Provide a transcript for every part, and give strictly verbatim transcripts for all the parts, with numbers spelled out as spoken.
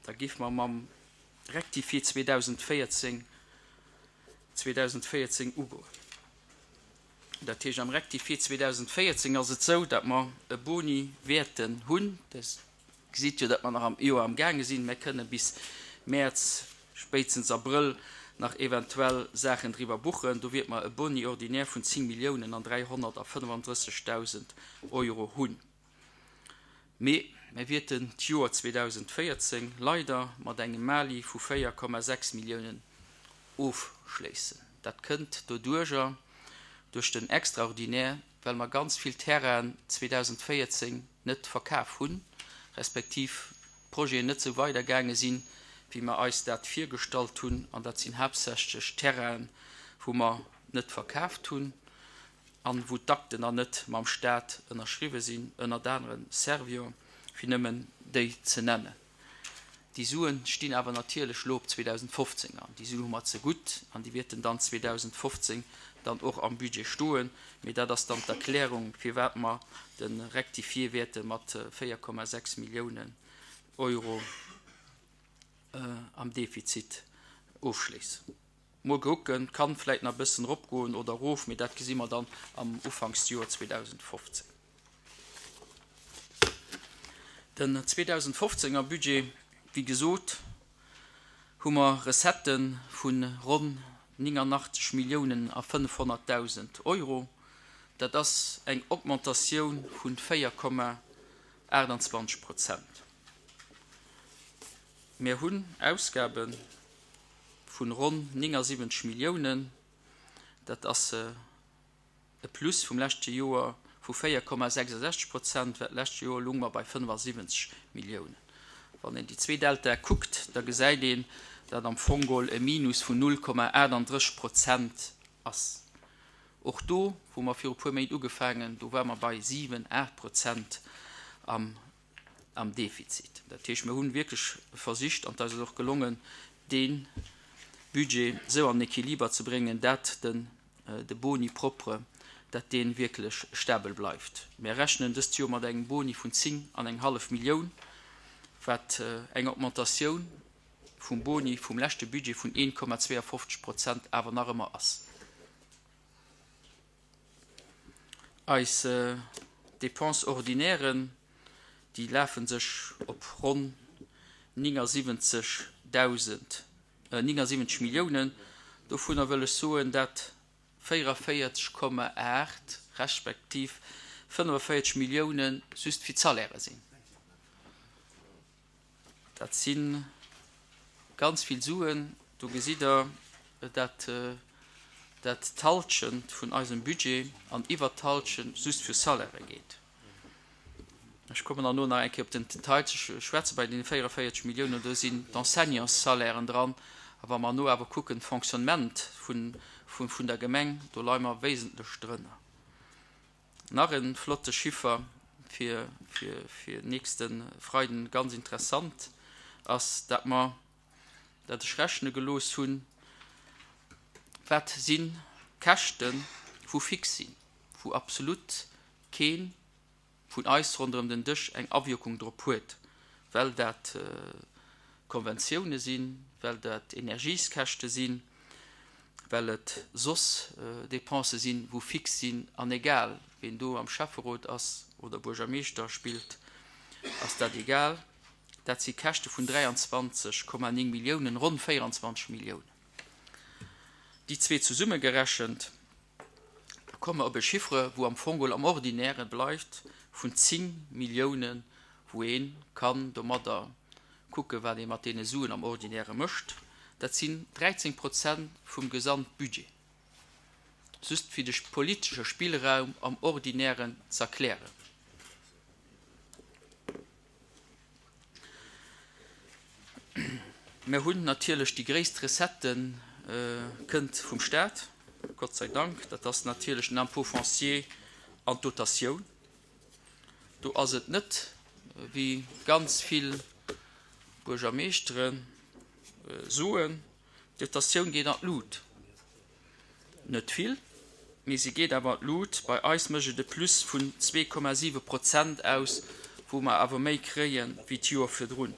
Da géife mer mam Rectifié zweedausendvéierzéng zweedausendvéierzéng ugoen. Dat heescht, am Rectifié zweedausendvéierzéng ass et esou, datt mer e Boni wäerten hunn. Dir gesitt jo, datt mer nach am Joer amgaange sinn. Mir kënne bis Mäerz, spéitstens Abrëll nach eventuell Saachen driwwer buchen. Do wäerte mer e Boni ordinaire vun zéng Milliounen an dräihonnertafënnefandrëssegdausend Euro hunn. Mee mir wäerten d'Joer zweedausendvéierzéng leider mat engem Mali vu véier Komma sechs Milliounen ofschléissen. Dat kënnt doduerjer, duerch den Extraordinaire, well mer ganz vill Terrainen zweedausendvéierzéng net verkaf hunn, respektiv d'Projeten net esou weidergaange sinn, wéi mer eis dat virgestallt hunn. An dat sinn haaptsächlech Terrainen, wou mer net verkaaft hunn an wou d'Akten nach net mam Staat ënnerschriwwe sinn, ënnert aneren Servior, fir nëmmen déi ze nennen. Déi Suen stinn awer natierlech elo op zweedausendfofzéng an déi Suen hu mer zegutt an déi wäerten dann zweedausendfofzéng dann och am Budget stoen. Mee dat ass dann d'Erklärung, firwat mer de Rectifié wäerte mat véier Komma sechs Milliounen Euro am Defizit ofschléissen. Mol kucken, kann vläit nach e bëssen eropgoen oder erof, mee dat gesi mer dann am Ufanksjoer zweedausendfofzéng. Den zweedausendfofzénger Budget, wéi gesot, hu mer Recettë vu ronn néngannachtzeg Milliounen a fënnefhonnertdausend Euro. Dat ass eng Augmentatioun vu véier Komma aachtanzwanzeg Prozent. Mir hunn Ausgabe vu ronn néngasiwwenzeg Milliounen. Dat ass e Plus vum leschte Joer vu véier Komma sechsundsechzeg Prozent, well d'lescht Joer lounge mer bei fënnefasiwwenzeg Milliounen. Wann een déi zwee Deltae kuckt, da gesäit een, datt am Fong geholl e Minus vun null Komma achtandrësseg Prozent ass. Och do, wou mer viru puer Méint ugefaangen, do ware mer bei siwen, aacht Prozent am am Defizit. Dat heescht, mir hu wierklech versicht, an et ass eis och gelongen, dee Budget esou an den Equiliber ze bréngen, dat den de Boni propre, dat dee wierklech stabel bleift. Mir rechnen dëst Joer mat engem Boni vun zéng an eng hallef Millioun, wat eng Augmentatioun vum Boni vum leschte Budget vun een Komma zweeënfofzeg Prozent awer nach ëmmer ass. Eis Dépenses ordinairen, déi lafe sech op ronn néngasiwwenzeg Dausend, néngasiwwenzeg Milliounen. Dovunner wëll ech soen, dat véierunvéierzeg Komma aacht respektiv fënnefanvéierzeg Millioune just fir d'Salairë sinn. Dat si ganz vill Suen. Do gesitt Der, dat dat d'Halschent vun eisem Budget an iwwert d'Halschent just fir Salairë geet. Ech kommen dann elo nach eng Kéier op den Detail ze schwätzen. Bei deene véierunvéierzeg Milliounen, do sinn d'Enseignantssalairen dran. A wa mer elo awer kucken, d'Fonctionnement vun, vun, vun der Gemeng, do leie mer wesentlech drënner. Nach e flotte Chiffer fir, fir, fir nächste Freiden, ganz interessant ass, dat mer, dat ech rechne gelooss hunn, wat si Käschten, wou fix sinn, wou absolut kee vun eis ronderëm den Dësch eng Awierkung drop huet, well dat Konventioune sinn, well dat Energieskäschte sinn, well et soss Dépensë sinn, wou fix sinn, an egal ween do am Schäfferot ass oder Buergermeeschter spillt, ass dat egal. Dat si Käschte vun dräianzwanzeg Komma néng Milliounen, ronn véieranzwanzeg Milliounen. Déi zwee zesummegerechent, da komme mer op e Chiffre, wou am Fong geholl am Ordinäre bleift, vun zéng Milliounen, wou ee kann domadder kucken, wat ee mat deene Suen am Ordinäre mécht. Dat sinn dräizéng Prozent vum Gesamtbudget. Just fir de politesche Spillraum am Ordinären z'erklären. Mir hunn natierlech déi gréisst Recette kënnt vum Staat, Gott sei Dank. Dat ass natierlech den Impôt foncier an d'Dotatioun. Do ass et net, wéi ganz vill Buergermeeschtere soen, d'Dotatioun geet an d'Lut. Net vill, mee se geet awer an d'Lut. Bei eis mécht et e Plus vun zwee Komma siwe Prozent aus, wou mer awer méi kréie wéi d'Joer virdrun.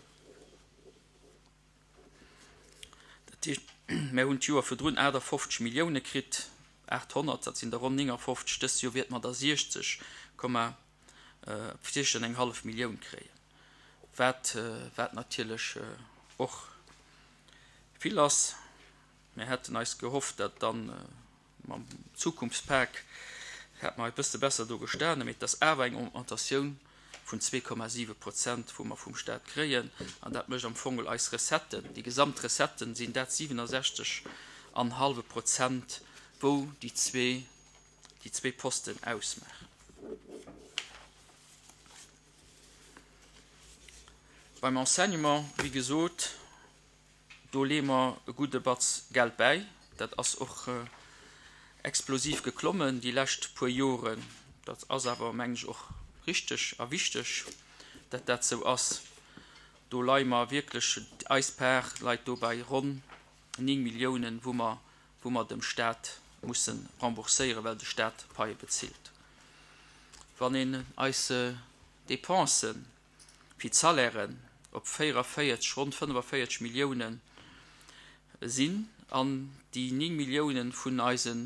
Dat heescht, mär hunn d'Joer virdrun aachtafofzeg Millioune kritt, aathonnert, dat sinn der ronn néngafofzeg, dëst Joer wäerte mer der siechzeg Komma siechzeg an eng hallef Millioun kréien, wat, wat natierlech och vill ass. Mir hätten eis gehofft, dat dann mam Zukunftspak hätt mer e bësse besser do gestanen, mee et ass awer eng Augmentatioun vun zwee Komma siwe Prozent, wou mer vum Stat kréien, an dat mécht am Fong eis Recetten, déi gesamt Recetten sinn dat siwenasechzeg an hallwe Prozent, wou déi zwee, déi zwee Posten ausmaachen. Beim Enseignement, wéi gesot, do leeë mer e gudde Batz Geld bäi. Dat ass och explosiv geklommen déi lescht puer Joren. Dat ass awer, mengen ech, och richteg a wichteg, dat dat sou ass. Do leie mer wierklech, eis Part leit do bei ronn néng Milliounen, wou mer, wou mer dem Stat musse rembourséieren, well de Stat d'Paie bezilt. Wann een eis Dépensen fir d'Salairen op véierundavéierzeg, ronn fënnefavéierzeg Milliounen sinn an déi néng Milliounen vun eise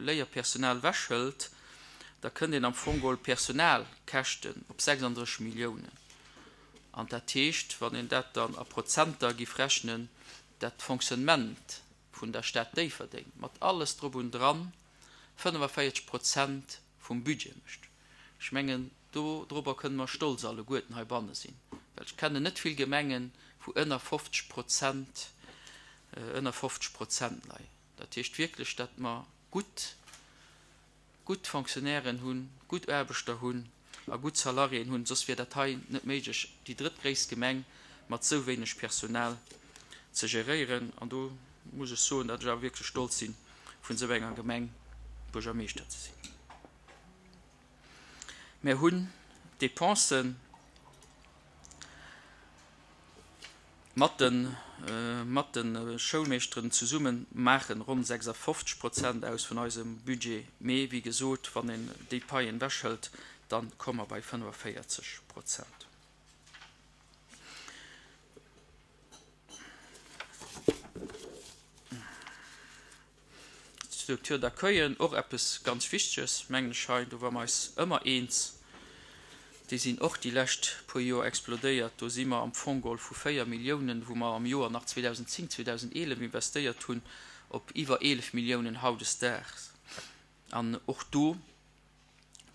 Léierpersonal wechhëlt, da kënnt een am Fong geholl Personalkäschten op sechsunddrësseg Milliounen. An dat heescht, wann een dat dann a Prozenter giff rechnen, dat d'Fonctionnement vun der Stad Déifferdeng mat alles drop und dran fënnefavéierzeg Prozent vum Budget mécht. Ech mengen, do drobber kënne mer stolz alleguerten heibanne sinn, well ech kennen net vill Gemengen, wou ënner fofzeg Prozent, ënner fofzeg Prozent leien. Dat heescht wierklech, datt mer gutt, gutt Fonctionnairen hunn, gutt Aarbechter hunn a gutt Salariéen hunn, soss wier dat hei net méiglech, déi drëttgréisst Gemeng mat esou wéineg Personal ze geréieren. An do muss ech soen, datt ech awer wierklech stolz sinn, vun esou enger Gemeng Buergermeeschter ze sinn. Mir hunn d'Dépensen mat de, mat de Schoulmeeschteren zesumme maachen ronn sechsundfofzeg Prozent aus vun eisem Budget. Mee wéi gesot, wann een déi Paien wechhëlt, dann komme mer bei fënnefavéierzeg Prozent. D'Structure d'accueil, och eppes ganz Wichteges, mengen ech hei, do ware mer eis ëmmer eens, déi sinn och déi lescht puer Joer explodéiert. Do si mer am Fong geholl vu véier Milliounen, wou mer am Joer nach zweedausendzéng, zweedausendeelef investéiert hunn, op iwwer eelef Milliounen hautdesdaags. An och do,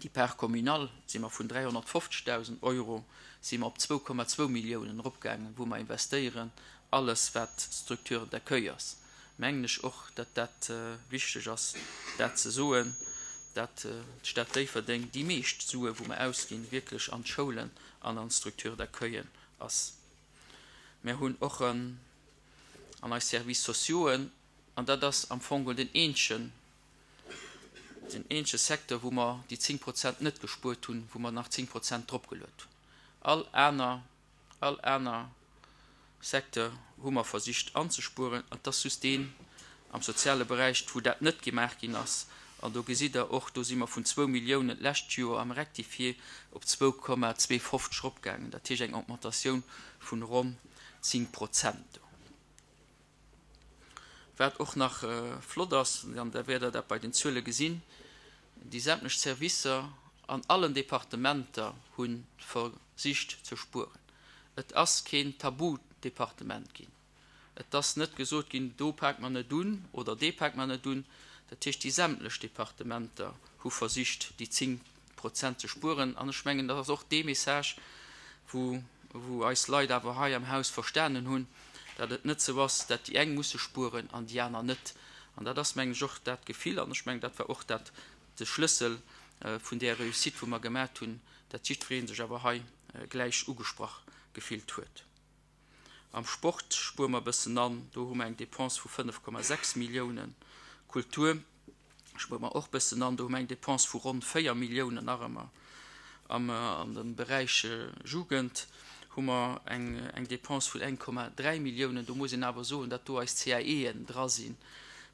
déi Part communale, si mer vun dräihonnertfofzegdausend Euro si mer op zwou Komma zwou Milliounen eropgaangen, wou mer investéieren, alles wat Structure d'accueil ass. Mengen ech och, datt dat wichteg ass, dat ze soen, datt d'Stad Déifferdeng déi meescht Sue, wou mer ausginn, wierklech an d'Schoulen an an d'Structure d'accueil ass. Mir hunn och an eis Services sociaux, an dat ass am Fong den eenzegen, den eenzege Secteur, wou mer déi zéng Prozent net gespuert hunn, wou mer nach zéng Prozent dropgeluet hunn. All aner, all aner Secteur hu mer versicht anzespueren, an dat ass just deen am soziale Beräich, wou dat net gemaach ginn ass. An do gesitt Der och, do si mer vun zwou Milliounen d'lescht Joer am Rectifié op zwou Komma zwee fofzeg eropgaangen. Dat heescht eng Augmentatioun vun ronn zéng Prozent. Wat och nach flott ass, an da wäert Der dat bei den Zuele gesinn, déi sämtlech Servicer an allen Departementer hu versicht ze spueren. Et ass keen Tabu-Departement ginn. Et ass net gesot ginn, do paakt mer net un oder dee paakt mer net un. Dat heescht, déi sämtlech Departementer hu versicht, déi zéng Prozent ze spueren. An ech mengen, dat ass och dee Message, wou, wou eis Leit awer hei am Haus verstanen hunn, datt et net sou ass, datt déi eng musse spueren an déi aner net. An dat ass, mengen ech, och dat Gefill, an ech mengen, dat war och dat, de Schlëssel vun där Réussite, wou mer gemaat hunn, datt jiddweree sech awer hei gläich ugesprach gefillt huet. Am Sport spuere mer e bëssen an, do hu mer eng Dépense vu fënnef Komma sechs Milliounen. Kultur spuere mer och e bëssen an, do hu mer eng Dépense vu ronn véier Milliounen nach ëmmer. Am, an dem Beräich Jugend hu mer eng, eng Dépense vun eng Komma dräi Milliounen. Do muss een awer soen, datt do eis C A E'en dra sinn,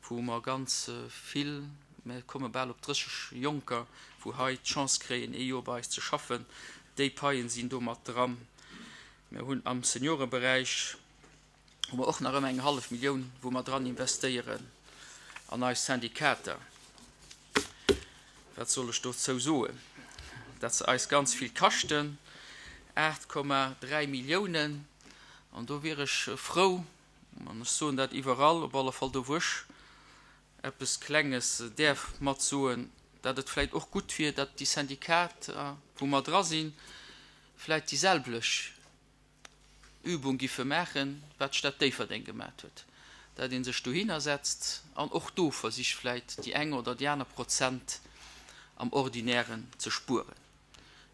wou mer ganz vill, mir komme bal op drësseg Jonker, wou hei d'Chance kréien, ee Joer bei eis ze schaffen. Déi Paien sinn do mat dran. Mir hunn am Seniorenberäich hu mer och nach ëmmer eng hallef Millioun, wou mer dran investéieren an eis Syndikater. Wat soll ech dozou soen? Dat se eis ganz vill kaschten, aacht Komma dräi Milliounen. An do wier ech frou, an ech soen dat iwwerall, op alle Fall do wou ech eppes Klenges däerf matsoen, dat et vläicht och gutt wier, dat déi Syndikater, wou mer dra sinn, vläicht déi selwlech Übung giffe maachen, wat d'Stad Déifferdeng gemat huet, dat ee sech dohinner setzt an och do versicht vläicht déi eng oder déi aner Prozent am Ordinären ze spueren.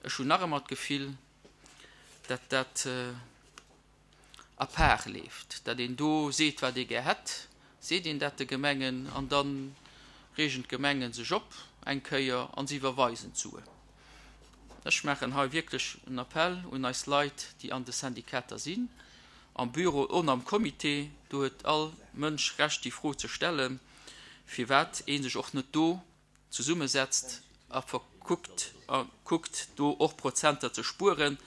Ech hunn nach ëmmer d'Gefill, dat dat à part leeft, dat een do seet, wat ee gär hätt, seet een dat de Gemengen an da reegen d'Gemenge sech op eng Kéier an se iwwerweisen d'Suen. Ech maachen hei wierklech en Appell un eis Leit, déi an de Syndikater sinn, am Büro on am Comité, do huet all Mënsch Recht déi Fro ze stellen, firwat ee sech och net do zesummesetzt a verkuckt a kuckt do och Prozenter ze spueren,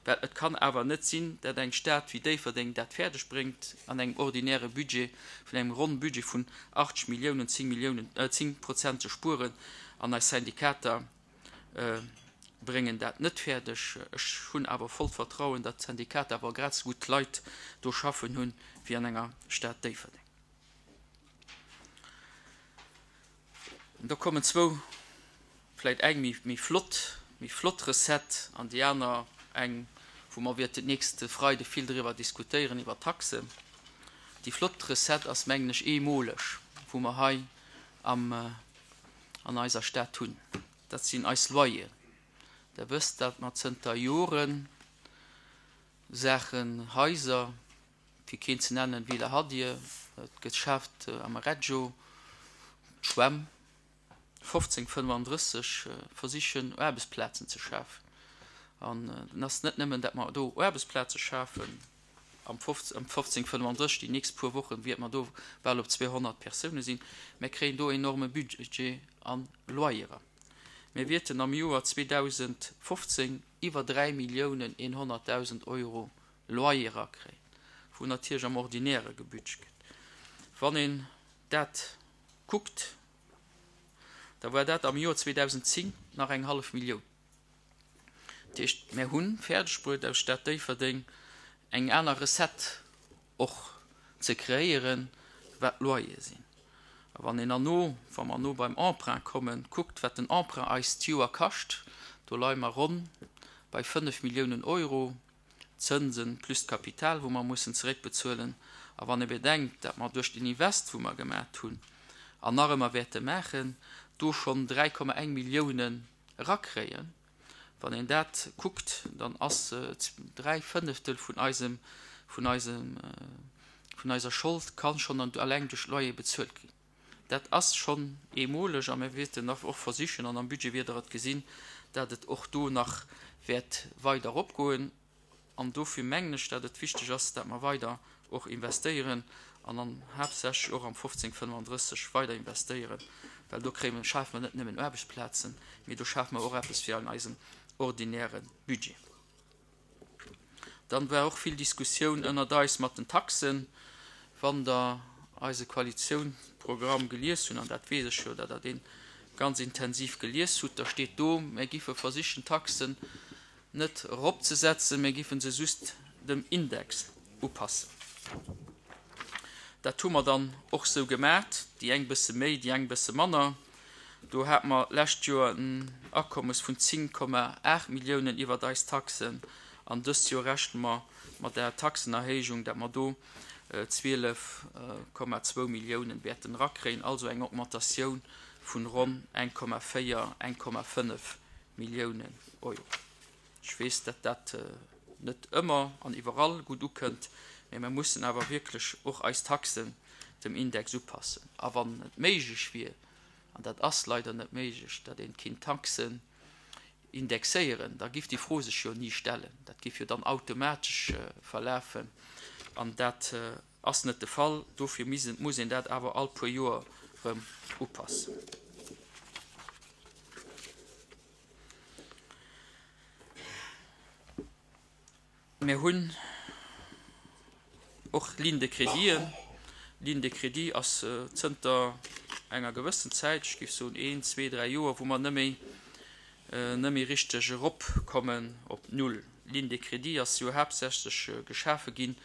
well et kann awer net sinn, dat eng Stad wéi Déifferdeng dat fäerdeg bréngt an engem ordinäre Budget vun engem ronn Budget vun achtzeg Milliounen zéng Milliounen, zéng Prozent ze spueren an eis Syndikater bréngen dat net fäerdeg. Ech hunn awer vollt Vertrauen, datt d'Syndikater awer grad esou gutt Leit do schaffen hunn wéi an enger Stad Déifferdeng. Da kommen zwou, vläicht eng méi, méi flott, méi flott Recette an déi aner eng, wou mer wäerten d'nächste Freide vill driwwer diskutéieren, iwwer d'Taxen. Déi flott Recette ass, mengen ech, eemoleg, wou mer hei am, an eiser Stad hunn. Dat sinn eis Loyeren. Der wësst, datt mer zënter Joren Saachen, Haiser, fir keen ze nennen, Villa Hadir, d'Geschäft am Reggio, d'Schwämm, fofzéng fënnefandrësseg versichen Aarbechtsplazen ze schafen. An et ass net nëmmen, datt mer do Aarbechtsplaze schafen, am fofzéng fënnefandrësseg, déi nächst puer Wochen, wäerte mer do bal op zweehonnert Persoune sinn, mä kréien do enorme Budget a Loyerer. Mir wäerten am Joer zweedausendfofzéng iwwer dräi Milliounen eenhonnertdausend Euro Loyerer kréien, wou natierlech am Ordinäre gebudget gëtt. Wann een dat kuckt, da war dat am Joer zweedausendzéng nach eng hallef Millioun. Dat heescht, mir hu fäerdegbruet, aus Stad Déifferdeng eng aner Recette och ze kreéieren, wat d'Loyere sinn. A wann een herno, wa mer herno beim Emprunt kommen, kuckt, wat den Emprunt eis d'Joer kascht, do leie mer ronn bei fënnef Milliounen Euro Zënsen plus d'Kapital, wou mer mussen zeréckbezuelen. A wann ee bedenkt, datt mer duerch den Invest, wou mer gemat hunn an nach ëmmer wäerte maachen, do schonn dräi Komma eng Milliounen erakréien, wann een dat kuckt, dann ass dräi Fënneftel vun eisem, vun eisem, vun eiser Schold ka schonn alleng duerch d'Loyer bezuelt ginn. Dat ass schonn eemoleg a mir wäerten nach och versichen, an am Budget wäert Der et gesinn, dat et och do nach wäert weider eropgoen. An dofir mengen ech, dat et wichteg ass, dat mer weider och investéieren an dann haaptsächlech och am fofzéng fënnefandrësseg weider investéieren, well do kréie mer, schafe mer net nëmmen Aarbechtsplazen, mee do schafe mer och eppes fir an eisem ordinäre Budget. Dann war och vill Diskussioun ënnert eis mat den Taxen. Wann Der eise Koalitiounsprogramm gelies hunn, an dat weess ech jo, datt Der dee ganz intensiv gelies hutt, da steet do, mir giffe versichen, d'Taxen net eropzesetzen, mir giffen se just dem Index upassen. Dat hu mer dann och sou gemat, déi eng bësse méi, déi eng bësse manner. Do hate mer d'lescht Joer en Akommes vun zéng Komma aacht Milliounen iwwert eis Taxen an dëst Joer rechne mer mat der Taxenerhéijung, dat mer do zwielef Komma zwou Milliounen wäerten erakréien, also eng Augmentatioun vun ronn eng Komma véier, eng Komma fënnef Milliounen Euro. Ech weess, datt dat net ëmmer an iwwerall gutt ukënnt, mä mer mussen awer wierklech och eis Taxen dem Index upassen. A wann et méiglech wier, an dat ass leider net méiglech, datt een kinnt d'Taxen indexéieren, da giff déi Fro sech jo ni stellen. Dat giff jo dann automatesch verlafen, an dat ass net de Fall. Dofir muss een dat awer all puer Joer erëm upassen. Mir hunn Och Ligne de créditen. Ligne de crédit ass zënter enger gewëssen Zäit, ech géif soen een, zwee, dräi Joer, wou mer net méi, net méi richteg eropkommen op Null. Ligne de crédit ass jo haaptsächlech geschafe ginn,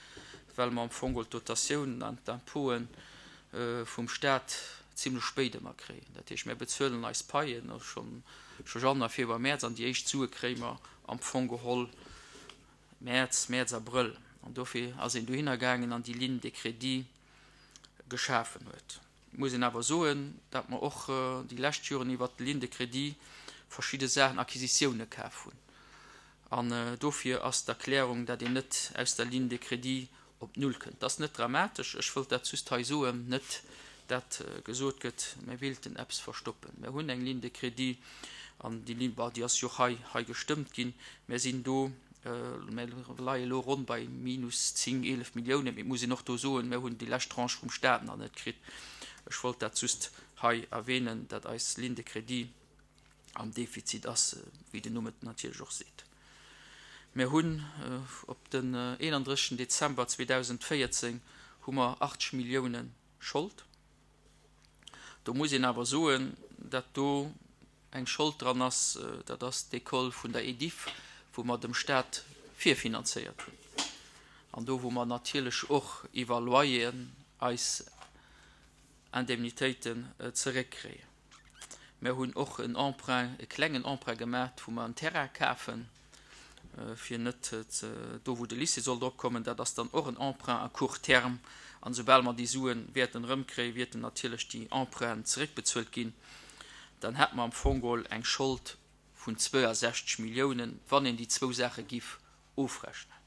well mer am Fong geholl d'Dotatiounen an d'Impôten vum Stat zimlech spéit ëmmer kréien. Dat heescht, mir bezuelen eis Paien schonn scho Januar, Februar, Mäerz an déi éischt Sue kréie mer am Fong geholl Mäerz, Mäerz, Abrëll. An dofir ass een dohinner gaangen an déi Ligne de crédit geschafen huet. Et muss een awer soen, datt mer och déi lescht Joren iwwert d'Ligne de crédit verschidde Saachen, Acquisitioune kaf hunn. An dofir ass d'Erklärung, datt een net aus der Ligne de crédit op Null kënnt. Dat ass net dramatesch. Ech wëllt dat just hei soen, net dat gesot gëtt, mir wéilten eppes verstoppen. Mir hunn eng Ligne de crédit an déi Ligne, bon, déi ass jo och hei, hei gestëmmt ginn. Mir sinn do, mir leie elo ronn bei minus zéng, eelef Milliounen. Mee et muss een och do soen, mir hunn déi lescht Tranche vum Stat nach net kritt. Ech wollt dat just hei erwähnen, dat eis Ligne de crédit am Defizit ass, wéi den Numm et natierlech och seet. Mir hunn op den eenandrëssegsten Dezember zweedausendvéierzéng hu mer achtzeg Millioune Schold. Do muss een awer soen, datt do eng Schold dran ass, dat ass d'École vun der Ediff, wou mer dem Stat virfinanzéiert hunn an do wou mer natierlech och iwwer Loyeren eis Indemnitéiten zeréckkréien. Mir hunn och en Emprunt, e klengen Emprunt gemaach, wou mer en Terrain kafen, fir net ze, do wou de Lycée soll drop kommen. Dat ass dann och en Emprunt à court terme. An esoubal mer déi Sue wäerten erëmkréien, wäerten natierlech déi Emprunten zeréckbezuelt ginn. Dann hätte mer am Fong geholl eng Schold vun zwouasechzeg Milliounen, wann een déi zwou Saache giff ofrechnen.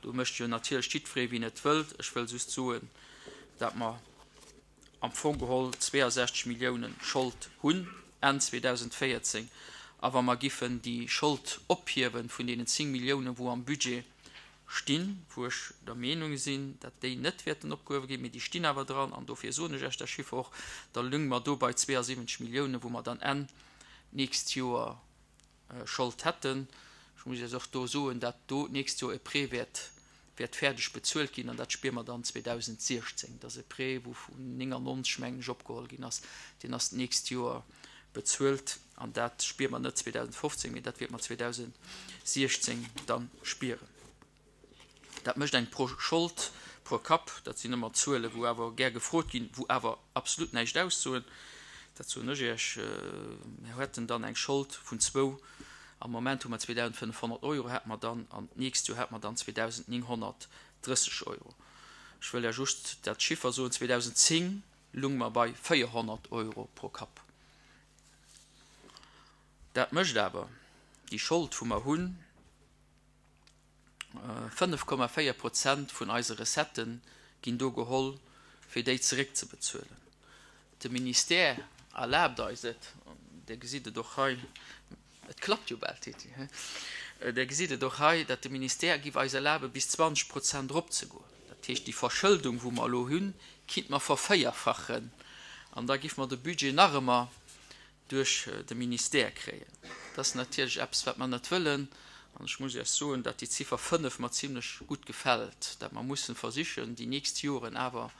Do mécht jo natierlech jiddweree wien et wëllt. Ech wëll just soen, dat mer am Fong geholl zweeasechzeg Milliounen Schold hunn Enn zweedausendvéierzéng. A wa mer giffen déi Schold ophiewe vun deenen zéng Milliounen, wou am Budget stinn, wou ech der Meenung sinn, dat déi net wäerten opgehuewe ginn, mee déi stinn awer dran, an dofir soen ech Iech dat Chiffer och, da lünge mer do bei zweeasiwwenzeg Milliounen, wou mer dann Enn d'nächst Joer Schold hätten. Ech muss Iech och do soen, dat do d'nächst Joer e Prêt wäert wäert fäerdeg bezuelt ginn, an dat spiere mer dann zweedausendsechzéng. Dat ass e Prêt, wou vun néngannonzeg, mengen ech, opgeholl ginn ass. Deen ass d'nächst Joer bezuelt, an dat spiere mer net zweedausendfofzéng, mee dat wäerte mer zweedausendsechzéng da spieren. Dat mécht eng pro Schold pro Kapp, dat sinn ëmmer Zuelen, wou awer gär gefrot ginn, wou awer absolut näischt aussoen, dat soen ech Iech. Mir hätten dann eng Schold vun zwou, am Moment hu mer zweedausendfënnefhonnert Euro, hätte mer dann, an d'nächst Joer hätte mer dann zweedausendnénghonnertdrësseg Euro. Ech wëll Iech just dat Chiffer soen, zweedausendzéng lounge mer bei véierhonnert Euro pro Kapp. Dat mécht awer déi Schold, wou mer hunn, Fënnef Komma véier Prozent vun eise Recettë ginn do geholl, fir déi zeréckzebezuelen. De Ministère erlaabt eis et, Dir gesitt et och hei, et klappt jo bal, Tetty, he? Dir gesitt et och hei, datt de Ministère giff eis erlabe bis zwanzeg Prozent eropzegoen. Dat heescht, déi Verschëldung, wou mer elo hunn, kinnt mer vervéierfachen an da giff mer de Budget nach ëmmer duerch de Ministère kréien. Dat ass natierlech eppes, wat mer net wëllen. An ech muss Iech soen, datt déi Ziffer fënnef mer zimlech gutt gefält, datt mer mussen versichen, déi nächst Joren awer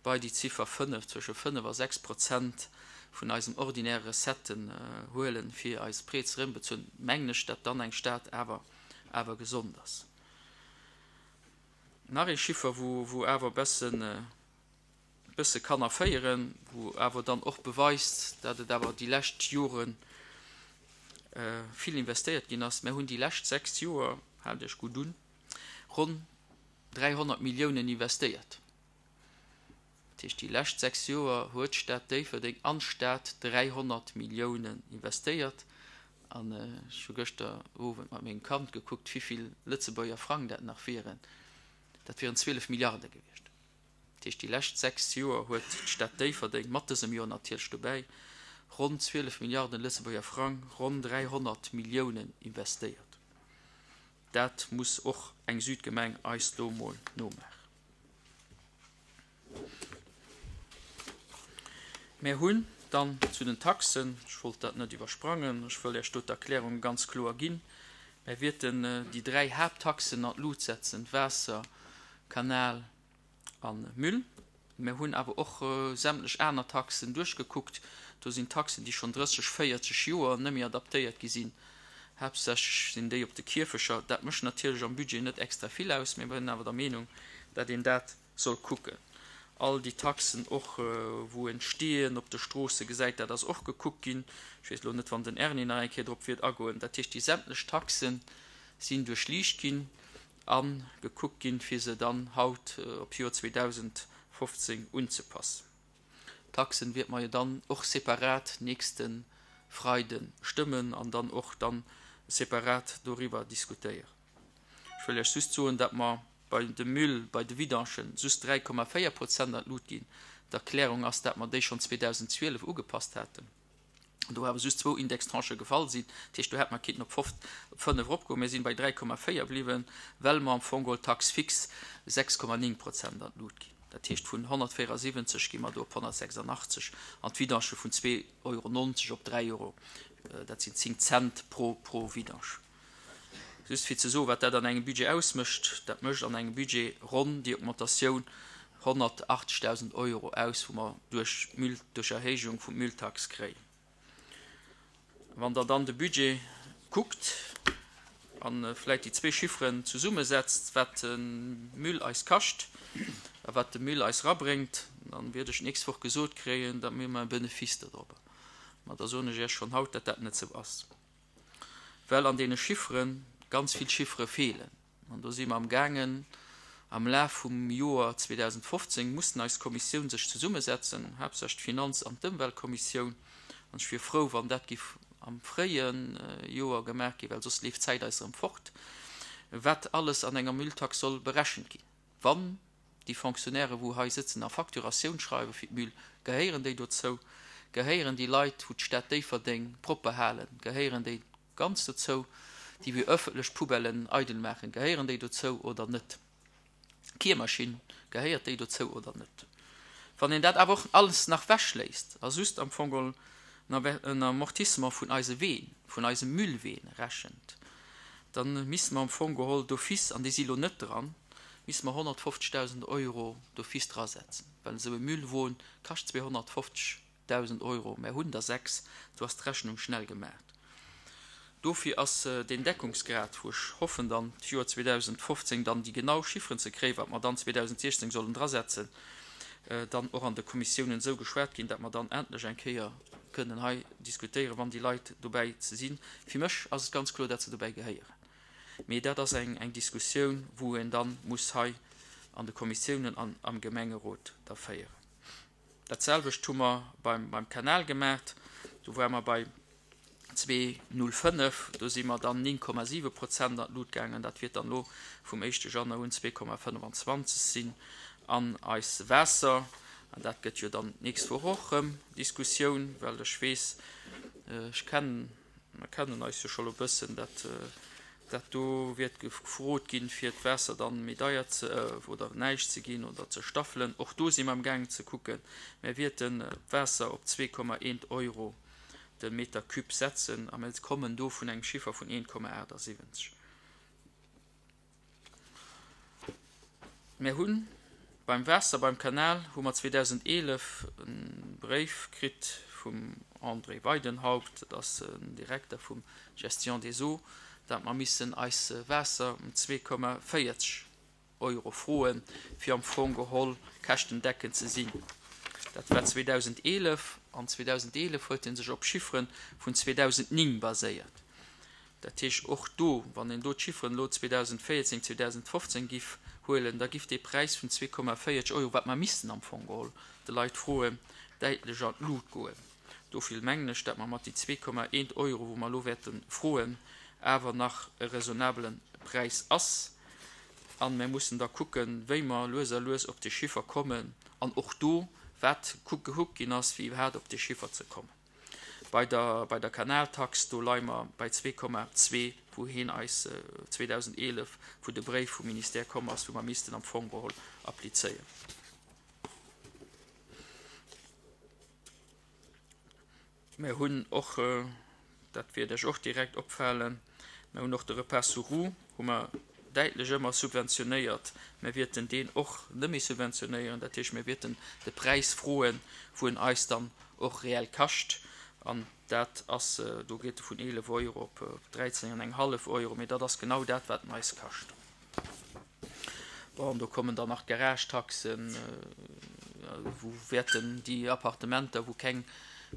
bei déi Ziffer fënnef, zwësche fënnef a sechs Prozent vun eisen ordinäre Recetten huelen, fir eis Prêts ze erëmbezuelen, mengen ech, datt dann eng Stad awer awer gesond ass. Nach ee Chiffer, wou wou awer e bëssen, bësse kann erféieren, wou awer dann och beweist, datt et awer déi lescht Jore vill investéiert ginn ass. Mir hunn déi lescht sechs Joer, haalt Iech gutt un, ronn dräihonnert Milliounen investéiert. Dat heescht, déi lescht sechs Joer huet d'Stad Déifferdeng an d'Stad dräihonnert Milliounen investéiert. An ech hu gëschter Owend mat mengem Kand gekuckt, wivill Lëtzebuerger Frang dat nach wieren. Dat wieren zwielef Milliarde gewiescht. Dat heescht, déi lescht sechs Joer huet d'Stad Déifferdeng, mat dësem Joer natierlech dobäi, ronn zwielef Milliarden Lëtzebuerger Frang, ronn dräihonnert Milliounen investéiert. Dat muss och eng Südgemeng eis do emol nomaachen. Mär hunn dann zu den Taxen, ech wollt dat net iwwersprangen, ech wëll Iech do d'Erklärung ganz kloer ginn, mär wierten déi dräi Haapttaxen an d'Lut setzen, Waasser, Kanal, a Müll. Mir hunn awer och sämtlech aner Taxen duerchgekuckt. Do sinn Taxen, déi schonn drësseg, véierzeg Joer net méi adaptéiert gi sinn. Haaptsächlech sinn déi op de Kierfecher. Dat mécht natierlech am Budget net extra vill aus, mee mir sinn awer der Meenung, dat een dat soll kucken. All déi Taxen och, wou een Steeën op de Stroosse gesäit, dat ass och gekuckt ginn. Ech weess elo net, wann den Erni nach eng Kéier drop wiert agoen. Dat heescht, déi sämtlech Taxe sinn duerchliicht ginn a gekuckt ginn, fir se dann haut op d'Joer zweedausendfofzéng unzepassen. D'Taxen wäerte mer jo dann och separat nächste Freide stëmmen an dann och dann separat doriwwer diskutéieren. Ech wëll Iech just soen, datt mer bei de Müll, bei de Vidangen just dräi Komma véier Prozent an d'Lut ginn. D'Erklärung ass, datt mer déi schonn zweedausendzwielef ugepasst haten, do awer just zwou Indextranchë gefall sinn. Dat heescht, do hätt mer kinnten op fënnef eropgoen. Mir sinn bei dräi Komma véier bliwwen, well mer am Fong geholl d'Taxe fixe sechs Komma néng Prozent an d'Lut ginn. Dat heescht, vun honnertvéierasiwwenzeg gi mer do op honnertsechsandachtzeg an d'Vidange vun zwee Euro nonzeg op dräi Euro. Dat sinn zéng Cent pro, pro Vidange. Just fir ze soen, wat dat an engem Budget ausmécht, dat mécht an engem Budget ronn déi Augmentatioun honnertachtzegdausend Euro aus, wou mer duerch d'Müll, duerch Erhéijung vum Mülltax kréien. Wann Der dann de Budget kuckt a vläicht déi zwee Chifferen zesummesetzt, wat de Müll eis kascht a wat de Müll eis erabréngt, dann wäert ech d'nächst Woch gesot kréien, datt mir e Benefice dodrop. Ma da soen ech Iech schonn haut, datt dat net esou ass, well an deene Chiffere ganz vill Chiffere feelen. An do si mer amgaangen, am Laf vum Joer zweedausendfofzéng mussen eis Kommissioun sech zesummesetzen, haaptsächlech d'Finanz an d'Ëmweltkommissioun. An ech wier frou, wann dat giff am fréie Joer gemaach ginn, well soss leeft d'Zäit eis erëm fort, wat alles an enger Mülltax soll berechent ginn. Wann déi Fonctionnaires, wou hei sëtzen a Facturatioun schreiwe fir d'Müll, gehéieren déi dozou? Gehéieren déi Leit, wou d'Stad Déifferdeng propper halen, gehéieren déi ganz dozou? Déi wou ëffentlech Poubellen eidel maachen, gehéieren déi dozou oder net? D'Kiermaschinn, gehéiert déi dozou oder net? Wann een dat awer och alles nach wechléisst a just am Fong geholl en Amortissement vun eise Ween, vun eise Müllween rechent, da misste mer am Fong geholl d'office, an déi si lo net dran, misste mer honnertfofzegdausend Euro d'office drasetzen, well esou e Müllwon kascht zweehonnertfofzegdausend Euro. Mer hunn der sechs, do ass d'Rechnung schnell gemaach. Dofir ass deen Deckungsgrad, wou ech hoffen dann d'Joer zweedausendfofzéng dann déi genau Chifferen ze kréien, wat mer dann zweedausendsechzéng sollen drasetzen, dann och an de Kommissiounen esou geschwat ginn, datt mer dann endlech eng Kéier kënnen hei diskutéieren, wann déi Leit dobäi ze sinn. Fir mech ass et ganz kloer, datt se dobäi gehéieren. Mee dat ass eng, eng Diskussioun, wou een dann muss hei an de Kommissiounen an am Gemengerot da féieren. Dat selwecht hu mer beim, beim Kanal gemaach. Do ware mer bei zwee null fënnef, do si mer dann néng Komma siwe Prozent an d'Lut gaangen. Dat wäert dann elo vum éischte Januar un zwee Komma fënnefenzwanzeg sinn. An eis Waasser, an dat gëtt jo dann d'nächst Woch och erëm Diskussioun, well ech weess, ech kennen, mer kennen eis jo scho lo e bëssen, dat, dat do wäert gefrot ginn, fir d'Waasser dann méi deier ze, oder näischt ze ginn oder ze staffelen. Och do si mer amgaangen ze kucken. Mer wäerten d'Waasser op zwee Komma eent Euro de Meter cube setzen a mer kommen do vun engem Chiffer vun eent Komma achtundsiwwenzeg. Mer hunn beim Waasser, beim Kanal, hu mer zweedausendeelef e Bréif kritt vum André Weidenhaupt, dat ass den Direkter vum Gestion des Eaux, dat mer missen eis Waasser um zwee Komma véierzeg Euro froen, fir am Fong geholl käschtendeckend ze sinn. Dat war zweedausendeelef, an zweedausendeelef huet en sech op Chifferen vun zweedausendnéng baséiert. Dat heescht, och do, wann een do d'Chifferen elo zweedausendvéierzéng, zweedausendfofzéng giff huelen, da giff dee Präis vun zwee Komma véierzeg Euro, wat mer missten am Fong geholl de Leit froen, däitlech an d'Lut goen. Dofir mengen ech, dat mer mat déi zwee Komma eent Euro, wou mer elo wäerte froen, awer nach e raisonnablen Präis ass. An mir mussen da kucken, wéi mer lues a lues op dee Chiffer kommen an och do, wat gekuckt ginn ass, fir iwwerhaapt op dee Chiffer ze kommen. Bei der, bei der Kanaltax, do leie mer bei zwee Komma zwee, wou hien eis zweedausendeelef, wou de Bréif vum Ministère komm ass, wou mer missten am Fong geholl applizéieren. Mir hunn och, dat wäert Iech och direkt opfalen, mir hunn och de Repas sous roue, hu mer däitlech ëmmer subventionéiert. Mir wäerten deen och net méi subventionéieren. Dat heescht, mir wäerten de Präis froen, wou en eis dann och reell kascht. An dat ass, do geet e vun eelef Euro op dräizéng an eng hallef Euro, mee dat ass genau dat, wat en eis kascht. Bon, do kommen dann nach d'Garagetaxen, wou wäerten déi Appartementer, wou keng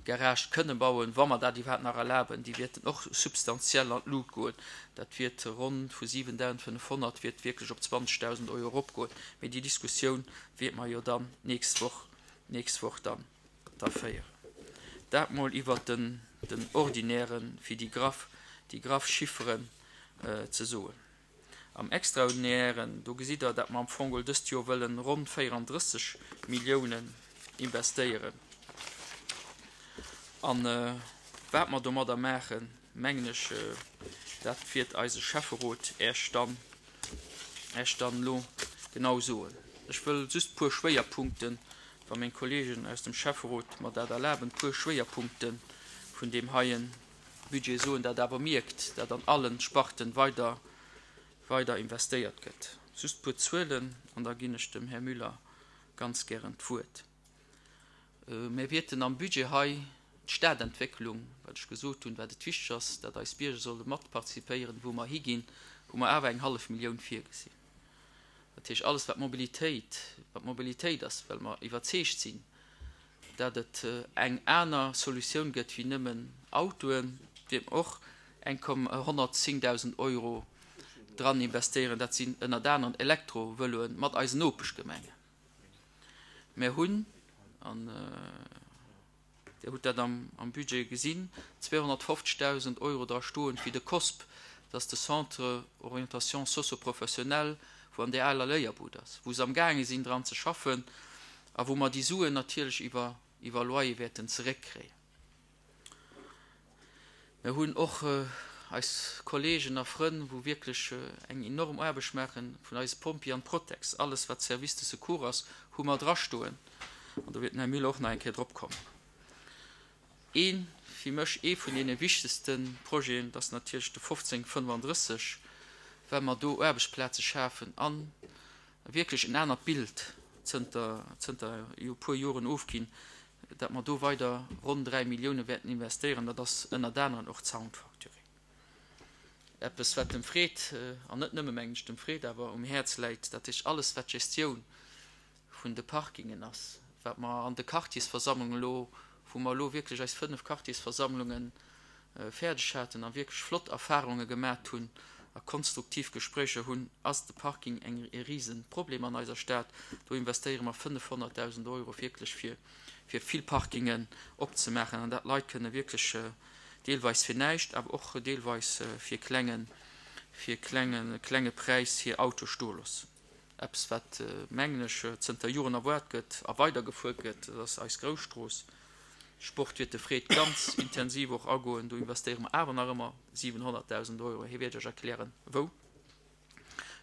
Garage kënne bauen, wa mer dat iwwerhaapt nach erlaben, déi wäerten och substantiell an d'Lut goen. Dat wäert ronn vu siwendausendfënnefhonnert wäert wierklech op zwanzegdausend Euro eropgoen. Mee déi Diskussioun wäerte mer jo dann d'nächst Woch, d'nächst Woch dann da féieren. Dat mol iwwert den, den Ordinären, fir déi graff, déi graff Chifferen ze soen. Am Extraordinären, do gesitt Der, dat mer am Fong geholl dëst Joer wëllen ronn véierandrësseg Milliounen investéieren. An wat mer domadder maachen, mengen ech, dat wäert eise Schäfferot Äech dann, Äech dann elo genau soen. Ech wëll just e puer Schwéierpunkten, wa meng Kollegen aus dem Schäfferot mer dat erlaben, e puer Schwéierpunkte vun deem heien Budget soen, dat awer mierkt, dat an allen Sparten weider, weider investéiert gëtt. Just e puer Zuelen an da ginn ech dem Här Müller ganz gären d'Wuert. Mir wäerten am Budget hei d'Stadentwécklung, wat ech gesot hunn, wat et wichteg ass, dat eis Bierger solle mat participéieren, wou mer higinn, hu mer awer eng hallef Millioun virgesinn. Dat heescht, alles wat Mobilitéit, wat Mobilitéit ass, well mer iwwerzeegt sinn, dat et eng aner Solutioun gëtt wéi nëmmen Autoen, wäerte mer och eng honnertzéngdausend Euro dran investéieren. Dat sinn ënnert anerem Elektrovëloen mat eisen Nopeschgemengen. Mer hunn, an Dir hutt dat am Budget gesinn, zweehonnertfofzegdausend Euro dra stoen fir de COSP, dat ass de Centre Orientation Socio-Professionnelle, wou an där aler Léierbud ass, wou se amgaange sinn dran ze schaffen a wou mer déi Suen natierlech iwwer iwwer Loyer wäerten zeréckkréien. Mer hunn och eis Kollegen a Frënn, wou wierklech eng enorm Aarbecht maachen, vun eise Pompjeeë an Protex, alles wat Service de secours ass, hu mer drastoen. An do wäert den Här Müller och nach eng Kéier drop kommen. Een, fir mech ee vun deene wichtegste Projeten, dat ass natierlech de fofzéng fënnefandrësseg, well mer do Aarbechtsplaze schafen a wierklech en anert Bild zënter, zënter e puer Joren ofginn, dat mer do weider ronn dräi Millioune wäerten investéieren. Dat ass ënnert anerem och d'Sound Factory. Eppes, wat dem Fred, an net nëmme, mengen ech, dem Fred awer um Häerz läit, dat heescht alles, wat d'Gestioun vun de Parkingen ass, wat mer an de Quartiersversammlungen elo, wou mer elo wierklech eis fënnef Quartiersversammlunge fäerdeg haten a wierklech flott Erfahrunge gemat hunn a konstruktiv Gespréicher hunn, ass de Parking eng e Riseproblem an eiser Stad. Do investéiere mer fënnefhonnertdausend Euro wierklech fir fir vill Parkingen opzemaachen an dat d'Leit kënne wierklech deelweis fir näischt, awer och deelweis fir klengen fir klenge klenge Präis hir Auto stoe loossen. Eppes wat, mengen ech, zënter Joren erwaart gëtt a weidergefuer gëtt, dat ass eis Grousstrooss. Sport wäert de Fred ganz intensiv och agoen. Do investéiere mer awer nach ëmmer siwenhonnertdausend Euro. Hie wäert Iech erklären, wou.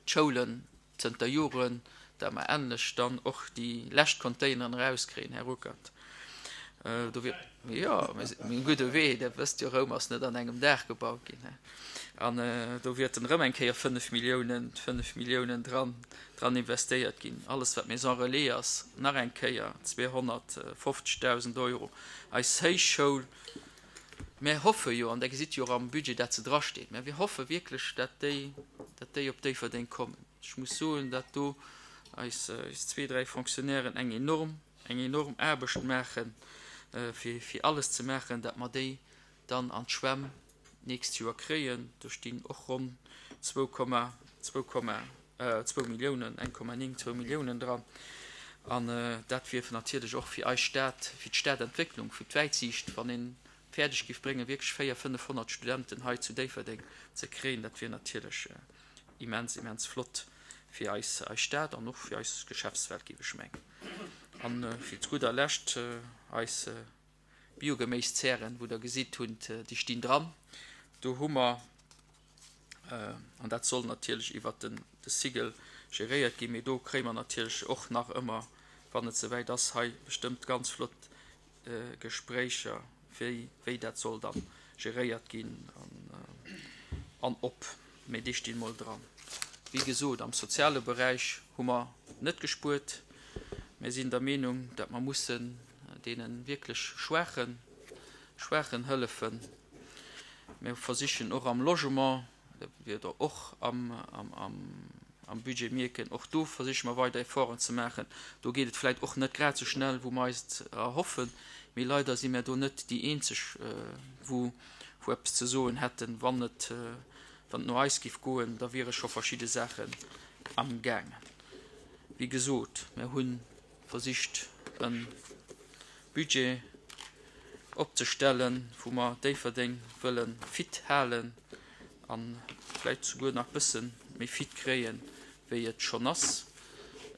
D'Schoulen, zënter Joren, dat mer endlech dann och déi lescht Containeren erauskréien, Här Ruckert. Do wier, jo, mir sinn um gudde Wee. Der wësst jo, Roum ass net an engem Dag gebaut ginn. An do wäerten erëm eng Kéier fënnef Milliounen, fënnef Milliounen dran, dran investéiert ginn. Alles, wat Maison relais ass, nach eng Kéier zweehonnertfofzegdausend Euro. Eis Héichschoul, mir hoffe jo, an Der gesitt jo och am Budget, dat se drasteet, mä mir hoffe wierklech, dat déi, dat déi op Déifferdeng kommen. Ech muss soen, dat do eis, eis zwee, dräi Fonctionnairen eng enorm, eng enorm Aarbecht maachen, fir, fir alles ze maachen, dat mer déi dann an d'Schwämm d'nächst Joer kréien. Do stinn och ronn zwou Komma, zwou Komma, zwou Milliounen, eng Komma néng, zwou Milliounen dran. An dat wier natierlech och fir eis Stad, fir d'Stadentwécklung, fir d'Wäitsiicht, wann ee fäerdeg géif bréngen, wierklech véier, fënnefhonnert Studenten hei zu Déifferdeng ze kréien, dat wier natierlech immens, immens flott fir eis, eis Stad an och fir eis Geschäftswelt, géif ech mengen. An fir zu gudder Lescht eis Biogeméiszären, wou Der gesitt hunn, déi stinn dran. Do hu mer, an dat soll natierlech iwwert den de Sigel geréiert ginn, mee do kréie mer natierlech och nach ëmmer, wann et souwäit ass, hei bestëmmt ganz flott Gespréicher, wéi wéi dat soll da geréiert ginn an an ob. Mee déi stinn mol dran. Wéi gesot, am soziale Beräich hu mer net gespuert. Mir sinn der Meenung, datt mer mussen deene wierklech Schwaachen, Schwaachen hëllefen. Mir versichen och am Logement, dat wäert Der och am, am, am, am Budget mierken, och do versiche mer weider Efforten ze maachen. Do geet et vläicht och net grad esou schnell, wou mer eis et erhoffen, mee leider si mir do net déi eenzeg, wou, wou eppes ze soen hätten. Wann et, wann et no eis géif goen, da wiere scho verschidde Saachen amgaangen. Wéi gesot, mir hu versicht e Budget opzestellen, wou mer Déifferdeng wëlle fit halen a vläicht souguer nach bësse méi fit kréien, wéi et schonn ass.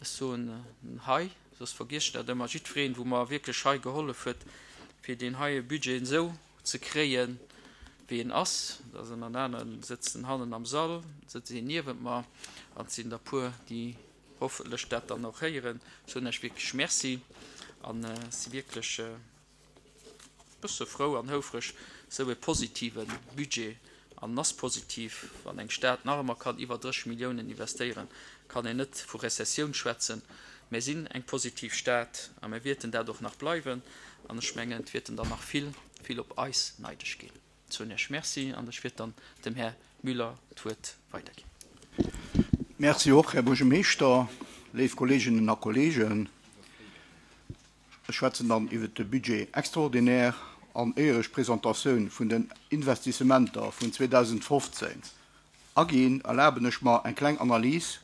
Ech soen hei, soss vergiess ech dat ëmmer, jiddwereen, wou mer wierklech hei gehollef huet, fir deen heie Budget esou ze kréien, wéi en ass. Da sinn an aneren sëtzen hannen am Sall, sëtzt een niewent mer an et sinn der puer, déi hoffentlech dat dann och héieren. Ech soen Iech wierklech Merci an si wierklech e bësse frou an houfreg, esou e positive Budget, an en ass positiv, wann eng Stad nach ëmmer kann iwwer dréisseg Milliounen investéieren, kann een net vu Rezessioun schwätzen. Mir sinn eng positiv Stad a mir wierten dat och nach bleiwen an ech mengen, et wierten der nach vill, vill op eis neideg ginn. Ech soen Iech Merci an ech wiert dann dem Här Müller d'Wuert weiderginn. Merci och, Här Buergermeeschter, léif Kolleeginnen a Kolleegen. Ech schwätzen dann iwwert de Budget extraordinaire an éier ech d'Presentatioun vun den Investissementer vun zweedausendfofzéng aginn, erlaben ech mer eng kleng Analys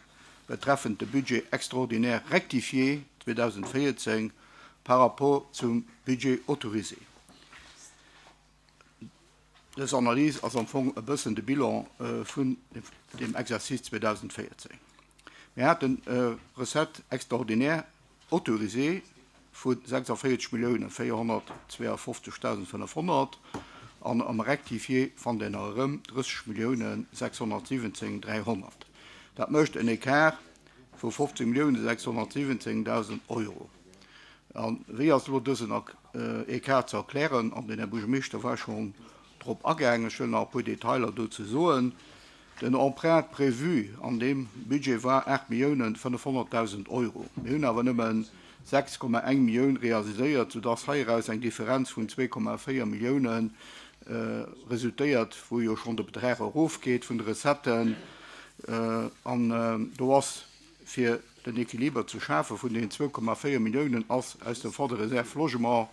betreffend de Budget extraordinaire rectifié zweedausendvéierzéng par rapport zum Budget autorisé. Dës Analys ass am Fong e bëssen de Bilan vun dem Exercice zweedausendvéierzéng. Mir haten Recettes extraordinaires autorisées vu sechsundvéierzeg Milliounen véierhonnertzweeafofzegdausend fënnefhonnert an am Rectifié fannt een nach erëm drësseg Milliounen sechshonnertsiwwenzéng dräihonnert. Dat mécht en Écart vu fofzéng Milliounen sechshonnertsiwwenzéngdausend Euro. A wéi ass elo dësen Écart ze erklären? An den Här Buergermeeschter war schonn drop agaangen. Ech wëll nach e puer Detailer dozou soen. Den Emprunt prévu an deem Budget war aacht Milliounen fënnefhonnertdausend Euro. Mir hunn awer nëmme sechs Komma eng Millioun realiséiert, soudass heiraus eng Differenz vun zwee Komma véier Millioune resultéiert, wou jo schonn de Betrag erofgeet vun de Recetten. An do ass, fir den Equiliber ze schafe vun deenen zwou Komma véier Milliounen, ass aus dem Fonds de réserve logement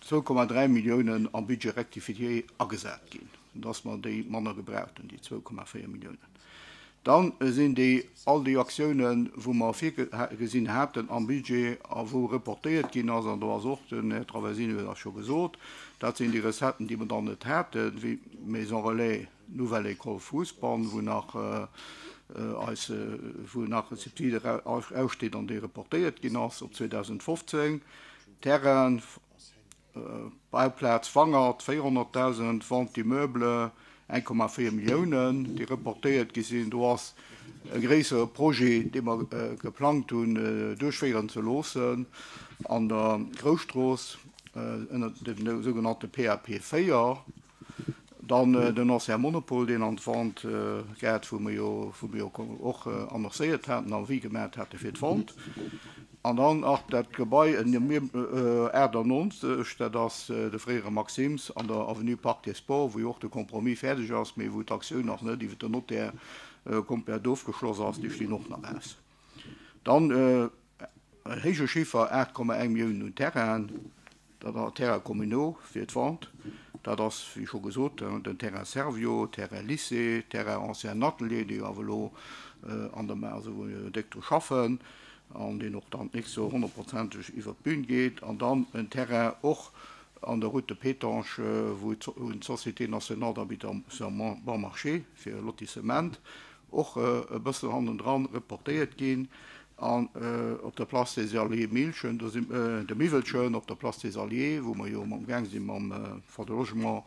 zwou Komma dräi Milliounen am Budget rectifié agesat ginn, dass mer déi manner gebraucht hunn, déi zwou Komma véier Milliounen. Dann sinn déi all déi Aktiounen, wou mer virgesinn haten am Budget a wou reportéiert ginn ass, an do ass och, den Här Traversini huet dat scho gesot, dat sinn déi Recetten, déi mer dann net haten, wéi Maison Relais Nouvelle École Fousbann, wou nach eis, wou nach e Subside aussteet an dee reportéiert ginn ass op zweedausendfofzéng, Terrain, Bauplaz Wangert, véierhonnertdausend, Vente d'immeubles, eng Komma véier Milliounen, déi reportéiert gi sinn. Do ass e gréissere Projet, dee mer geplangt hunn, duerchféieren ze loossen an der Grousstrooss ënner dem sougenannte P A P véier. Dann den Ancien Monopol, deen an d'Vente geet, wou mer jo, wou mer jo och annoncéiert haten, Avis gemaat hate fir d'Vente. An dann nach dat Gebai aachtannonzeg, dat ass de fréiere Maxim's an der Avenue Parc des Sports, wou jo och de Compromis fäerdeg ass, mee wou d'Aktioun nach net iwwer den Notaire komplett ofgeschloss ass, déi stinn och nach aus. Dann en héije Chiffer, aacht Komma eng Milliounen un Terrainen, dat ass Terrains communaux fir d'Vente, dat ass, wéi scho gesot, den Terrain Servior, Terrain Lycée, Terrain Ancien Atelier, déi awer elo an der, also wou mir déck dru schaffen an deen och dann d'nächst Joer honnertprozenteg iwwer d'Bün geet, an dann en Terrain och an der Route de Pétange, wou d'Société nationale d'habitation bon marché fir e Lotissement och e bëssen hannendran reportéiert ginn, an op der Place des Alliés Milchen, do si de Miwwelchen op der Place des Alliés, wou mer jo amgaang si mam Fonds de Logement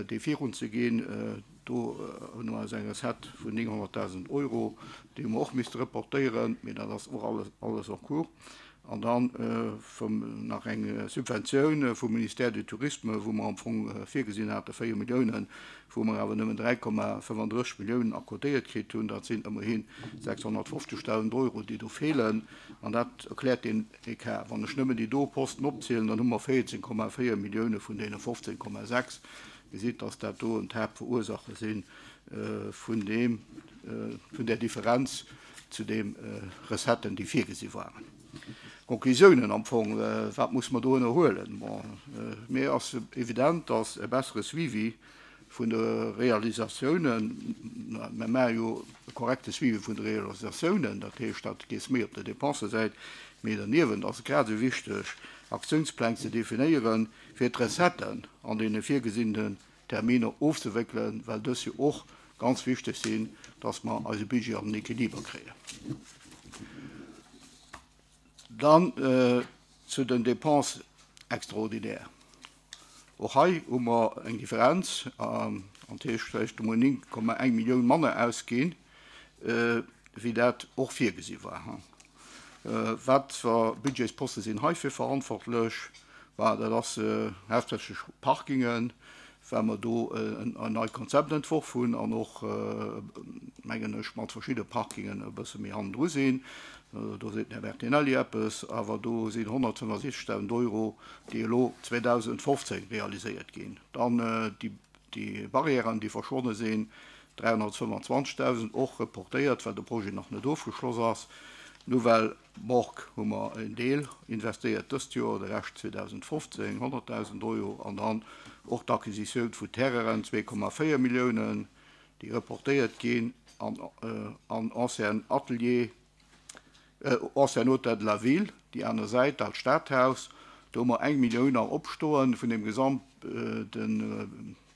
dee virun ze ginn, do hunn mer eis eng Recette vun nénghonnertdausend Euro, déi hu mer och misste reportéieren, mee dat ass och alles, alles en cours. An dann vum nach eng Subventioun vum Ministère du Tourisme, wou mer am Fong virgesinn hate véier Milliounen, wou mer awer nëmmen dräi Komma fënnfandrësseg Milliounen accordéiert kritt hunn. Dat sinn ëmmerhi sechshonnertfofzegdausend Euro, déi do feelen. An dat erkläert deen Ecart. Wann ech nëmmen déi do Posten opzielen, dann hu mer véierzéng Komma véier Millioune vun deene fofzéng Komma sechs. Gesitt, dass dat do d'Haaptverursacher si vun deem, vun där Differenz zu de Recetten, déi virgesi waren. Konklusiounen am Fong, wat muss mer do ënnerhuelen? Bon, mir ass evident, dass e bessere Suivi vun de Realisatiounen, mir maache jo e korrekte Suivi vun de Realisatiounen, dat heescht, dat geet méi op der Dépensesäit, mee derniewent ass et grad esou wichteg, Aktiounspläng ze definéieren, fir d'Recetten an deene virgesinnenen Terminer ofzewéckelen, well dës jo och ganz wichteg sinn, dass mer eise Budget an den Equiliber kréien. Dann zu den Dépenses extraordinaires. Och hei hu mer eng Differenz, an dat heescht vläicht emol néng Komma eng Millioun manner ausginn, wéi dat och virgesi war. Wat fir Budgetsposte sinn heifir verantwortlech? Bah, dat ass haaptsächlech Parkingen, well mer do en neit Konzept entworf hunn an och, mengen ech, mat verschidde Parkingen e bësse méi hannendru sinn. Do seet den Här Bertinelli eppes, awer do sinn honnertfënnefundsiechzegdausend Euro, déi elo zweedausendfofzéng realiséiert ginn. Dann déi Barrièren, déi verschwonne sinn, dräihonnertfënnfundzwanzegdausend, och reportéiert, well de Projet nach net ofgeschloss ass. Nouvelle Morgue hu mer en Deel investéiert dëst Joer, de Rescht zweedausendfofzéng, honnertdausend Euro. An dann och d'Acquisitioun vu Terrainen, zwee Komma véier Milliounen, déi reportéiert ginn an an ancien Atelier, ancien Hôtel de la Ville, déi aner Säit, dat Stadhaus. Do hu mer eng Millioun nach opstoen vun dem gesamte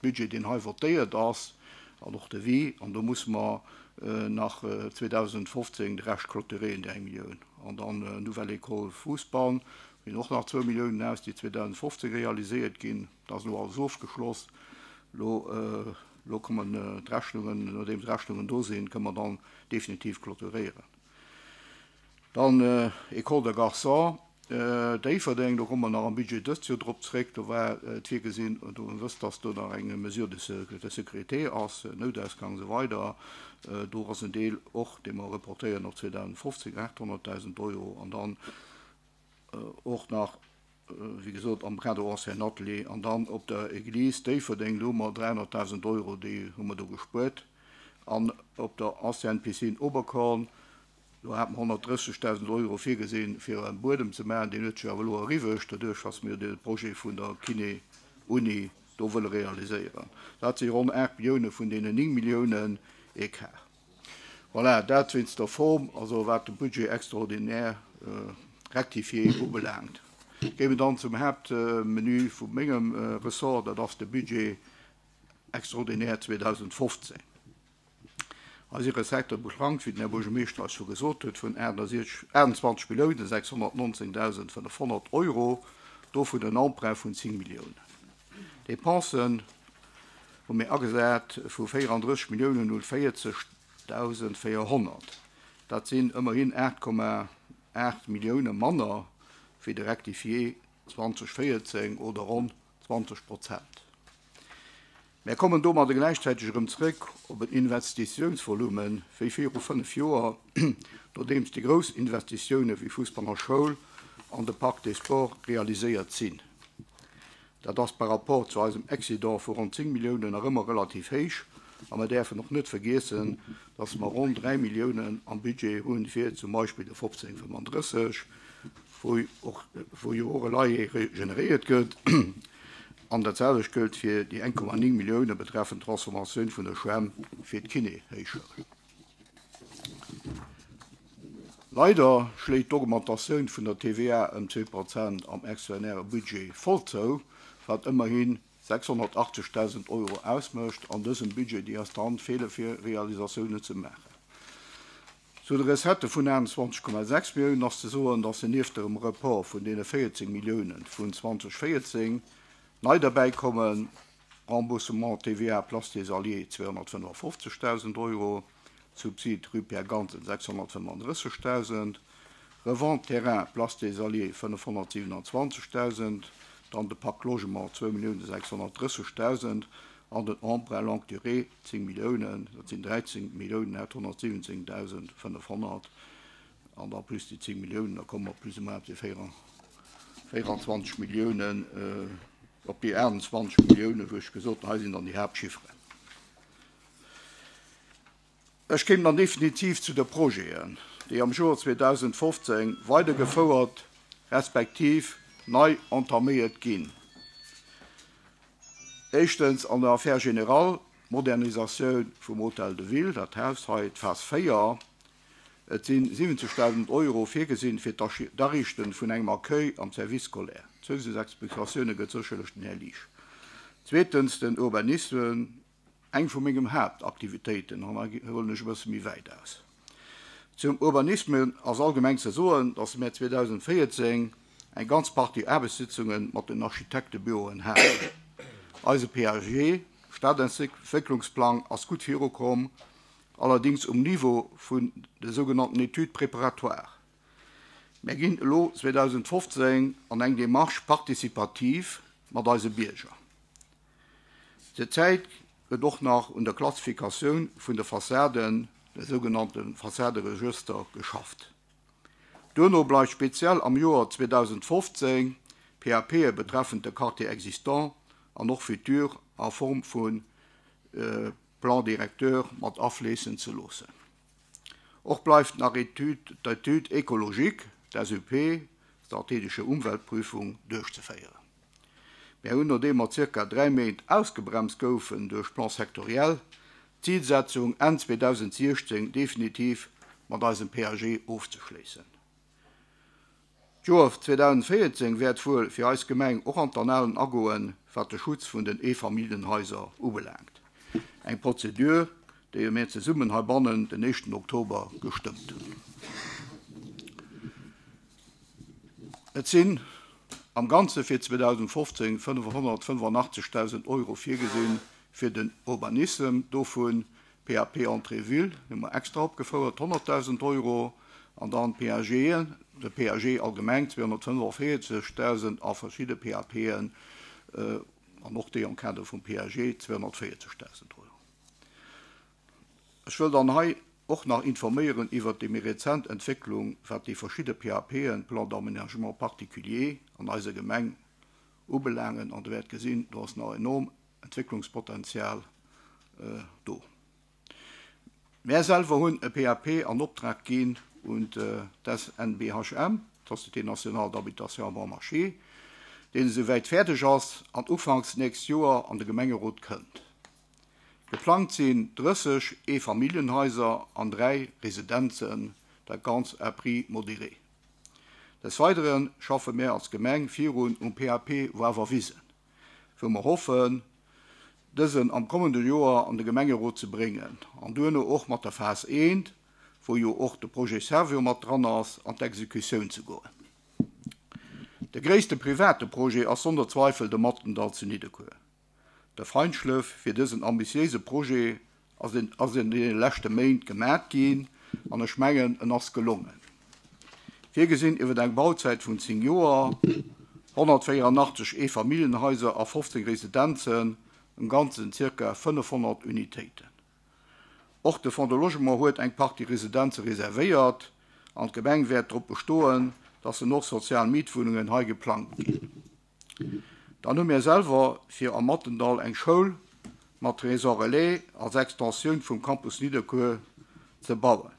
Budget, deen hei votéiert ass, an och Devis. An do musse mer nach zweedausendfofzéng de Rescht clôturéieren, déi eng Millioun. An dann Nouvelle École Fousbann, ginn och nach zwou Milliounen aus, déi zweedausendfofzéng realiséiert ginn. Dat ass elo alles ofgeschloss. Elo, elo kommen d'Rechnungen, nodeem d'Rechnungen do sinn, kënne mer dann definitiv clôturéieren. Dann École de Garçons Déifferdeng, do komme mer nach am Budget dëst Joer drop zréck. Do war et virgesinn, do wësst, dass do nach eng Mesure de sécurité ass, Noutausgang an esou weider. Do ass en Deel och, dee mer reportéieren op zweedausendfofzéng, aathonnertdausend Euro. An dann och nach, wéi gesot, am Kader Ancien Atelier. An dann op der Église Déifferdeng, do hu mer dräihonnertdausend Euro, déi hu mer do gespuert. An op der Ancienne Piscine Oberkorn, do hat mer honnertdrëssegdausend Euro virgesinn, fir e Buedem ze maachen. Deen huet sech awer elo eriwwecht, doduerch dass mir de Projet vun der Kiné-Uni do wëlle realiséieren. Dat si ronn aacht Millioune vun deenen néng Milliounen Ecart. Voilà, dat wéinst der Form, also wat de Budget extraordinaire rectifié ubelaangt. Géi mir dann zum Haaptmenu vu mengem Ressort, dat ass de Budget extraordinaire zweedausendfofzéng. Hei si Recettë beschrankt, wéi den Här Buergermeeschter eis scho gesot huet, vun aachtundzwanzeg Milliounen sechshonnertnonzéngdausend fënnefhonnert Euro, dovun en Emprunt vun zéng Milliounen. Dépensen hu mir agesat vu véierandrësseg Milliounen null véierzegdausend véierhonnert. Dat sinn ëmmerhin aacht Komma aacht Millioune manner wéi de Rectifié zwanzeg véierzéng oder ronn zwanzeg Prozent. Mär kommen domadder gläichzäiteg erëm zréck op en Investitiounsvolume wéi viru fënnef Joer, nodeems déi grouss Investitioune wéi Fussball a Schoul an de Parc des Sports realiséiert sinn. Dat ass par rapport zu eisem Excédent vu ronn zéng Milliounen nach ëmmer relativ héich a mer däerfen och net vergiessen, dass mer ronn dräi Milliounen am Budget hunn fir zum Beispill de fofzéng fënnfandrësseg, wou och wou jo och e Loyer generéiert gëtt. An dat selwecht gëllt fir déi eng Komma néng Millioune betreffend d'Transformatioun vun der Schwämm fir d'Kiné-Héichschoul. Leider schléit d'Augmentatioun vun der T V A ëm zwee Prozent am extraordinäre Budget voll zou, wat ëmmerhi sechshonnertachtzegdausend Euro ausmécht an dësem Budget, déi eis dann feele fir Realisatiounen ze maachen. Zu de Recettë vun aachtundzwanzeg Komma sechs Milliounen ass ze soen, dass se nieft dem Report vun deene véierzéng Millioune vun zweedausendvéierzéng nei derbäi kommen Remboursement T V A Place des Alliés zweehonnertfënnefundfofzegdausend Euro, Subsid Rue Pierre Gansen sechshonnertfënnefundrëssegdausend, Revente Terrain Place des Alliés fënnefhonnertsiewenundzwanzegdausend, dann de Pacte Logement zwou Milliounen sechshonnertdrëssegdausend an den Emprunt longue durée zéng Milliounen, dat sinn dräizéng Milliounen aathonnertsiwwenzéngdausend fënnefhonnert an da plus déi zéng Milliounen, da komme mer plus ou moins op déi véieranzwanzeg Milliounen, op déi aachtundzwanzeg Milliounen, wou ech gesot hunn, hei sinn dann déi Haaptchifferen. Ech kéim dann definitiv zu de Projeten, déi am Joer zweedausendfofzéng weidergefouert respektiv nei entaméiert ginn. Éischtens an der Affaire générale, d'Modernisatioun vum Hôtel de Ville, dat Haus hei, d'Phas véier. Et si siwwenzegdausend Euro virgesinn fir d'Ariichte vun engem Accueil am Service scolaire. Zousatzexplikatioune gëtt sécherlech den Här Liesch. Zweetens den Urbanisme, eng vu mengem Haaptaktivitéiten, an hei huelen ech e bësse méi wäit aus. Zum Urbanisme ass allgemeng ze soen, dass mir zweedausendvéierzéng eng ganz Partie Aarbechtssitzunge mat den Architektebüroen haten. Eise P A G, Stadentwécklungsplang, ass gutt virukomm, allerdéngs um Niveau vun de sougenannten Études préparatoires. Mir ginn elo zweedausendfofzéng an eng Démarche participative mat eise Bierger. Zur Zäit gëtt och nach un der Klassifikatioun vun de Fassaden, de sougenannte Fassaderegëster, geschafft. Duerno bleift speziell am Joer zweedausendfofzéng P A P-e betreffend de Quartier existant an och futur a Form vu Plan directeur mat afléissen ze loossen. Och bleift nach d'Étude écologique, d'S U P, strategische Umweltprüfung, duerchzeféieren. Mir hunn, nodeem mer zirka dräi Méint ausgebremst goufen duerch Plan sectoriel, d'Zilsetzung Enn zweedausendsiechzéng definitiv mat eisem P A G ofzeschléissen. D'Joer zweedausendvéierzéng wäert wuel fir eis Gemeng och an d'Annalen agoen, wat de Schutz vun den Eefamilljenhaiser ubelaangt. Eng Prozedur, déi mir zesummen heibannen den éischten Oktober gestëmmt hunn. Et sinn am Ganze fir zweedausendfofzéng fënnefhonnertfënnefanachtzeghdausend Euro virgesinn fir den Urbanissem, dovun P A P Entrée Ville, hu mer extra opgefouert, honnertdausend Euro, an dann P A G, de P A G allgemeng zweehonnertfënneféierzegdausend a verschidde P A P-en, an och déi am Kader vum P A G zweehonnertvéierzegdausend Euro. Ech wëll dann hei och nach informéieren iwwer déi méi rezent Entwécklung, wat déi verschidde P A P-en, Plan d'aménagement particulier, an eiser Gemeng ubelaangen. An Der wäert gesinn, do ass nach enorm Entwécklungspotenzial do. Mär selwer hunn e P A P an Optrag ginn un d'S N B H M, d'Société nationale d'habitation à bon marché, deen esouwäit fäerdeg ass an ufanks nächst Joer an de Gemengerot kënnt. Geplangt sinn drësseg Eefamilljenhaiser an dräi Residenzen, dat Ganzt à prix modéré. Des Weidere schaffe mär als Gemeng virun um P A P Wawerwisen, wou mer hoffen, dësen am kommende Joer an de Gemengerot ze bréngen an duerno och mat der Phas eent, wou jo och de Projet Servior mat dran ass, an d'Exekutioun ze goen. De gréisste private Projet ass sonner Zweifel de Mattendall zu Nidderkuer. De Feinschlëff fir dësen ambitiéise Projet ass in, ass in deene leschte Méint gemat ginn an ech mengen, en ass gelongen. Virgesinn iwwer eng Bauzäit vun zéng Joer, honnertvéieranachteg Eefamilljenhaiser a fofzéng Residenzen, am Ganzen zirka fënnefhonnert Unitéiten. Och de Fonds de Logement huet eng Partie Residenze reservéiert an d'Gemeng wäert drop bestoen, dass en och sozial Mietwunnungen hei geplangt ginn. Dann hu mir selwer fir am Mattendall eng Schoul mat Maison Relais als Extensioun vum Campus Nidderkuer ze bauen.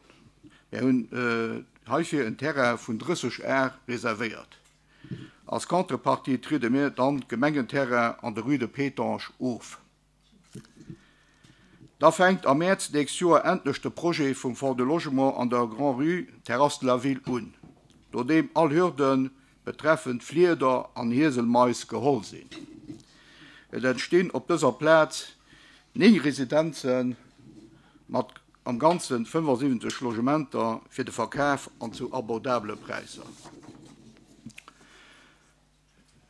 Mir hunn heifir en Terrain vun drësseg Ar reservéiert. Als Contrepartie triede mir dann d'Gemengenterrain an der Rue de Pétange of. Da fänkt am Mäerz nächst Joer endlech de Projet vum Fonds de Logement an der Grand-Rue Terrasse de la Ville un, nodeem all Hürde betreffend Flieder an Hieselmais geholl sinn. Et entstinn op dëser Plaz néng Residenze mat am Ganze fënnefasiwwenzeg Logementer fir de Verkaf an zu abordabele Präisser.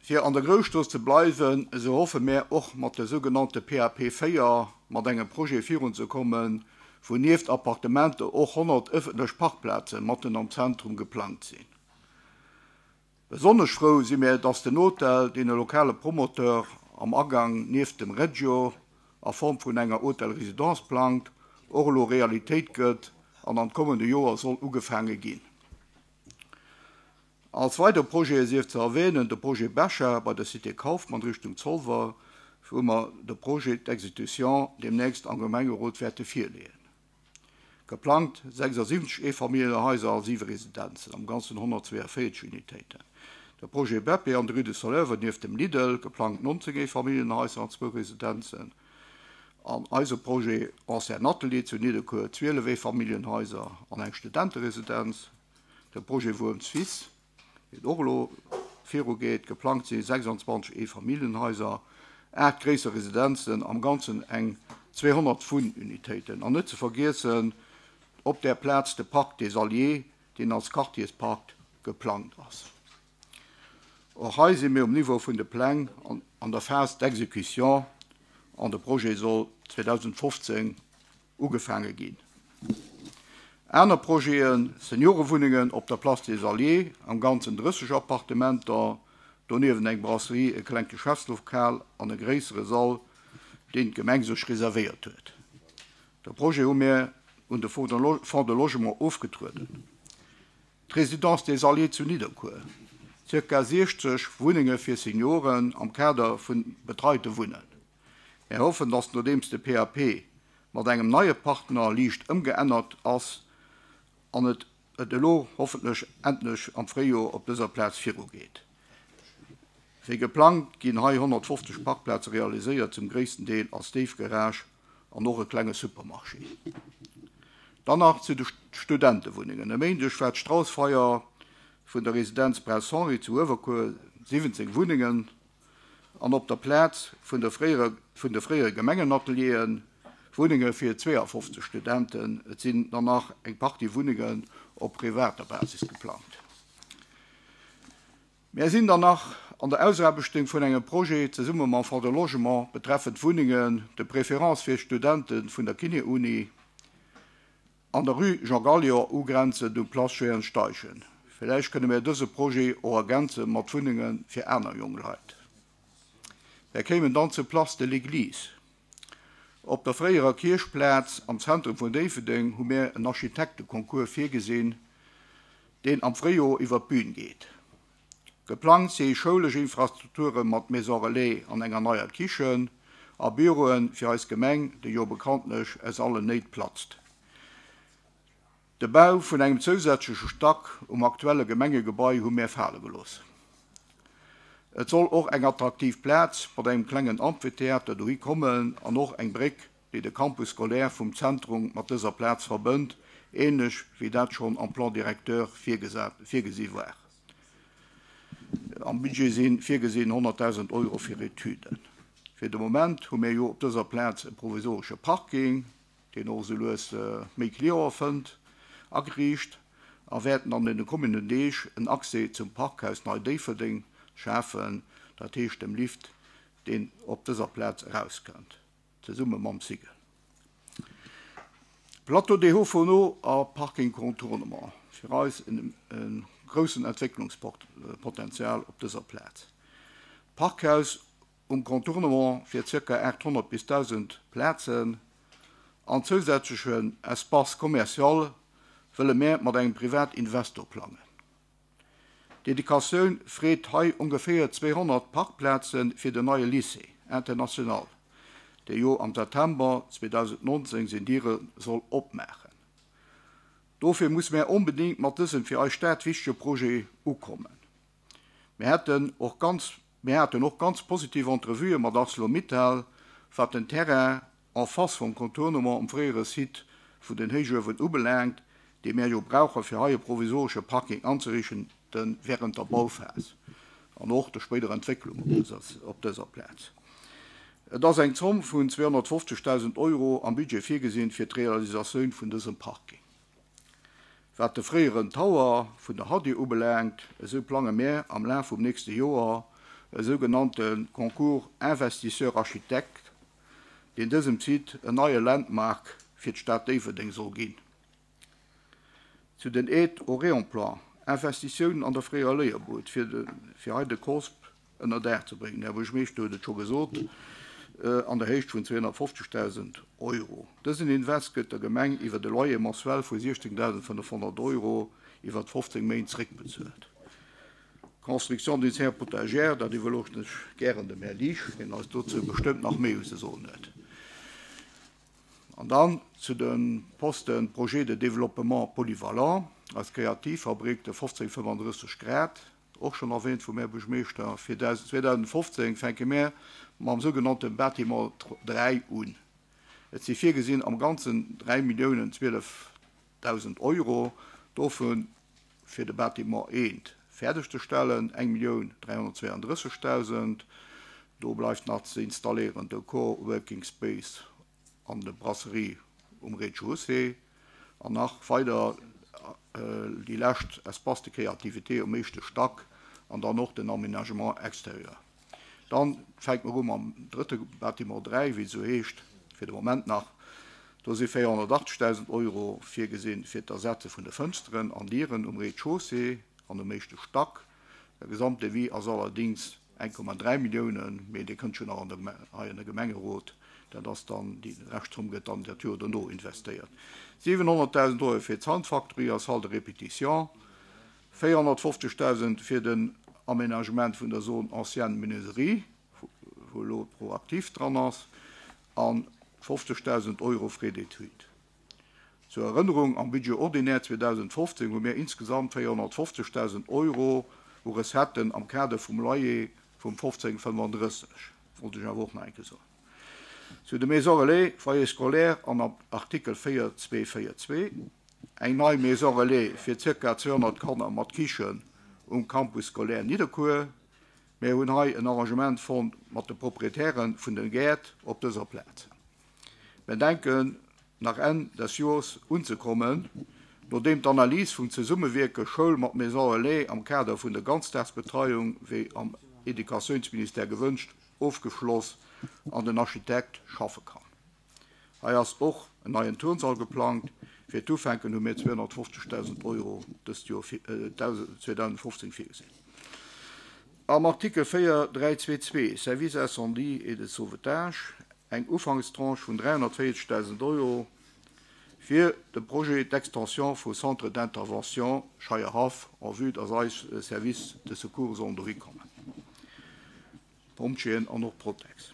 Fir an der Grousstrooss ze bleiwen, esou hoffe mir och mat der sougenannte P A P véier mat engem Projet virunzekommen, wou nieft Appartementer och honnert ëffentlech Parkplaze matten am Zentrum geplangt sinn. Besonnesch frou si mir, dass den Hotel, deen e lokale Promoteur am Agang nieft dem Regio a Form vun enger Hotel-Résidence plangt, och elo Realitéit gëtt an am kommende Joer soll ugefaange ginn. Als weider Projete sief ze erwänen de Projet Becher bei der Cité Kaufmann Richtung Zolwer, wou mer de Projet d'exécution deemnächst am Gemengerot wäerte virleeën. Geplangt sechsasiwwenzeg Eefamilljenhaiser a siwe Residenzen, am Ganzen honnertzweeënvéierzeg Unitéiten. De Projet Beppe an der Rue de Soleuvre nieft dem Lidl, geplangt nonzéng Eefamilljenhaiser an zwou Residenzen. An eise Projet Ancien Atelier zu Nidderkuer, zwielef Eefamilljenhaiser an eng Studenteresidenz. De Projet Wuerms Fils, deen och elo virugeet, geplangt si sechsandzwanzeg Eefamilljenhaiser, aacht gréisser Residenzen, am Ganzen eng zweehonnert Wunnunitéiten. An net ze vergiessen op där Plaz de Parc des Alliés, deen als Quartierspark geplangt ass. Och hei si mir um Niveau vun de Pläng an an der Phase d'exécution an de Projet soll zweedausendfofzéng ugefaange ginn. Aner Projeten, Seniorewunnengen op der Place des Alliés, am Ganzen drësseg Appartementer, doniewent eng Brasserie, e klengt Geschäftslokal an e gréissere Sall, deen d'Gemeng sech reservéiert huet. De Projet hu mir un de Fonds de Logement ofgetrueden. D'Résidence des Alliés zu Nidderkuer, zirka siechzeg Wunnenge fir Senioren am Kader vu betreite Wunnen. Mir hoffen, datt nodeems de P A P mat engem neie Partner liicht ëmgeännert ass an et et elo hoffentlech endlech am Fréijoer op dëser Plaz virugeet. Wéi geplangt ginn hei honnertfofzeg Parkplaze realiséiert, zum gréissten Deel als Déifgarage an och e klenge Supermarché. Dann nach zu de Studentewunnengen. E Méindeg war d'Straussfeier vun der Residenz Prince Henri zu Uewerkuer, siwwenzéng Wunnengen, an op der Plaz vun der fréiere vun de fréiere Gemengenatelieren, Wunnenge fir zweeafofzeg Studenten. Et sinn dann nach eng Partie Wunnengen op privater Basis geplangt. Mär sinn dann nach an der Ausaarbechtung vun engem Projet zesumme mam Fonds de Logement betreffend Wunnengen, de préférence fir Studente vun der Kiné-Uni, an der Rue Jean Gallior ugrenzend un d'Place Jehan Steichen. Villäicht kënne mär dëse Projet och ergänze mat Wunnenge fir aner jonk Leit. Mär kéimen dann zur Place de l'Église. Op der fréierer Kierchplaz am Zentrum vun Déifferdeng hu mär en Architekteconcours virgesinn, deen am Fréijoer iwwer d'Bün geet. Geplangt si schoulesch Infrastrukture mat Maison relais an enger neier Kichen a Büroe fir eis Gemeng, déi jo bekanntlech aus allen Néit platzt. De Bau vun engem zousätzleche Stack um aktuelle Gemengegebai hu mär fale gelooss. Et soll och eng attraktiv Plaz mat engem klengen Amphitheater dohi kommen an och eng Bréck, déi de Campus scolaire vum Zentrum mat dëser Plaz verbënnt, änlech wéi dat schonn am Plan directeur virgesi war. Am Budget si virgesinn honnertdausend Euro fir Etüden. Fir de Moment hu mir jo op dëser Plaz e provisoresche Parking, deen och esou lues méi Cliente fënnt, ageriicht a wäerten an deene kommenden Deeg en Accès zum Parkhaus Nei Déifferdeng schafen, dat heescht dem Lift, deen op dëser Plaz erauskënnt, zesumme mam Sigel. Plateau des Hauts-Fourneaux a Parking Contournement, fir eis e groussen Entwécklungspotenzial op dëser Plaz. D'Parkhaus um Contournement fir zirka aathonnert bis dausend Plazen an zousätzlechen Espace commercial wëlle mär mat engem Privatinvestor plangen. D'Educatioun freet hei ongeféier zweehonnert Parkplaze fir den neie Lycée international, dee jo am September zweedausendnonzéng seng Diere soll opmaachen. Dofir musse mär onbedéngt mat dësem fir eis Stad wichtege Projet ukommen. Mir hätten och ganz, mir haten och ganz positiv Entrevuë mat Arcelor-Mittal, wat den Terrain en face vum Contournement um fréiere Site vun den Héichuewen ubelaangt, dee mär jo brauche fir hei e provisoresche Parking anzeriichten während der Bauphas an och der spéiderer Entwécklung op dëser Plaz. Et ass eng Zomm vun zweehonnertfofzegdausend Euro am Budget virgesinn fir d'Realisatioun vun dësem Parking. Wat de fréieren Tower vun der Hadi ubelaangt, esou plange mär am Laf vum nächste Joer e sougenannte Concours investisseur-architecte, deen dësem Site en neie Landmark fir d'Stad Déifferdeng soll ginn. Zu den Aides au réemploi, Investitiounen an der fréierer Léierbud, fir de, fir hei de COSP ënner Daach ze bréngen, den Här Buergermeeschter huet et scho gesot, an der Héicht vun zweehonnertfofzegdausend Euro. Dësen Invest gëtt der Gemeng iwwer e Loyer mensuel vu siechzéngdausendfënnefhonnert Euro iwwer fofzéng Méint zréckbezuelt. Construction d'une serre potagère, dat iwwerloossen ech gären dem Här Liesch, deen eis dozou bestëmmt nach méi ze soen huet. An dann zu de Posten Projet de développement polyvalent als Kreativfabrik de fofzéng fënnenddrësseg Grad, och schonn erwähnt vum Här Buergermeeschter, fir zweedausendfofzéng fänke mir mam sougenannte Bâtiment dräi un. Et si virgesinn am Ganzen dräi Milliounen zwielefdausend Euro, dovun fir de Bâtiment eent fäerdegzestellen eng Millioun dräihonnertzweeandrëssegdausend. Do bleift nach ze installéieren de Co-working Space an de Brasserie um Rez-de-chaussée an nach weider déi lescht Espace de créativité um éischte Stack an dann och den Aménagement extérieur. Dann fänkt mer u mam drëtte Bâtiment dräi, wéi et esou heescht, fir de Moment nach. Do si véierhonnertachtzegdausend Euro virgesinn fir d'Ersetze vun de Fënsteren an Dieren um Rez-de-chaussée an um éischte Stack. De Gesamtdevis ass allerdéngs eng Komma dräi Milliounen, mee dee kënnt jo nach an de, hei an de Gemengerot. Dat ass dann, déi Reschtzomm gëtt dann dat Joer dono investéiert. siwenhonnertdausend Euro fir d'Soundfactory a Salle de répétition, véierhonnertfofzegdausend fir den Aménagement vun der Zone ancienne Menuiserie, wou elo ProActif dran ass, a fofzegdausend Euro Frais d'études. Zur Erënnerung, am Budget ordinaire zweedausendfofzéng hu mir insgesamt véierhonnertfofzegdausend Euro u Recetten am Kader vum Loyer vum fofzéng fënnenddrësseg. Wollt ech awer och nach eng Kéier soen. Zu de Maisons relais, Foyer scolaire an am Artikel véier zwee véier zwee, eng nei Maison relais fir zirka zweehonnert Kanner mat Kichen um Campus scolaire Nidderkuer. Mir hunn hei en Arrangement fonnt mat de Proprietären vun de Gäert op dëser Plaz. Mir denken nach Enn des Joers unzekommen, nodeem d'Analys vum Zesummewierke Schoul mat Maison relais am Kader vun der Ganzdagsbetreiung, wéi am Educatiounsministère gewënscht, ofgeschloss an den Architekt schaffe kann. Hei ass och en neien Turnsall geplangt. Fir d'Ufänken hu mir zweehonnertfofzegdausend Euro dëst Joer zweedausendfofzéng virgesinn. Am Artikel véier dräi zwee zwee, Service incendie et de sauvetage, eng Ufankstranche vun dräihonnertvéierzegdausend Euro fir de Projet d'extension vum Centre d'intervention Scheierhaff, en vue dass eis Service de secours sollen dohi kommen. Pompjeeën an och Protex.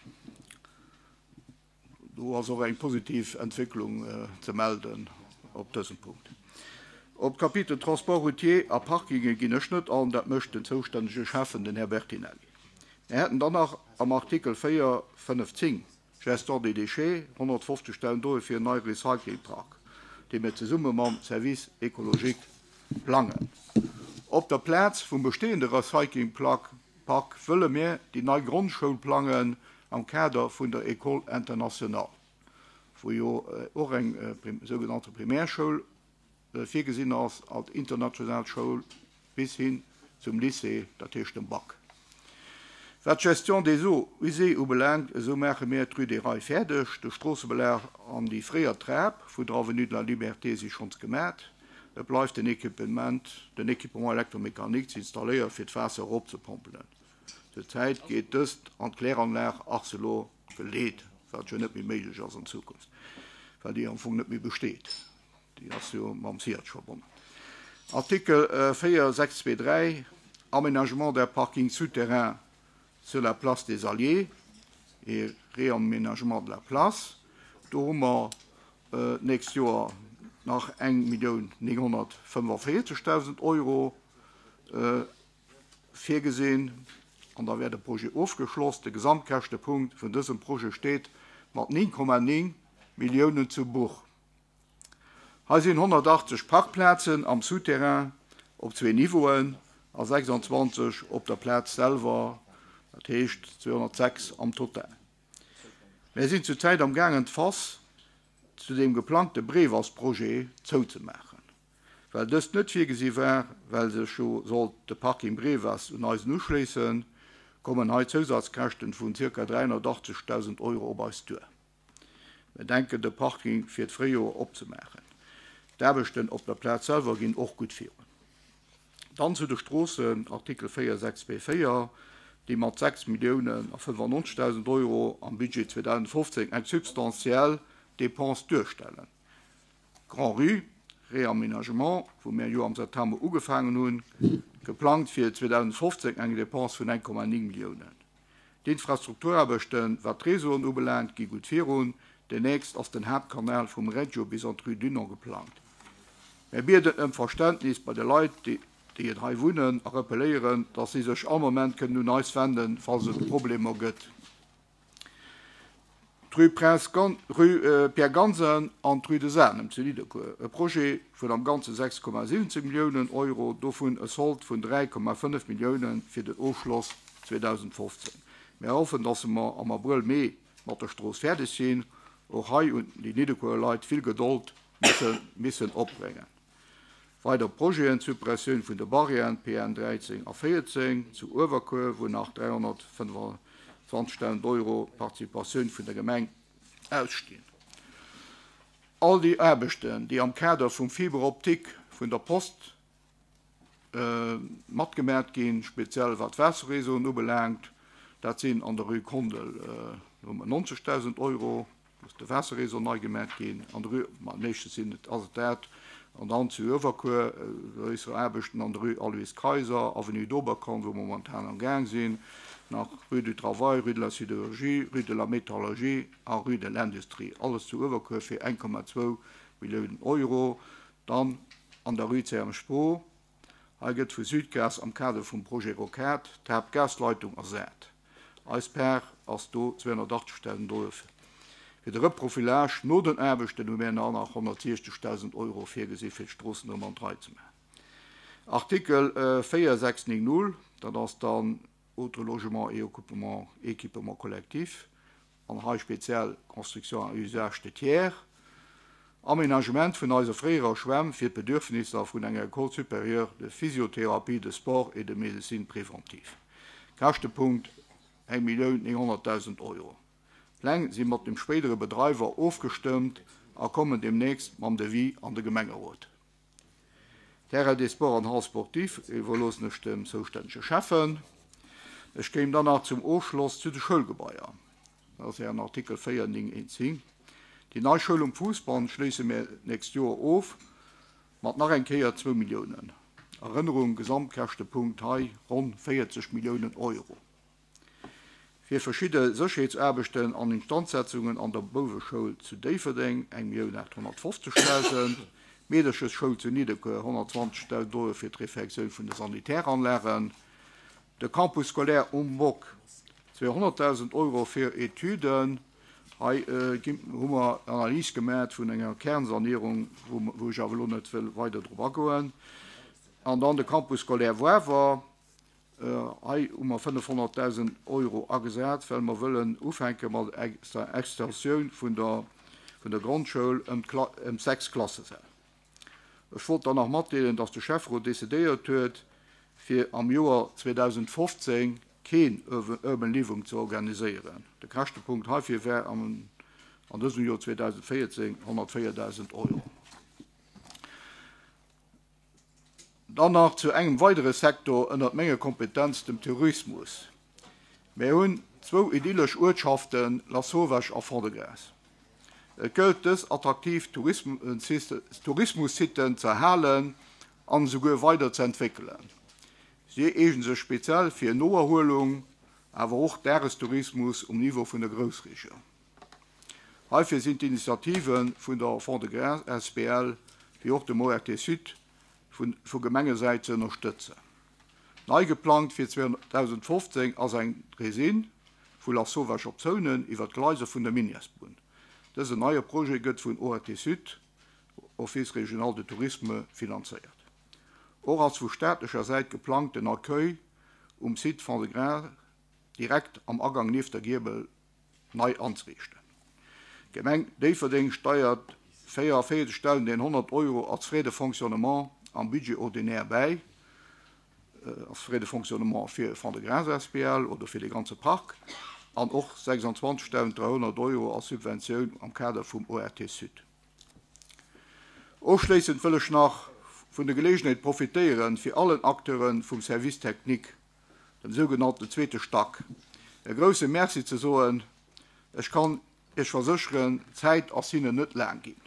Do ass och eng positiv Entwécklung ze melden op dësem Punkt. Op d'Kapitel Transport routier a Parkinge ginn ech net an, dat mécht den zoustännege Schäffen, den Här Bertinelli. Mir hätten dann nach am Artikel véier fënnef zéng, Gestion des déchets, honnertfofzegdausend Euro fir en neie Recyclingpark, dee mir zesumme mam Service écologique plangen. Op der Plaz vum bestehende Recyclingpark wëlle mir déi nei Grondschoul plangen am Kader vun der École internationale, wou jo och eng sougenannte Primärschoul virgesinn ass als international Schoul bis hin zum Lycée, dat heescht dem Bac. Wat d'Gestion des eaux usées ubelaangt, esou maache mir d'Rue des Rails fäerdeg, de Stroossebelag an déi fréier Trap vun der Avenue de la Liberté si schonns gemat. Et bleift den Equipement, den Équipement électromécanique ze installéiere fir d'Waasser eropzepompelen. Zur Zäit geet dëst an d'Kläranlag Arcelor geleet, wat jo net méi méiglech ass an Zukunft, well déi am Fong net méi besteet. Déi ass jo mam SIAD verbonnen. Artikel véier sechs zwee dräi, Aménagement der parking souterrain sur la place des Alliés et réaménagement de la place. Do hu mer d'nächst Joer nach eng Millioun nénghonnertfënneféierzegdausend Euro virgesinn an da wär de Projet ofgeschloss. De Gesamtkäschtepunkt vun dësem Projet steet mat néng Komma néng Milliounen zu Buch. Hei sinn honnertachtzeg Parkplazen am Souterrain op zwee Niveauen a sechsanzwanzeg op der Plaz selwer, dat heescht zweehonnertsechs am Total. Mir sinn zurzäit am gaangen d'Fass zu dem geplangte Brewers-Projet zouzemaachen. Well dëst net virgesi war, well sech jo sollt de Parking Brewers un eisen uschléissen, kommen hei Zousazkäschten vun zirka dräihonnertachtzegdausend Euro op eis duer. Mir denken, de Parking fir d'Fréijoer opzemaachen. D'Aarbechten op der Plaz selwer ginn och gutt virun. Dann zu de Stroossen, Artikel véier sechs zwee véier, déi mat sechs Milliounen a fënnefannonzegdausend Euro am Budget zweedausendfofzéng eng substantiell Dépense duerstellen. Grand-Rue, Réaménagement, wou mir jo am September ugefaangen hunn, geplangt fir zweedausendfofzéng eng Dépense vun eng Komma néng Milliounen. D'Infrastrukturaarbechten, wat d'Réseauen ubelaangt, gi gutt virun. Demnächst ass den Haaptkanal vum Reggio bis an d'Rue Dunant geplangt. Mir bieden ëm Verständnis bei de Leit, déi et hei wunnen, a rappelléieren, datt si sech all Moment kënnen un eis wenden, falls et Problemer gëtt. D'Rue Prince Gan-, Rue Pierre Gansen an d'Rue des Anem zu Nidderkuer, e Projet vun am Ganze sechs Komma siwwenzéng Milliounen Euro, dovun e Sold vun dräi Komma fënnef Milliounen fir den Ofschloss zweedausendfofzéng. Mir hoffen, datt mer am Abrëll, Mee mat der Strooss fäerdeg sinn. Och hei hunn déi Nidderkuerer Leit vill Gedold musse missen opbréngen. Weider Projeten, d'Suppressioun vun de Barrièren P N dräizéng a véierzéng zu Uewerkuer, wou nach dräihonnertfënnefenzwanzegdausend Euro Participatioun vun der Gemeng ausstinn. All déi Aarbechten, déi am Kader vum Fibre optique vun der Post matgemat ginn, speziell wat d'Waasserréseauen ubelaangt, dat sinn an der Rue Kondel neunzegdausend Euro, muss de Waasserréseau nei gemat ginn, an der Rue, ma meeschtens sinn et, ass et dat, an dann zu Uewerkuer gréisser Aarbechten an der Rue Alois Kayser, Avenue d'Oberkorn, wou momentan am Gaang sinn, nach Rue du Travail, Rue de la Sidérurgie, Rue de la Métallurgie a Rue de l'Industrie, alles zu Uewerkuer fir eng Komma zwou Milliounen Euro. Dann an der Rue C M Spro, hei gëtt vu Südgas am Kader vum Projet Rocade d'Haaptgasleitung ersat. Eis Part ass do zweehonnertachtzegdausend Euro. Fir de Reprofilage no den Aarbechten hu mir nach honnertsiechzegdausend Euro virgesi fir d'Stroossen erëm an d'Rei ze maachen. Artikel véier sechs néng null, dat ass dann autres logements et équipements, équipements collectifs, an hei speziell Construction à usage de tiers, Aménagement vun eiser fréierer Schwämm fir d'Bedürfnisser vun enger École supérieure de physiothérapie, de sport et de médecine préventive. Käschtepunkt eng Millioun nénghonnertdausend Euro. Pläng si mat dem spéidere Bedreiwer ofgestëmmt a kommen demnächst mam Devis an de Gemengerot. Terrain des Sports an Hall sportif iwwerloossen ech dem zoustännege Schäffen. Ech kéim dann nach zum Ofschloss zu de Schoulgebaier. Dat ass ja an Artikel véier néng eent zéng. Déi nei Schoul um Fuussband schléisse mir nächst Joer of mat nach eng Kéier zwou Milliounen. Erënnerung, Gesamtkäschtepunkt hei ronn véierzeg Milliounen Euro. Fir verschidde Sécherheetsaarbechten an Instandsetzungen an der Bouweschoul zu Déifferdeng eng Millioun achthonnertfofzegdausend, Meederchesschoul zu Nidderkuer honnertzwanzegdausend Euro fir d'Refectioun vun de Sanitäranlagen, de Campus scolaire um Bock zweehonnertdausend Euro fir Etüden. Hei hu mer Analys gemat vun enger Kernsanierung, wou, wou ech awer elo net wëll weider drop agoen. An dann de Campus scolaire Woiwer, hei hu mer fënnefhonnertdausend Euro agesat, well mer wëllen ufänke mat der Extensioun vun der, vun der Grondschoul ëm d'Kla-, ëm sechs Klassesäll. Ech wollt dann nach matdeelen, datt de Schäfferot decidéiert huet, fir am Joer zweedausendfofzéng keen Urban Living ze organiséieren. De Käschtepunkt heifir wär am, an dësem Joer zweedausendvéierzéng honnertvéierdausend Euro. Dann nach zu engem weidere Sektor ënner menger Kompetenz, dem Tourismus. Mir hunn zwou idyllesch Uertschaften, Lasauvage a Fond-de-Gras. Et gëllt dës attraktiv Tourismussiten ze erhalen an esouguer weider ze entwéckelen. Si eegnen sech speziell fir Noerhuelung, awer och Dagestourismus um Niveau vun der Groussregioun. Heifir sinn d'Initiativen vun der Fond-de-Gras S B L wéi och dem O R T Sud vun, vu Gemengesäit ze ënnerstëtzen. Nei geplangt fir zweedausendfofzéng ass eng Draisine vu Lasauvage op Zounen iwwer d'Gleise vun der Minièresbunn. Dësen neie Projet gëtt vun O R T Sud, Office Régional de Tourisme, finanzéiert. Och ass vu staatlecher Säit geplangt den Accueil um Site Fond-de-Gras direkt am Agang nieft der Giebel nei anzeriichten. D'Gemeng Déifferdeng steiert véierundvéierzegdausendeenhonnert Euro als Frais de fonctionnement am Budget ordinaire bäi, als Frais de fonctionnement fir Fond-de-Gras S B L oder fir de ganze Park. an och sechsundzwanzigtausenddräihonnert Euro als Subventioun am Kader vum O R T Sud. Ofschléissend wëll ech nach vun der Geleegenheet profitéieren, fir allen Acteure vum Service technique, dem sougenannten zweete Stack, e grousse Merci ze soen. Ech kann Iech versécheren, d'Zäit ass hinnen net laang ginn.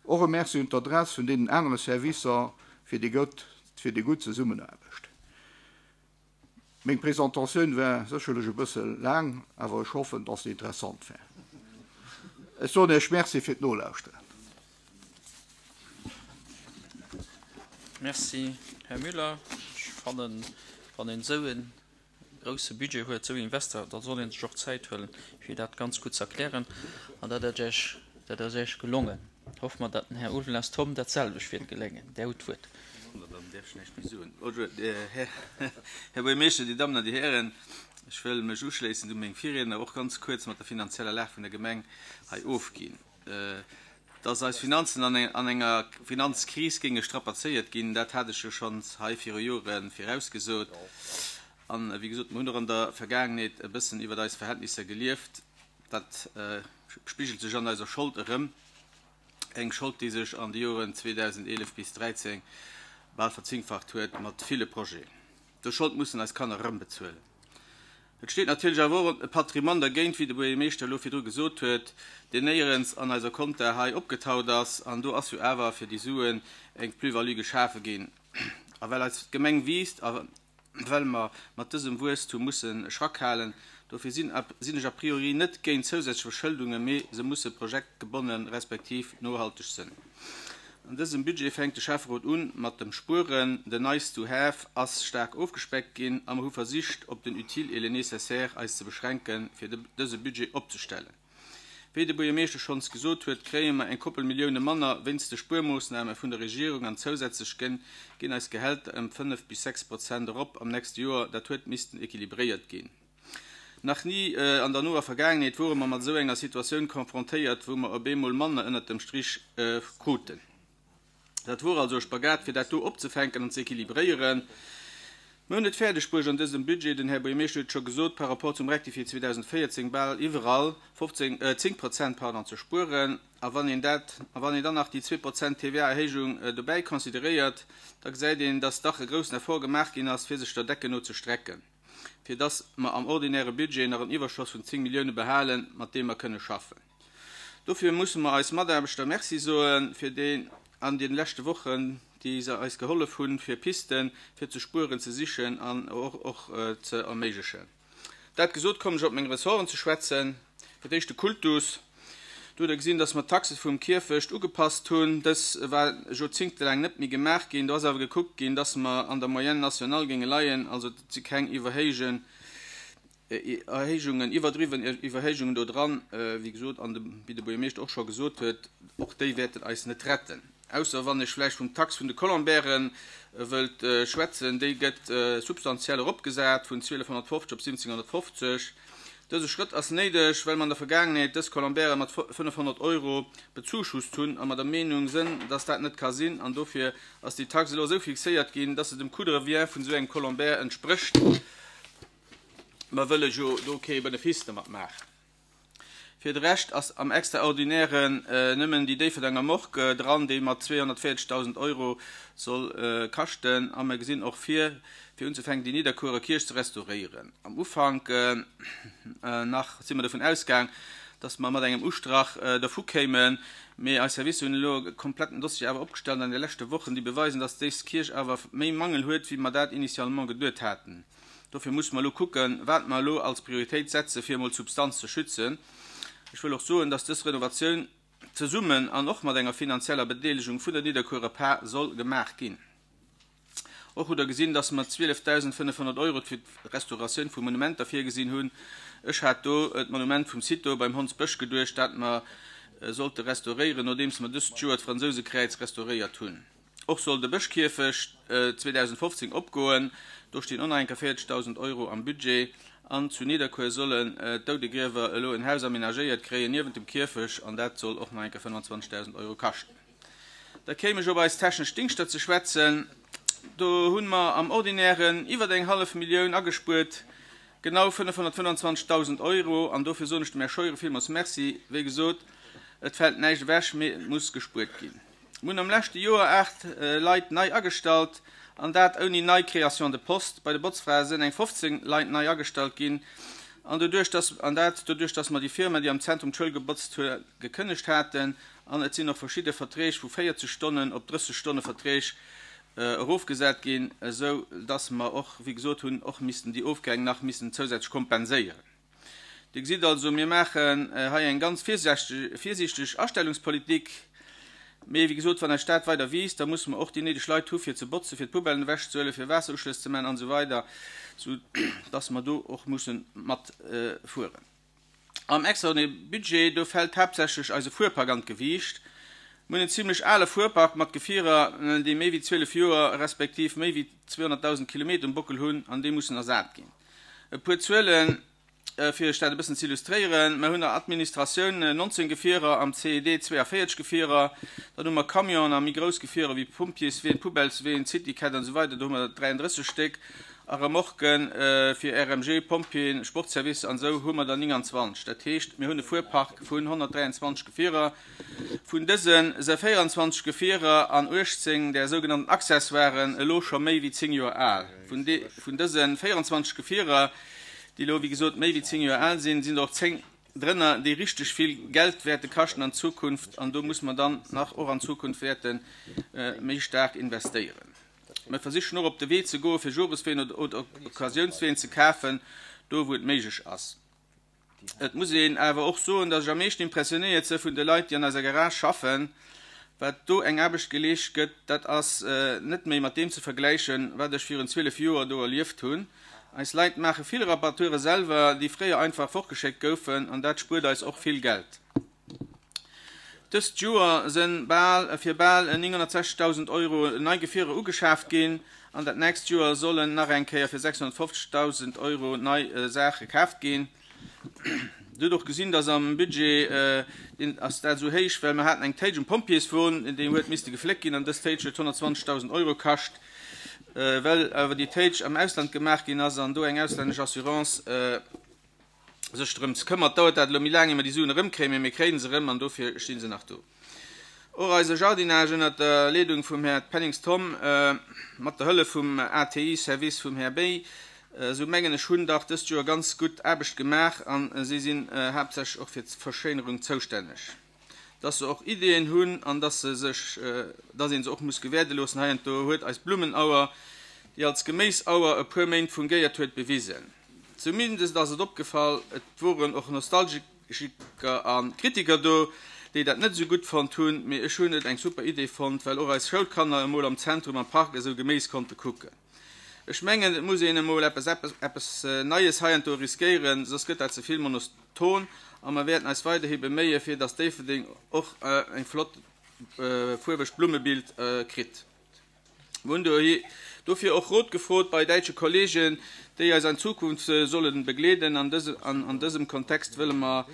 Och e Merci un d'Adress vun deenen anere Servicer fir déi gutt fir déi gutt Zesummenaarbecht. Meng Presentatioun war sécherlech e bësse laang, awer ech hoffen, dass se interessant war. Ech soen Iech Merci fir d'Nolauschteren. Merci, Här Müller. Ech fannen, wann een esou e grousse Budget huet, esou Invester, da soll ee sech och Zäit huelen, fir dat ganz gutt ze erklären. An dat ass Iech, dat ass Iech gelongen. Hoffe mer, datt den Här Ulveling Tom dat selwecht wäert geléngen. Där hutt d'Wuert. Dann däerf ech näischt méi soen. Bonjour, Här Buergermeeschter, Dir Dammen an Dir Hären. Ech wëll mech uschléissend u meng Virriedner och ganz kuerz mat der finanzieller Lag vun der Gemeng hei ofginn. Dass eis Finanzen an enger Finanzkris géinge strapazéiert ginn, dat hat ech jo schonns hei viru Jore virausgesot. An, wéi gesot, mer hunn och an der Vergaangenheet e bëssen iwwert eis Verhältnisser gelieft. Dat spigelt sech an eiser Schold erëm, eng Schold, déi sech an de Joren zweedausendeelef bis dräizéng bal verzéngfacht huet mat ville Projeten. Dës Schold mussen eis Kanner erëmbezuelen. Et steet natierlech awer och e Patrimoine dergéint, wéi de Buergermeeschter elo virdru gesot huet, deen néierens an eiser Compta hei opgetaut ass. An do ass jo awer fir déi Suen eng Plus-value geschafe ginn. A well eis Gemeng wiisst a well mer mat dësem Wuesstum musse Schrack halen, dofir sinn sinn ech a priori net géint zousätzlech Verschëldungen, mee se musse projektgebonnen respektiv nohalteg sinn. An dësem Budget fänkt de Schäfferot un mat dem Spueren. Den Nice to have ass staark ofgespeckt ginn a mer hu versicht, op den Utile et le nécessaire eis ze beschränken, fir dëse Budget opzestellen. Wéi de Buergermeeschter schonns gesot huet, kréie mer eng Koppel Millioune manner wéinst de Spuermoossname vun der Regierung an zousätzlech ginn eis Gehälter ëm fënnef bis sechs Prozent erop am nächste Joer. Dat huet missten equilibréiert ginn. Nach ni an der noer Vergaangenheet wore mer mat esou enger Situatioun konfrontéiert, wou mer op eemol manner ënnert dem Strich kruten. Dat wor also e Spagat, fir dat do opzefänken an ze equilibréieren. Mir hunn et fäerdeg bruecht an dësem Budget, den Här Buergermeeschter huet et scho gesot, par rapport zum Rectifié zweedausendvéierzéng bal iwwerall fofzéng, zéng Prozent, pardon, ze spueren. A wann een dat, a wann een dann nach déi zwee Prozent T V A-Erhéijung dobäi consideréiert, da gesäit een, dass dach e groussen Effort gemaach ginn ass, fir sech der Decken no ze strecken, fir dass mer am ordinäre Budget nach en Iwwerschoss vun zéng Millioune behalen, mat deem mer kënne schaffen. Dofir musse mer eis Mataarbechter Merci soen, fir déi an de leschte Wochen, déi se eis gehollef hunn, fir Pisten fir ze spueren ze sichen an och och ze erméiglechen. Dat gesot, kommen ech op meng Ressorten ze schwätzen. Fir d'éischt de Kultus. Do hutt Der gesinn, dass mer d'Taxe vum Kierfecht ugepasst hunn. Dës war joerzéngtelaang net méi gemaach ginn. Do ass awer gekuckt ginn, dass mer an der Moyenne nationale géinge leien, also et si keng Iwwerhéijen, Erhéijungen, iwwerdriwwen Iwwerhéijungen do dran. Wéi gesot, an de, wéi de Buergermeeschter och scho gesot huet, och déi wäerten eis net retten. Ausser wann ech vläicht vum Tax vun de Colombairen wëllt schwätzen, déi gëtt substantiell eropgesat vun zwielefhonnertfofzeg op siwwenzénghonnertfofzeg. Dëse Schrëtt ass néideg, well mer an der Vergaangenheet dës Colombaire mat fënnefhonnert Euro bezuschusst hunn a mer der Meenung sënn, dass dat net ka sinn. An dofir ass déi Tax elo esou fixéiert ginn, dass se dem Coût de revient vun esou engem Colombaire entsprécht. Mer wëlle jo do kee Benefice domat maachen. Fir de Rescht ass am Extraordinären nëmmen déi Déifferdenger Morgue dran, déi mat zweehonnertvéierzegdausend Euro soll kaschten. A mer gesinn och vir, fir unzefänken, déi Nidderkuerer Kierch ze restauréieren. Am Ufank nach si mer dovun ausgaang, dass mer mat engem Ustrach dervu kéimen, mee eis Servicer hunn elo e kompletten Dossier awer opgestallt an de leschte Wochen, déi beweisen, dass dés Kierch awer méi Mangel huet, wéi mer dat initialement geduet haten. Dofir musse mer elo kucken, wat mer elo als Prioritéit setzen, fir emol d'Substanz ze schützen. Ech wëll och soen, dass dës Renovatioun zesummen an och mat enger finanzieller Bedeelegung vun der Nidderkuerer Par soll gemaach ginn. Och hutt Der gesinn, dass mer zwielefdausendfënnefhonnert Euro fir d'Restauratioun vu Monumenter virgesinn hunn. Ech hat do d'Monument vum Cito beim Hondsbësch geduecht, dat mer sollte restauréieren, nodeems mer dëst Joer d'Fransousekräiz restauréiert hunn. Och soll de Bëschkierfecht zweedausendfofzéng opgoen. Do stinn och nach eng Kéier véierzegdausend Euro am Budget. An zu Nidderkuer sollen d'Doudegriewer elo en Haus amenagéiert kréien niewent dem Kierfecht an dat soll och nach eng Kéier fënnwandzwanzegdausend Euro kaschten. Da kéim ech op eis technesch Dingschter ze schwätzen. Do hu mer am Ordinären iwwer eng hallef Millioun agespuert. Genau fënnefhonnertfënnwanzwanzegdausend Euro, an dofir soen ech dem Här Scheuren villmools Merci. Wéi gesot, et fält näischt ewech, mee et muss gespuert ginn. Mir hunn am leschte Joer aacht Leit nei agestallt, an dat ouni nei Création de poste. Bei de Botzfrae sënn eng fofzéng Leit nei agestallt ginn, an doduerch dass, an dat doduerch dass mer déi Firma, déi am Zentrum d'Schoul gebotzt huet, gekënnegt haten. An et sinn och verschidde Verträg vu véierzeg Stonnen op drësseg Stonne Verträg erofgesat ginn, esou dass mer och, wéi gesot hunn, och missten déi Ofgäng nach missen zousätzlech kompenséieren. Dir gesitt also, mir maachen hei eng ganz virsiichteg Astellungspolitik. Mee, wéi gesot, wann eis Stad weider wiisst, da musse mer och déi néideg Leit hu fir ze botzen, fir d'Poubellen ewechzehuelen, fir Waasseruschlëss ze maachen an esou weider, sou dass mer do och musse matfueren. Am extraordinaire Budget, do fält haaptsächlech eise Fuerpark an d'Gewiicht. Mir hunn en zimlech ale Fuerpark mat Gefierer, déi méi wéi zwielef Joer respektiv méi wéi zweehonnertdausend Kilometer um Bockel hunn an déi mussen ersat ginn. E puer Zuelen, fir Iech dat e bëssen ze illustréieren, Mer hunn der Administratioun nonzéng Gefierer, am C E D zweeënvéierzeg Gefierer, dann hu mer Camionen a méi grouss Gefierer wéi Pompjeesween, Poubellesween, Citycat an esou weider, do hu mer dräiandrësseg Stéck, a Remorquen fir R M G, Pompjeeën, Sportservice an esou hu mer der nénganzwanzeg. Dat heescht, mir hunn e Fuerpark vun honnertdräianzwanzeg Gefierer. Vun dëse se véieranzwanzeg Gefierer an uechtzéng där sougenannten Accessoiren elo scho méi wéi zéng Joer al. Vun dëse véieranzwanzeg Gefierer, déi elo wéi gesot méi wéi zéng Joer al sinn, sinn der och zéng drënner, déi richteg vill Geld wäerte kaschten an Zukunft, an do muss mer dann nach och an Zukunft wäerte méi staark investéieren. Mer versichen och op de Wee ze goe fir Joresween oder Occasiounsween ze kafen, do wou et méiglech ass. Et muss een awer och soen, datt ech am meeschten impressionéiert si vun de Leit, déi an eiser Garage schaffen. Wat do eng Aarbecht geleescht gëtt, dat ass net méi mat deem ze vergläichen, wat ech virun zwielef Joer do erlieft hunn. Eis Leit maache vill Reparature selwer, déi fréier einfach fortgeschéckt goufen, an dat spuert eis och vill Geld. Dëst Joer si bal fir bal nénghonnertsechzegdausend Euro nei Gefierer ugeschaaft ginn, an dat nächst Joer sollen nach eng Kéier fir sechshonnertfofzegdausend Euro nei Saache kaaft ginn. Dir hutt och gesinn, dass am Budget, deen ass dat esou héich, well mer haten eng Téitsch um Pompjeeswon, déi huet misste gefléckt ginn, an dës Téitsch huet honnertzwanzegdausend Euro kascht. Well awer déi Téitsch am Ausland gemaach ginn ass an do eng auslännesch Assurance sech drëms këmmert, dauert dat elo méi laang, ier mer déi Suen erëmkréien, mee mir kréien se erëm an dofir sti se nach do. Och eise Jardinage ënnert der Leedung vum Här Pennings Tom, mat der Hëllef vum A T I-Service vum Här Bey, esou mengen ech, hunn dach dëst Joer ganz gutt Aarbecht gemaach an si sinn haaptsächlech och fir d'Verschéinerung zoustänneg. Dass se och Ideeën hunn an dass se sech, dass ee se och muss gewäerde loossen heiansdo, huet eis Blummenauer, déi als Geméisauer e puer Méint fungéiert huet, bewisen. Zumindest ass et opgefall, et woren och Nostalgiker a Kritiker do, déi dat net esou gutt fonnt hunn, mee ech hunn et eng super Idee fonnt, well och eis Schoulkanner emol am Zentrum am Park esou Geméis konnte kucken. Ech mengen, et muss een emol eppes eppes Neies heiansdo riskéieren, soss gëtt dat ze vill monoton a mer wäerten eis weiderhi beméie fir dass Déifferdeng och eng flott fuerwegt Blummebild kritt. Mir hunn dofir och Rot gefrot bei däitsche Kollegen, déi eis an Zukunft sollen begleeden. An dësem Kontext wëlle mer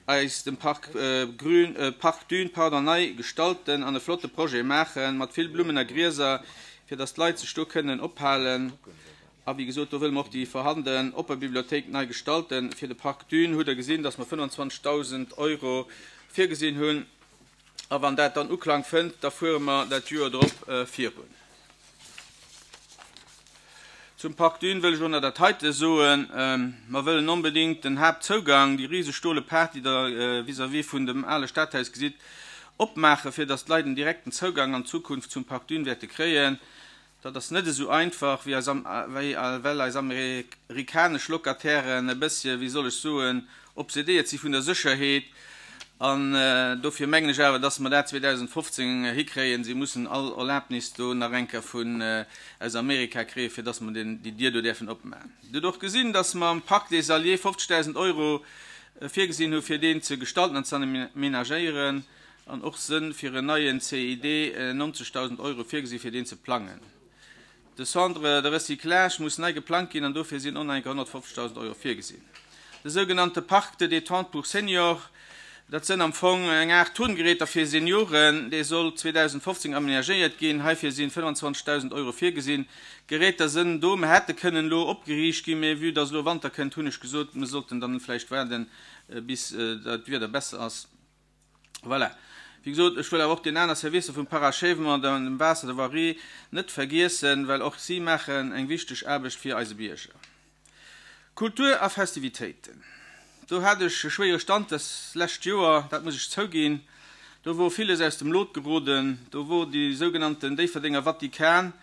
eis dem Park Grün, Park Dune, pardon, nei gestalten an e flotte Projet maachen, mat vill Blummen a Grieser, fir dass d'Leit sech do kënnen ophalen. A wéi gesot, do wëlle mer och déi vorhanden oppe Bibliothéik nei gestalten. Fir de Park Dune hutt Der gesinn, dass mer fënnwanzwanzegdausend Euro virgesinn hunn. A wann dat dann Uklang fënnt, da fuere mer dat Joer drop virun. Zum Park Dune wëll ech och nach dat heite soen, Mer wëllen onbedéngt den Haaptzougang, déi riseg stole Paart, déi Der vis-à-vis vun dem ale Stadhaus gesitt, opmaachen, fir dass d'Leit en direkten Zougang an Zukunft zum Park Dune wäerte kréien. Dat ass net esou einfach, wéi eis, wéi, well eis amerikanesch Locatairen e bëssche, wéi soll ech soen, obsedéiert si vun der Sécherheet. An dofir mengen ech awer, dass mer dat zweedausendfofzéng hikréien. Si mussen all Erlaabnis do nach eng Kéier vun aus Amerika kréien, fir dass mer den, déi Dier do däerfen opmaachen. Dir hutt och gesinn, dass mer am Parc des Alliés fofzegdausend Euro virgesinn hu fir deen ze gestalten an ze amenagéieren an och sënn fir en neien C I D nonzegdausend Euro virgesi fir deen ze plangen. De Centre de recyclage muss nei geplangt ginn an dofir sinn och nach eng Kéier honnertfofzegdausend Euro virgesinn. De sougenannte Parc de détente pour seniors, Dat sënn am Fong eng Aart Turngeräter fir Senioren, déi soll zweedausendfofzéng amenagéiert ginn. Heifir sinn fënnwanzwanzegdausend Euro virgesinn. D'Geräter sënn do, mer hätte kënnen elo opgeriicht ginn, mee vue dass elo Wanter kënnt, hunn ech gesot, mer sollten dann vläicht waarden, bis dat Wieder besser ass. Voilà. Wéi gesot, ech wëll awer och den aner Servicer vum Parachèvement, dem Waasser, der Voirie net vergiessen, well och si maachen eng wichteg Aarbecht fir eise Bierger. Kultur a Festivitéiten. Do hat ech e schwéiere Stand dës lescht Joer, dat muss ech zouginn. Do wor villes aus dem Lot geroden, do wor déi sougenannten Déifferdenger Vatikan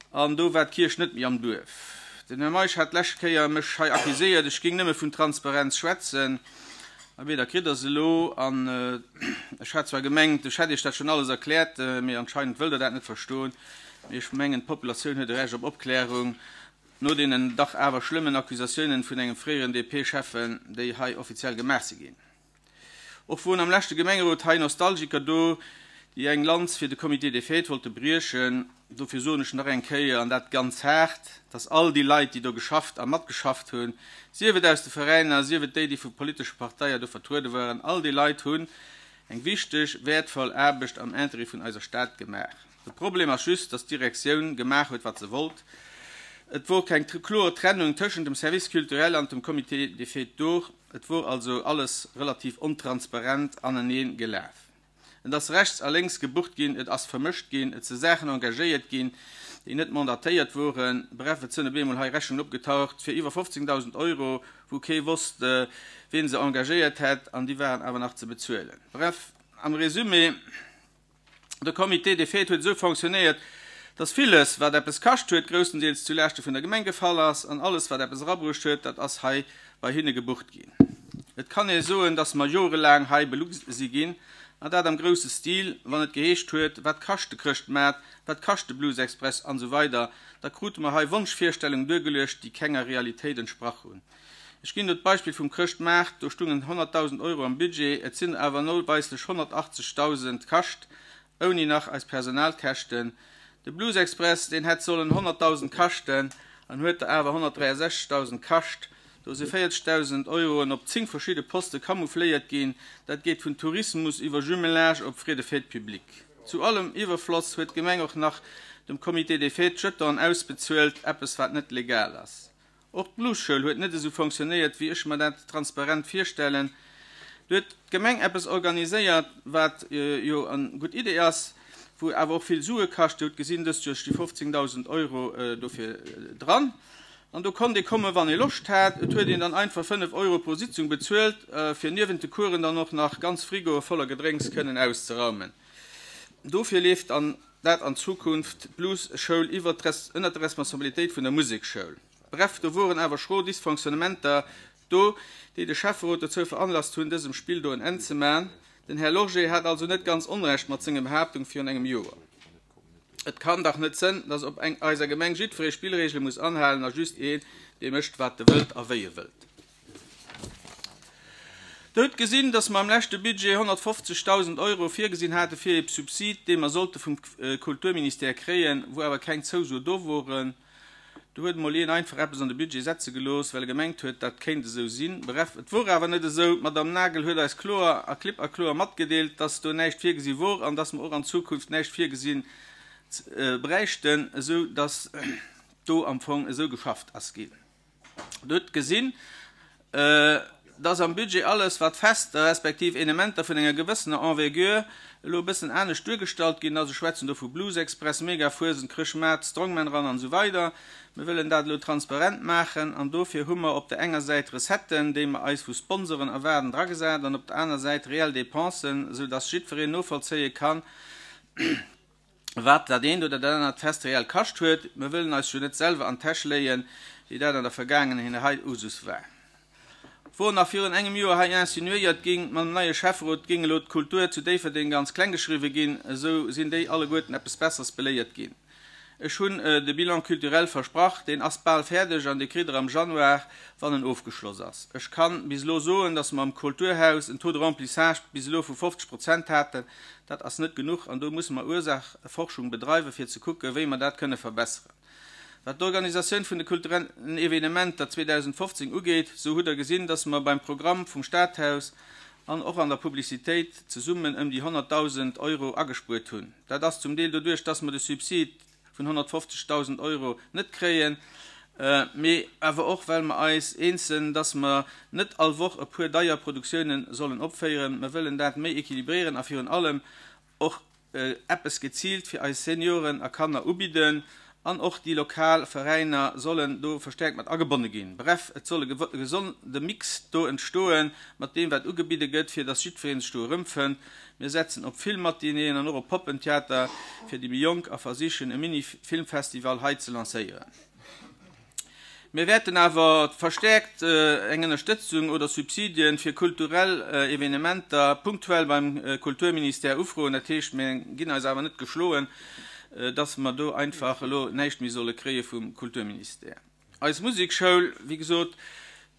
an do war d'Kierch net méi am Duerf. Den Här Meisch hat d'lescht Kéier mech hei accuséiert, ech géing nëmme vun Transparenz schwätzen. Abee, da kritt Der se elo. An ech hat zwar gemengt, ech hätt Iech dat schonn alles erkläert, mee anscheinend wëllt Der dat net verstoen. Mee ech mengen, d'Populatioun huet e Recht op Opklärung. No deenen dach awer schlëmmen Accusatiounen vun engem fréieren D P-Schäffen, déi hei offiziell gemaach si ginn. Och woren am leschte Gemengerot hei Nostalgiker do, déi eng Lanz fir de Comité des Fêtes wollte briechen. Dofir soen ech nach eng Kéier, an dat ganz haart, dass all déi Leit, déi do geschafft a matgeschafft hunn, sief et aus de Veräiner, sief et déi, déi vu politesche Parteien do vertruede waren, all déi Leit hunn eng wichteg, wäertvoll Aarbecht am Interêt vun eiser Stad gemaach. De Problem ass just, dass d'Direktioun gemaach huet, wat se wollt. Et wor keng kloer Trennung tëschent dem Service culturel an dem Comité des Fêtes do. Et wor also alles relativ ontransparent anenee gelaf. Et ass rechts a lénks gebucht ginn, et ass vermëscht ginn, et si Saachen engagéiert ginn, déi net mandatéiert woren. Bref, et sënn op eemol hei Rechnungen opgetaucht fir iwwer fofzéngdausend Euro, wou kee wosst, wien se engagéiert hätt, an déi waren awer nach ze bezuelen. Bref, am Résumé, de Comité des Fêtes huet esou fonctionnéiert, dass villes, wat eppes kascht huet, grousstendeels zu Laaschte vun der Gemeng gefall ass, an alles, wat eppes erabruecht huet, dat ass hei bei hinne gebucht ginn. Et kann ee soen, dass mer jorelaang hei belu si ginn, an dat am grousse Stil. Wann et geheescht huet, wat kascht de Chrëschtmaart, wat kascht de Blues Express an esou weider, da krute mer hei Wonschvirstellungen duergeluecht, déi kenger Realitéit entsprach hunn. Ech ginn do d'Beispill vum Chrëschtmaart, do stungen honnertdausend Euro am Budget, et sinn awer noweislech honnertachtzegdausend kascht, ouni nach eis Personalkäschten. De Blues Express, deen hätt sollen honnertdausend kaschten an huet der awer honnertdräiasechzegdausend kascht. Do si véierzegdausend Euroen op zéng verschidde Poste camoufléiert ginn. Dat geet vun Tourismus iwwer Jumelage op Frais de fête publique. Zu allem Iwwerfloss huet d'Gemeng och nach dem Comité des Fêtes Jetonen ausbezuelt, eppes wat net legal ass. Och d'Bluesschoul huet net esou fonctionnéiert, wéi ech mer dat transparent virstellen. Do huet d'Gemeng eppes organiséiert, wat jo eng gutt Idee ass, wou awer och vill Sue kascht. Dir hutt gesinn, dëst Joer sti fofzéngdausend Euro dofir dran. An do konnt ee kommen, wann ee Loscht hat. Et huet een dann einfach fënnef Euro pro Sitzung bezuelt, fir niewent de Coursen dann och nach ganz Frigoe voller Gedrénks kënnen auszeraumen. Dofir leeft an dat an Zukunft d'Bluesschoul iwwer ënnert der Responsabilitéit vun der Musekschoul. Bref, do woren awer schro Dysfonctionnementer do, déi de Schäfferot dozou veranlasst hunn, dësem Spill do en Enn ze man. Den Här Lorgé hat also net ganz Onrecht mat senger Behaaptung virun engem Joer. Et kann dach net sënn, dass op eng eiser Gemeng jiddweree Spillregele muss anhalen a just een, dee mécht, wat e wëllt a wéi e wëllt. Der hutt gesinn, dass mer am leschte Budget honnertfofzegdausend Euro virgesinn hate fir e Subsid, dee mer sollte vum Kulturministère kréien, wou awer keng Zouso do woren. Do huet emol een einfach eppes an de Budget setze gelooss, well e gemengt huet, dat kéint esou sinn. Bref, et wor awer net esou. D'Madame Nagel huet eis kloer a klipp a kloer matgedeelt, dass do näischt virgesi wor an dass mer och an Zukunft näischt virgesinn bräichten, esou dass do am Fong esou geschafft ass ginn. Der hutt gesinn, dass am Budget alles, wat Fester respektiv Evenementer vun enger gewëssener Envergure elo e bëssen anescht duergestallt ginn ass, ech schwätzen do vu Blues Express, Mega-Fuesent, Chrëschtmaart, Strongman Run an esou weider, mir wëllen dat elo transparent maachen an dofir hu mer op der enger Säit Recetten, déi mer eis vu Sponsoren erwaarden, dragesat an op der aner Säit reell Dépensen, esou dass jiddwereen novollzéie kann, wat dat eent oder dat anert Fest reell kascht huet. Mir wëllen eis jo net selwer an d'Täsch léien, wéi dat an der Vergaangenheet hei Usus war. Wor nach virun engem Joer hei insinuéiert ging, mam neie Schäfferot géing elo d'Kultur zu Déifferdeng ganz kleng geschriwwe ginn, esou sinn déi alleguerten eppes Besseres beléiert ginn. Ech hunn de Bilan culturel versprach, deen ass bal fäerdeg an dee kritt der am Januar, wann en ofgeschloss ass. Ech kann bis elo soen, dass mer am Kulturhaus en Taux de remplissage bis elo vu fofzeg Prozent haten. Dat ass net genuch an do musse mer Ursachforschung bedreiwen, fir ze kucken, wéi mer dat kënne verbesseren. Wat d'Organisatioun vun de kulturellen Evenementer zweedausendfofzéng ugeet, sou hutt der gesinn, dass mer beim Programm vum Stadhaus an och an der Publicitéit zesummen ëm déi honnertdausend Euro agespuert hunn. Dat ass zum Deel doduerch, dass mer de Subsid vun honnertfofzegdausend Euro net kréien, mee awer och well mer eis eens sinn, dass mer net all Woch e puer deier Produktiounen sollen opféieren. Mer wëllen dat méi équilibréieren a virun allem och eppes geziilt fir eis Senioren a Kanner ubidden an och déi lokal Veräiner sollen do verstärkt mat agebonne ginn. Bref, et soll e gesonde Mix do entstoen mat deem wat ugebidde gëtt, fir dass jiddweree sech do erëmfënnt. Mir setzen op Filmmatinéeën an och op Poppentheater fir déi méi Jonk a versichen e Mini-Filmfestival hei ze lancéieren. Mir wäerten awer verstärkt eng Ënnerstëtzung oder Subsidien fir kulturell Evenementer punktuell beim Kulturministère ufroen. Dat heescht, mir ginn eis awer net geschloen, dass mer do einfach elo näischt méi solle kréie vum Kulturministère. Eis Musekschoul, wéi gesot,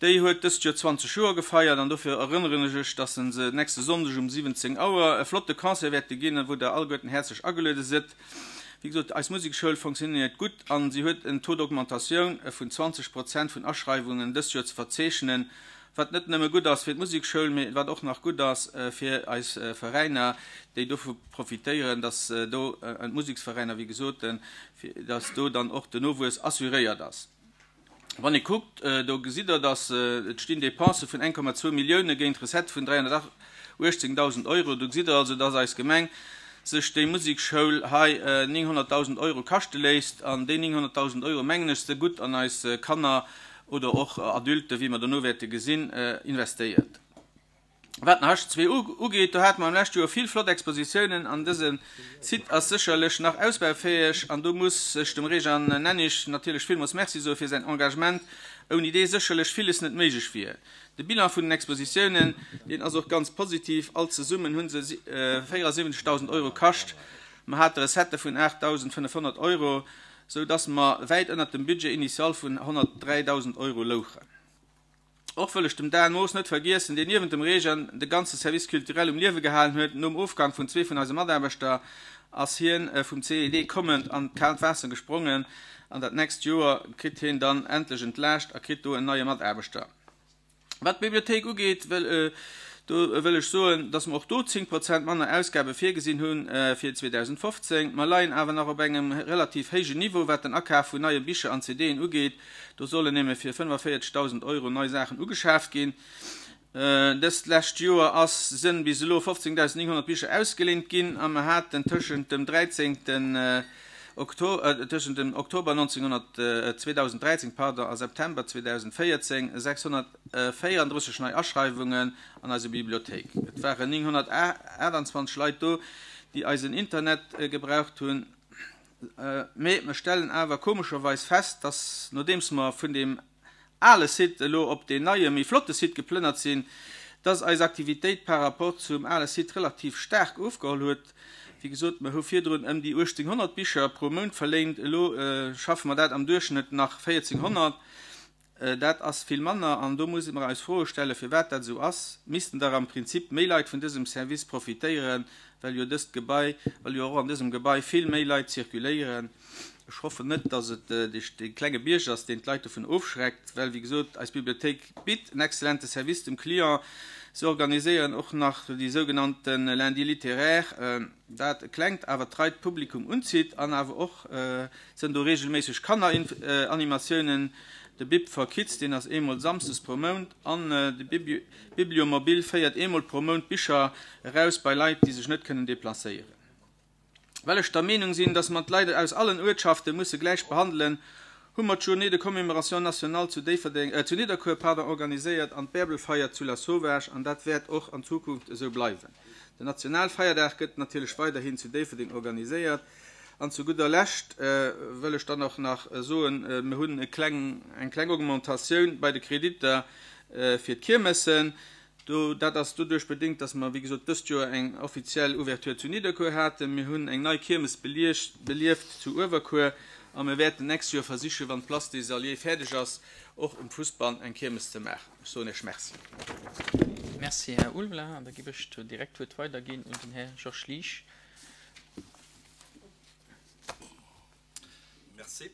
déi huet dëst Joer zwanzeg Joer gefeiert an dofir erënneren ech iech, dass se nächste Sonndeg um siwwenzéng Auer e flotte Concert wäerte ginn, wou der alleguerten häerzlech ageluede sidd. Wéi gesot, eis Musekschoul fonctionnéiert gutt an si huet en Taux d'augmentatioun vun zwanzeg Prozent vun Aschreiwungen dëst Joer ze verzeechnen, wat net nëmme gutt ass fir d'Musekschoul, mee wat och nach gutt ass fir eis Veräiner, déi dovu profitéieren, dass do d'Museksveräiner, wéi gesot, dass do dann och den Nowuess assuréiert ass. Wann ee kuckt, do gesitt Der, dass et stinn Dépensë vun eng Komma zwou Millioune géint Recettë vun dräihonnertuechtzéngdausend Euro. Do gesitt Der also, dass eis Gemeng sech déi Musekschoul hei nénghonnertdausend Euro kaschte léisst. An déi nénghonnertdausend Euro, mengen ech, se gutt an eis Kanner oder och Adulten, wéi mer dono wäerte gesinn, investéiert. Wat den H zwee ugeet, do hate mer am leschte Joer vill flott Expositiounen an dëse Site ass sécherlech nach ausbaufäeg an do muss ech dem Réjean Nennig natierlech villmools Merci soe fir säin Engagement, ouni dee sécherlech villes net méiglech wier. De Bilan vun den Expositiounen, deen ass och ganz positiv, all zesummen hu se véierasiwwenzegdausend Euro kascht, mer hate Recettë vun aachtdausendfënnefhonnert Euro, sou dass mer wäit ënnert dem Budget initial vun honnertdräidausend Euro louchen. Och wëll ech dem Dan Moos net vergiessen, deen niewent dem Réjean de ganze Service culturel um Liewe gehalen huet. Nom Ofgang vun zwee vun eise Mataarbechter ass hien vum C E D kommend an d'kaalt Waasser gesprongen an dat nächst Joer kritt hien dann endlech entlaascht a kritt do en neie Mataarbechter. Wat d'Bibliothéik ugeet, wëll, do wëll ech soen, dass mer och do zéng Prozent manner Ausgabe virgesinn hunn fir zweedausendfofzéng. Mer leien awer nach op engem relativ héijen Niveau, wat den Akaf vun neie Bicher an C D'en ugeet. Do sollen nämlech fir fënnefavierzegdausend Euro nei Saachen ugeschaaft ginn. Dëst lescht Joer ass sinn bis elo fofzéngdausendnénghonnert Bicher ausgeleent ginn a mer haten tëschent dem dräizéngten Okto-, tëschent dem Oktober neunzehnhundert, zweetausenddräizéng, pardon, a September zweetausendvéierzéng sechshonnertvéierunddrësseg nei Aschreiwungen an eiser Bibliothéik. Et waren nénghonnertachtundzwanzeg Leit do, déi eisen Internet gebraucht hunn. Mee mir stellen awer komescherweis fest, dass nodeems mer vun dem ale Site elo op den neie, méi flotte Site geplënnert sinn, dass eis Aktivitéit par rapport zum ale Site relativ staark ofgeholl huet. Wéi gesot, mir hu virdrun ëm déi uechtzénghonnert Bicher pro Mount verléint. Elo schaffe mer dat am Duerchschnëtt nach véierzehnhonnert. Dat ass vill manner an do muss mer eis Froe stellen, firwat dat esou ass. Missten der am Prinzip méi Leit vun dësem Service profitéieren, well jo dëst Gebai, well jo och an dësem Gebai vill méi Leit zirkuléieren. Ech hoffe net, dass et de klenge Bierg ass, deen d'Leit dovun ofschreckt, well, wéi gesot, eis Bibliothéik bitt en exzellente Service dem Client. Se organiséieren och nach déi sougenannten Lundi littéraire, dat e klengt, awer treit Publikum unzitt an awer och sinn do regelméisseg Kanneranimatiounen. De Bib for Kids, deen ass eemol samsdes pro Mount an de Bibliomobil féiert eemol pro Mount Bicher eraus bei Leit, déi sech net kënnen deplacéieren. Well ech der Meenung sinn, dass mer d'Leit aus allen Uertschafte musse gläich behandelen, hu mer d'Journée de commémoration nationale zu Déifferdeng, äh, zu Nidderkuer, pardon, organiséiert an d'Bärbelfeier zu Lasauvage an dat wäert och an Zukunft esou bleiwen. Den Nationalfeierdag gëtt natierlech weiderhin zu Déifferdeng organiséiert. An zu gudder Lescht, äh, wëll ech dann och nach soen, äh, mir hunn e kleng, eng kleng Augmentatioun bei de Kreditter, äh, fir d'Kiermessen. Do, dat ass doduerch bedingt, dass mer, wéi gesot, dëst Joer eng offiziell Ouverture zu Nidderkuer haten. Mir hunn eng nei Kiermes belieft, belieft zu Uewerkuer a mir wäerten nächst Joer versichen, wann d'Place des Alliés fäerdeg ass, och um Fussball eng Kiermes ze maachen. Ech soen Iech Merci. Merci, Här Ulveling. An da gebe ech direkt d'Wuert weiderginn un den Här Georges Liesch. Merci.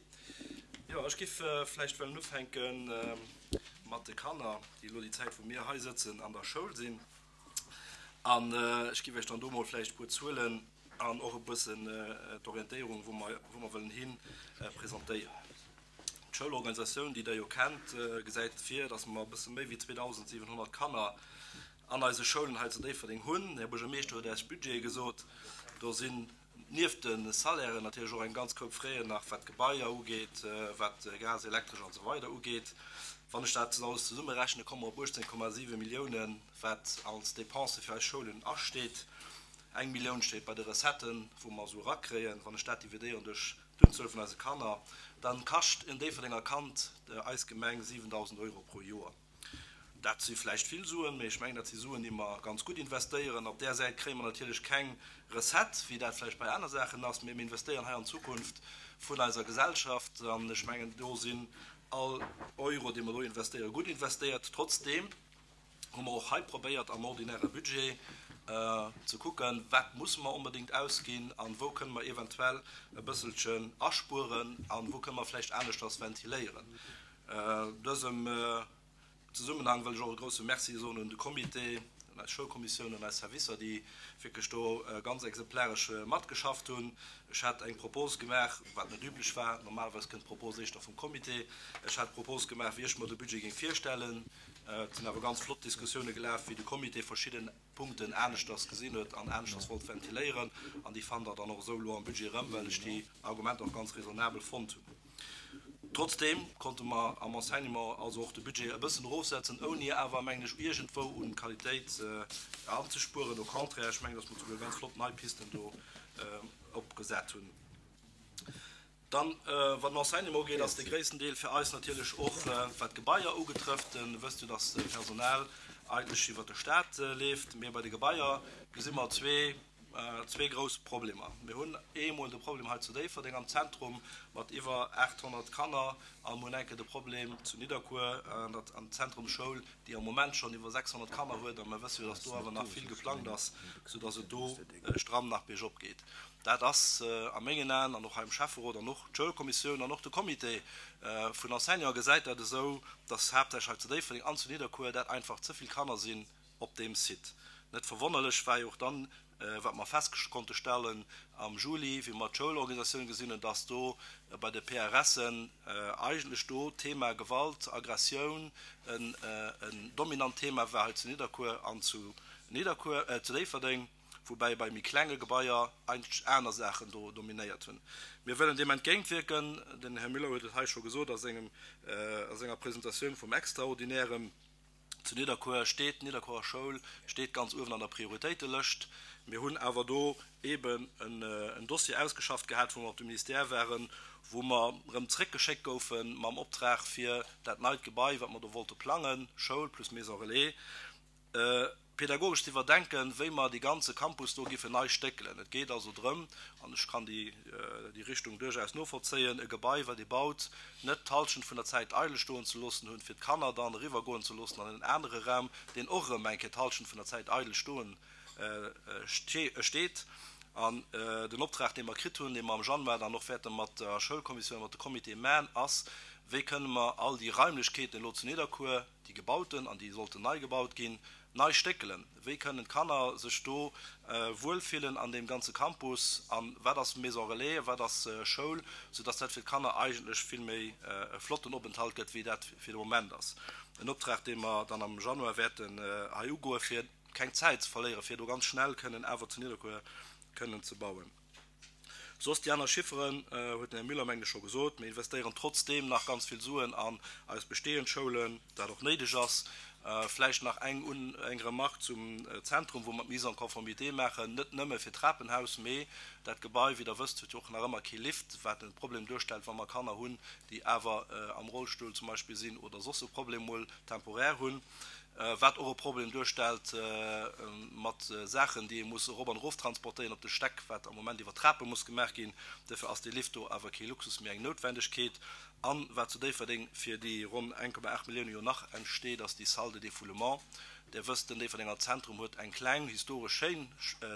Jo, ech giff, äh, vläicht wëllen ufänken, ähm, mat de Kanner, déi elo déi Zäit, wou mir hei sëtzen, an der Schoul sinn. An ech géif iech dann do mol vläicht e puer Zuelen an och e bëssen d'Orientéierung, wou mer, wou mer wëllen hin, presentéieren. D'Schoulorganisatioun, déi Der jo kennt, gesäit vir, dass mer e bësse méi wéi zweedausendsiwenhonnert Kanner an eise Schoulen hei zu Déifferdeng hunn. Den Här Buergermeeschter huet Äech d'Budgete gesot. Do sinn nieft de Salairen natierlech och eng ganz Koup Fräen nach, wat d'Gebaier ugeet, wat Gas, Elektresch an esou weider ugeet. Wann ech dat alles zesummerechnen, komme mer op uechtzéng Komma siwe Milliounen, wat als Dépense fir eis Schoulen asteet. Eng Millioun steet bei de Recetten, wou mer esou erakréien. Wann ech dat dividéieren duerch d'Unzuel vun eise Kanner, da kascht en Déifferdenger Kand eis Gemeng siwendausend Euro pro Joer. Dat si vläicht vill Suen, mee ech mengen, dat si Suen, déi mer ganz gutt investéieren. Op där Säit kréie mer natierlech keng Recette, wéi dat vläicht bei aner Saachen ass, mee mir investéieren hei an d'Zukunft vun eiser Gesellschaft. An ech mengen, do sinn all Euro, dee mer do investéieren, gutt investéiert. Trotzdeem hu mer och hei probéiert, am ordinäre Budget ze kucken, wat musse mer onbedéngt ausginn an wou kënne mer eventuell e bësselchen aspueren an wou kënne mer vläicht aneschters ventiléieren. Dësem Zesummenhang wëll ech och e grouse Merci soen un de Comité, un eis Schoulkommissioun, un eis Servicer, déi wierklech do ganz exemplaresch matgeschafft hunn. Ech hat eng Propos gemaach, wat net üblech war, normalerweis kënnt d'Propos éischter vum Comité, ech hat d'Propos gemaach, wéi ech mer de Budget géing virstellen. Et sinn awer ganz flott Diskussioune gelaf, wéi de Comité verschidden Punkten aneschters gesinn huet an aneschters wollt ventiléieren. An déi fannt Der dann och esou elo am Budget erëm, well ech déi Argumenter och ganz raisonnabel fonnt hunn. Trotzdeem konnte mer am Enseignement also och de Budget e bëssen erofsetzen, ouni awer, mengen ech, iergendwou un Qualitéit anzespueren. Au contraire, ech mengen, dass mer souguer ganz flott nei Pisten do opgesat hunn. Dann, wat den Enseignement ugeet, ass de gréissten Deel fir eis natierlech och, wat d'Gebaier ugetrëfft. Dir wësst jo, dass d'Personal eigentlech iwwert de Stat leeft. Mee bei de Gebaier gesi mer zwee zwee grouss Problemer. Mir hunn eemol de Problem hei zu Déifferdeng am Zentrum mat iwwer aathonnert Kanner a mir hunn enke de Problem zu Nidderkuer an der Zentrumsschoul, déi am Moment schonn iwwer sechshonnert Kanner huet a mir wësse jo, dass do awer nach vill geplangt ass, soudass et do stramm nach biergop geet. Dat ass a mengen Aen an och hei am Schäfferot an och d'Schoulkommissioun an och de Comité vun Enseignanten gesäit dat esou, dass haaptsächlech hei zu Déifferdeng an zu Nidderkuer dat einfach ze vill Kanner sinn op deem Site. Net verwonnerlech war jo och dann, wat mer fest konnte stellen am Juli, wéi mer d'Schoulorganisatioun gesinn hunn, dass do bei de P R Sen eigentlech do d'Thema Gewalt, Aggressioun en dominant Thema war hei zu Nidderkuer an zu Nidderkuer, zu Déifferdeng, woubäi bei méi klenge Gebaier eigentlech aner Saachen do dominéiert hunn. Mir wëllen deem entgéintwierken. Den Här Müller huet et hei scho gesot a sengem, a senger Presentatioun vum Extraordinären. Zu Nidderkuer steet, d'Nidderkuerer Schoul steet ganz uewen an der Prioritéitelëscht. Mir hunn awer do eeben en Dossier ausgeschafft gehat, wou mer op de Ministère waren, wou mer erëm zréckgeschéckt goufe mam Optrag, fir dat neit Gebai, wat mer do wollte plangen, Schoul plus Maison relais, pedagogesch ze iwwerdenken, wéi mer dee ganze Campus do géifen nei stéckelen. Et geet also drëm, an ech kann déi Richtung duerchaus novollzéien, e Gebai, wat ee baut, net d'Hallschent vun der Zäit eidel stoen ze loossen hunn, fir d'Kanner dann eriwwergoen ze loossen an en anere Raum, deen och erëm eng Kéier d'Hallschent vun der Zäit eidel stoen steet. An den Optrag, dee mer kritt hunn, dee mer am Januar dann och wäerte mat der Schoulkommissioun, mat de Comitéë maachen, ass, Wéi kënne mer all déi Raimlechkeeten elo zu Nidderkuer, déi gebauten an déi sollten nei gebaut ginn, nei stéckelen? Wéi kënnen d'Kanner sech do wuelfillen an deem ganze Campus? A wat ass Maison relais, wat ass Schoul, soudass dat fir d'Kanner eigentlech vill méi e flotten Openthalt gëtt, wéi dat fir de Moment ass. En Optrag, dee mer dann am Januar wäerten hei ugoen, fir keng Zäit ze verléieren, fir do ganz schnell kënnen awer zu Nidderkuer kënnen ze bauen. Soss déi aner Chifferen huet den Här Müller, mengen ech, scho gesot. Mir investéieren trotzdeem nach ganz vill Suen an eis bestehend Schoulen, dat och néideg ass. Vläicht nach eng eng Remarque zum Zentrum, wou mer d'Mise en conformité maachen, net nëmme fir d'Trapenhaus, mee dat Gebai, wéi Der wësst, huet jo och nach ëmmer kee Lift, wat e Problem duerstellt, wa mer Kanner hunn, déi awer am Rollstull zum Beispill sinn oder soss e Problem mol temporär hunn. Wat och e Problem duerstellt mat Saachen, déi ee muss erop an erof transportéieren op de Stäck, wat am Moment iwwer Trape muss gemaach ginn. Duerfir ass dee Lift do awer kee Luxus, mee eng Noutwendegkeet. An wat zu Déifferdeng fir déi ronn eng Komma aacht Millioune jo nach entsteet, ass déi Salle de défoulement. Dir wësst, den Déifferdenger Zentrum huet eng kleng, historesch schéin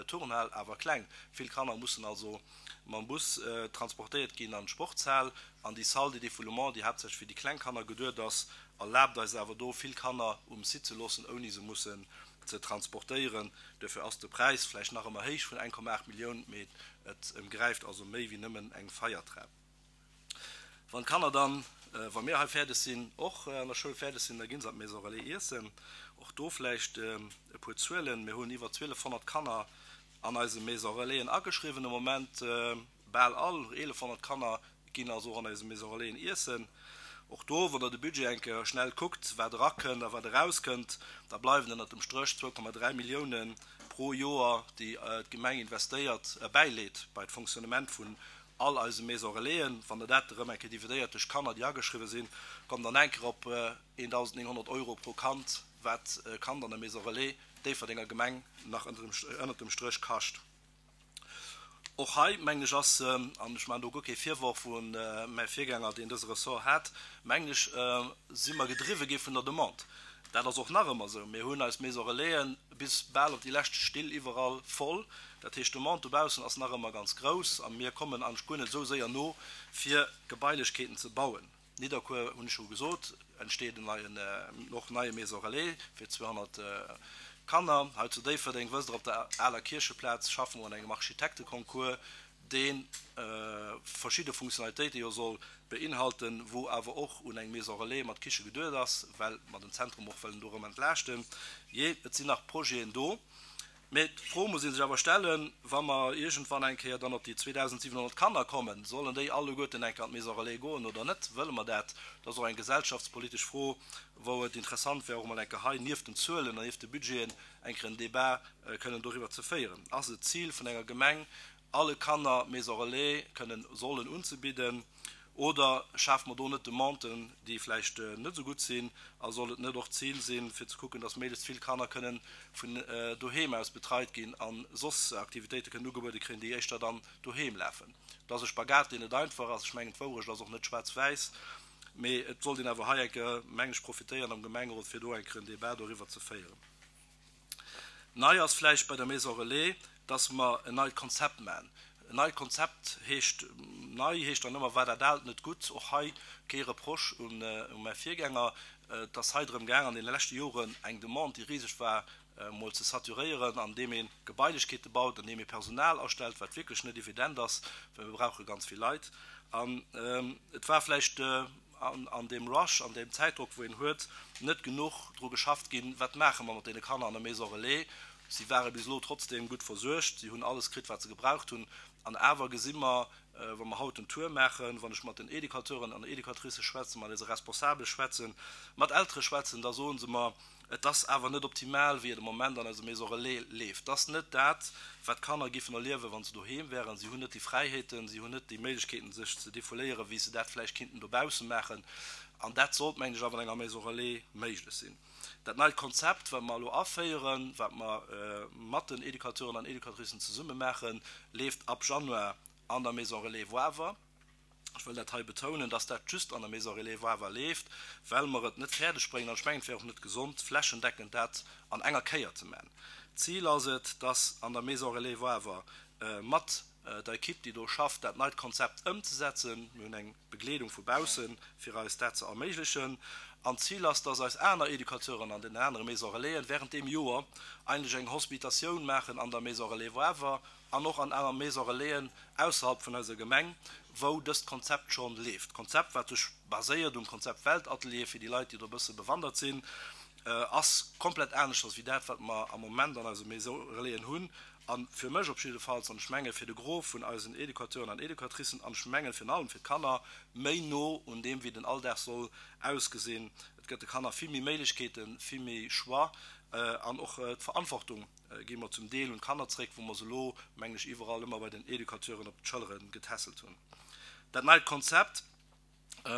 Turnhal, awer kleng. Vill Kanner mussen also mam Bus transportéiert ginn an d'Sportshal. An déi Salle de défoulement, déi haaptsächlech fir déi kleng Kanner geduet ass, erlaabt eis awer do vill Kanner um Site ze loossen, ouni se mussen ze transportéieren. Duerfir ass de Präis vläicht nach ëmmer héich vun eng Komma aacht Millioun, mee et ëmgräift also méi wéi nëmmen eng Feiertrap. Wann d'Kanner dann, wa mir hei fäerdeg sinn, och an der Schoul fäerdeg sinn, da gi se an d'Maison Relais iessen. Och do vläicht e puer Zuelen, Mir hunn iwwer zwielefhonnert Kanner an eise Maison Relaisen ageschriwwen de Moment. Bal all eelefhonnert Kanner ginn also och an eise Maison Relaisen iessen. Och do, wann Der de Budget eng Kéier schnell kuckt, wat erakënnt a wat erauskënnt, da bleiwen ënnert dem Stréch zwou Komma dräi Milliounen pro Joer, déi d'Gemeng investéiert, bäileet bei d'Fonctionnement vun all eise Maison Relaisen. Wann Der dat erëm eng Kéier dividéiert duerch d'Kanner, déi ageschriwwen sinn, kommt Der an eng Kéier op eendausendnénghonnert Euro pro Kand, wat e Kand an der Maison Relais Déifferdenger Gemeng nach ënnert dem Stréch kascht. Och hei, mengen ech, ass, an ech maachen do guer kee Virworf un mäi Virgänger, deen dëse Ressort hat, mengen ech, si mer gedriwwe gi vun der Demande. Dat ass och nach ëmmer esou. Mir hunn eis Maison Relaisen bis bal op déi lescht Still iwwerall voll. Dat heescht, d'Demande dobaussen ass nach ëmmer ganz grouss a mir kommen eigentlech guer net esou séier no, fir Gebailechkeeten ze bauen. Nidderkuer, hunn ech scho gesot, entsteet en neien, och neie Maison Relais fir zweehonnert Kanner. Hei zu Déifferdeng, wësst Der, op der aler Kiercheplaz schaffe mer un engem Architekteconcours, dee verschidde Funktionalitéite jo soll beinhalten, wou awer och un eng Maison Relais mat Kiche geduet ass, well mer den Zentrum och wëllen do erëm entlaaschten. Jee, et sinn nach Projeten do. Mee d'Fro muss ee sech awer stellen, wa mer iergendwann eng Kéier dann op déi zweedausendsiwenhonnert Kanner kommen, sollen déi alleguerten eng Kéier an d'Maison Relais goen oder net? Wëlle mer dat? Dat ass och eng gesellschaftspolitesch Fro, wou et interessant wär, och emol eng Kéier hei nieft den Zuelen an nieft de Budgeten eng Kéier en Débat kënnen doriwwer ze féieren. Ass et d'Zil vun enger Gemeng, alle Kanner Maison Relais kënnen sollen unzebidden? Oder schafe mer do net Demanden, déi vläicht net esou gutt sinn? A soll et net och d'Zil sinn, fir ze kucken, dass méiglechst vill Kanner kënnen vun doheem aus betreit ginn a soss Aktivitéite kënnen ugebuede kréien, déi éischter dann doheem lafen? Et ass e Spagat, deen net einfach ass. Ech mengen, d'Wourecht ass och net schwaarz-wäiss. Mee et sollt een awer hei eng Kéier, mengen ech, profitéieren am Gemengerot, fir do eng Kéier en Débat doriwwer ze féieren. Nei ass vläicht bei der Maison Relais, dass mer en neit Konzept maachen. En neit Konzept heescht, nei heescht dann ëmmer, war dat aalt net gutt? Och hei kee Reproche un mäi Virgänger. Et ass hei drëm gaang, an deene leschte Joren eng Demande, déi riseg war, emol ze saturéieren, andeem ee Gebailechkeete baut, andeem ee Personal astellt, wat wierklech net evident ass, well mir brauche ganz vill Leit. An et war vläicht an deem Rush, an deem Zäitdrock, wou een huet, net genuch dru geschafft ginn, wat maache mer mat deene Kanner an der Maison Relais. Si ware bis elo trotzdeem gutt versuergt, si hunn alles kritt, wat se gebraucht hunn. An awer gesi mer, wa mer haut den Tour maachen, wann ech mat den Educateuren an Educatricë schwätzen, mat eise Responsabele schwätzen, mat Eltere schwätzen, da soe se mer, Et ass awer net optimal, wéi et am Moment an eiser Maison Relais leeft. Et ass net dat, wat d'Kanner giffen erliewen, wa se doheem wären. Si hunn net déi Fräiheeten, si hunn net déi Méiglechkeeten, sech ze defouléieren, wéi se dat vläicht kinnten dobausse maachen. An dat sollt, mengen ech, awer an enger Maison Relais méiglech sinn. Dat neit Konzept, wat mer elo aféieren, wat mer mat den Educateuren an Educatricen zesumme maachen, leeft ab Januar an der Maison Relais Woawer. Ech wëll dat hei betounen, dass dat just an der Maison Relais Woawer leeft, well mer et net fäerdeg bréngen, an ech mengen, et wär och net gesond, flächendeckend dat an enger Kéier ze maachen. D'Zil ass et, dass an der Maison Relais Woawer mat der Ekipp, déi do schafft, dat neit Konzept ëmzesetzen. Mir hunn eng Begleedung vu baussen, fir eis dat ze erméiglechen. An d'Zil ass, dass eis aner Educateuren an den anere Maison Relaisen während deem Joer eigentlech eng Hospitatioun maachen an der Maison Relais Woawer an och an aner Maison Relaisen ausserhalb vun eiser Gemeng, wou dëst Konzept schonn leeft. D'Konzept, wat sech baséiert um Konzept Weltatelier, fir déi Leit, déi do e bësse bewandert sinn, ass komplett aneschters wéi dat, wat mer am Moment an eise Maison Relaisen hunn. A fir mech op jiddefalls, an ech menge fir de Gros vun eisen Educateuren an Educatricen, an ech mengen virun allem fir d'Kanner, méi no un deem, wéi den Alldag soll ausgesinn. Et gëtt de Kanner vill méi Méiglechkeeten, vill méi Choix an och d'Verantwortung gi mer zum Deel un d'Kanner zréck, wou mer se elo, mengen ech, iwwerall ëmmer bei den Educateuren op d'Schëllere getässelt hunn. Dat neit Konzept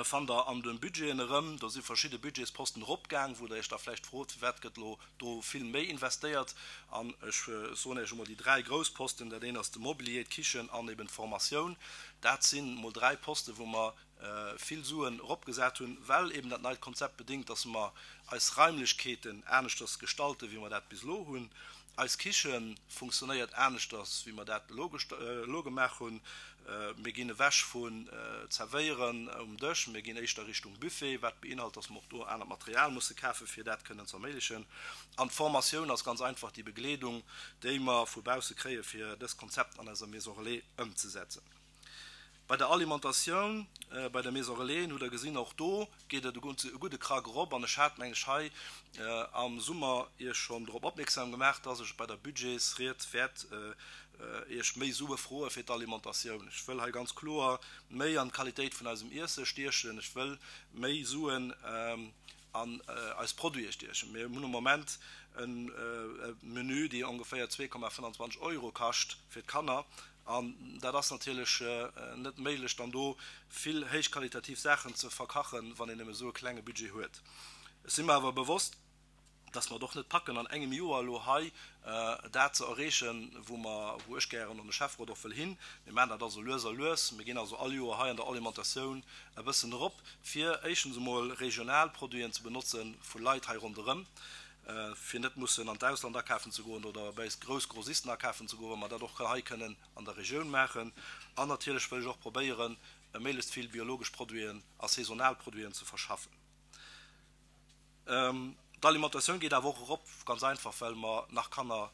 fannt Der an de Budgeten erëm. Do si verschidde Budgetsposten eropgaang, wou Der Iech da vläicht frot, firwat gëtt elo do vill méi investéiert. An ech soen Iech emol déi dräi grouss Posten, dat eent ass de Mobilier, d'Kichen an eben d'Formatioun. Dat sinn emol dräi Posten, wou mer vill Suen eropgesat hunn, well eben dat neit Konzept bedéngt, dass mer eis Raimlechkeeten aneschters gestalten, wéi mer dat bis elo hunn. Eis Kiche funktionéiert aneschters, wéi mer dat elo elo gemaach hunn. Mir ginn ewech vun Zerwéieren um Dësch, mir ginn éischter Richtung Buffet, wat beinhalt, dass mer och do anert Material musse kafen, fir dat kënnen ze erméiglechen. An d'Formatioun ass ganz einfach déi Begleedung, déi mer vu bausse kréien, fir dës Konzept an eiser Maison Relais ëmzesetzen. Bei der Alimentatioun, bei der Maison Relais, hutt Der gesinn, och do geet et e gudde Krack erop. An ech hat, mengen ech, hei am Summer Iech schonn drop opmierksam gemaach, dass ech bei der Budgetsried wäert Iech méi Sue froe fir d'Alimentatioun. Ech wëll hei ganz kloer méi an d'Qualitéit vun eisem Iesse stiechen. Ech wëll méi Suen an eis Produite stiechen. Mir hunn am Moment e Menü, dee ongeféier zwee Komma fënnanzwanzeg Euro kascht fir d'Kanner. An dat ass natierlech net méiglech, dann do vill héichqualitativ Saachen ze verkachen, wann een nëmme esou e klenge Budget huet. Ech si mer awer bewosst, dass mer et och net packen, an engem Joer elo hei dat ze erreechen, wou mer, wou ech gären an de Schäfferot och wëll hin. Mir maachen dat also lues a lues. Mir ginn also all Joer hei an der Alimentatioun e bëssen erop, fir éischtens emol regional Produiten ze benotze vu Leit hei ronderëm, fir net mussen an d'Ausland akafen ze goen oder bei eis grouss Grossisten akafen ze goen, wa mer dat och hei kënnen an der Regioun maachen. An natierlech wëll ech och probéieren, méiglechst vill biologesch Produiten a saisonal Produiten ze verschaffen. D'Alimentatioun geet awer och erop, ganz einfach, well mer nach Kanner,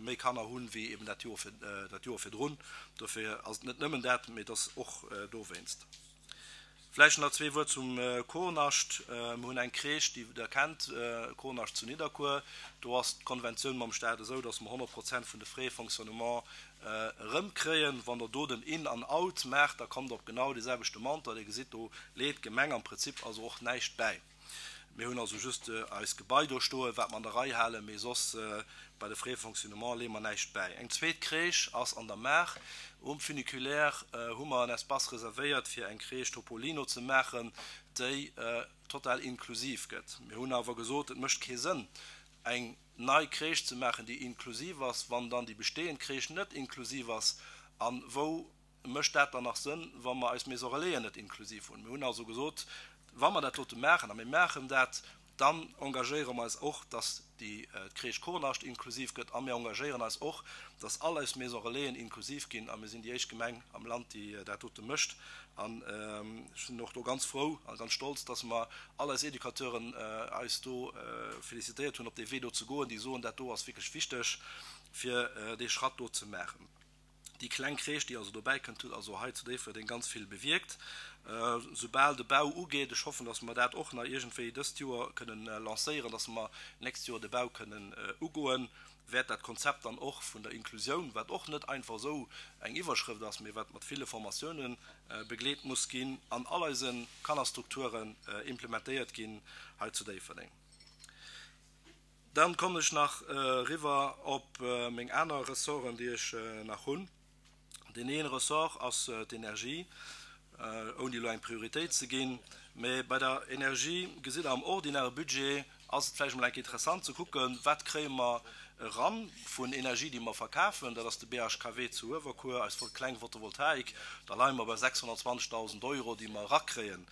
méi Kanner hunn, wéi eben dat Joer vir, dat Joer virdrun. Dofir ass et net nëmmen dat, mee et ass och dowéinst. Vläicht nach zwee Wuert zum Kornascht. Mir hunn eng Crèche, déi Der kennt, Kornascht zu Nidderkuer. Do ass d'Konventioun mam Staat esou, dass mer honnert Prozent vun de Frais de fonctionnement erëmkréien. Wann Der do den In an Out maacht, da kommt Der op genau dee selwechte Montant. Dir gesitt, do leet d'Gemeng am Prinzip also och näischt bäi. Mir hunn also just eist Gebai do stoen, wat mer an der Rei halen, mee soss bei de Frais de fonctionnement leeë mer näischt bäi. Eng zweet Crèche ass an der Maach. Um Funiculaire hu mer en Espace reservéiert, fir eng Crèche Topolino ze maachen, déi total inklusiv gëtt. Mir hunn awer gesot, et mécht kee Sënn, eng nei Crèche ze maachen, déi inklusiv ass, wann dann déi bestehend Crèche net inklusiv ass. A wou mécht dat dann nach Sënn, wa mer eis Maison Relaisen net inklusiv hunn? Mir hunn also gesot, wa mer dat dote maachen, a mir maachen dat, dann engagéiere mer eis och, dass déi d'Crèche Kornascht inklusiv gëtt, a mir engagéieren eis och, dass all eis Maison Relaisen inklusiv ginn, a mir sinn déi éischt Gemeng am Land, déi dat dote mécht. An ech sinn och do ganz frou a ganz stolz, dass mer all eis Educateuren eis do félicitéiert hunn, op dee Wee do ze goen, déi soen, dat do ass wierklech wichteg, fir dee Schratt do ze maachen. Déi kleng Crèche, déi also dobäi kënnt, huet also hei zu Déifferdeng ganz vill bewierkt. Soubal de Bau ugeet, ech hoffen, dass mer dat och nach iergendwéi dëst Joer kënnen lancéieren, dass mer d'nächst Joer de Bau kënnen ugoen, wäert dat Konzept dann och vun der Inklusioun, wat och net einfach esou eng Iwwerschrëft ass, mee wat mat ville Formatiounen begleet muss ginn, an all eise Kannerstrukturen implementéiert ginn hei zu Déifferdeng. Dann kommen ech nach eriwwer op meng aner Ressorten, déi ech nach hunn. Deen een Ressort ass d'Energie, ouni elo eng Prioritéit ze ginn. Mä bei der Energie gesitt Der, am ordinäre Budget ass et vläicht emol enk interessant ze kucken, wat kréie mer eran vun Energie, déi mer verkafen. Dat ass de B H K W zu Uewerkuer, eis kleng Photovoltaik. Da leie mer bei sechshonnertzwanzegdausend Euro, déi mer erakréien.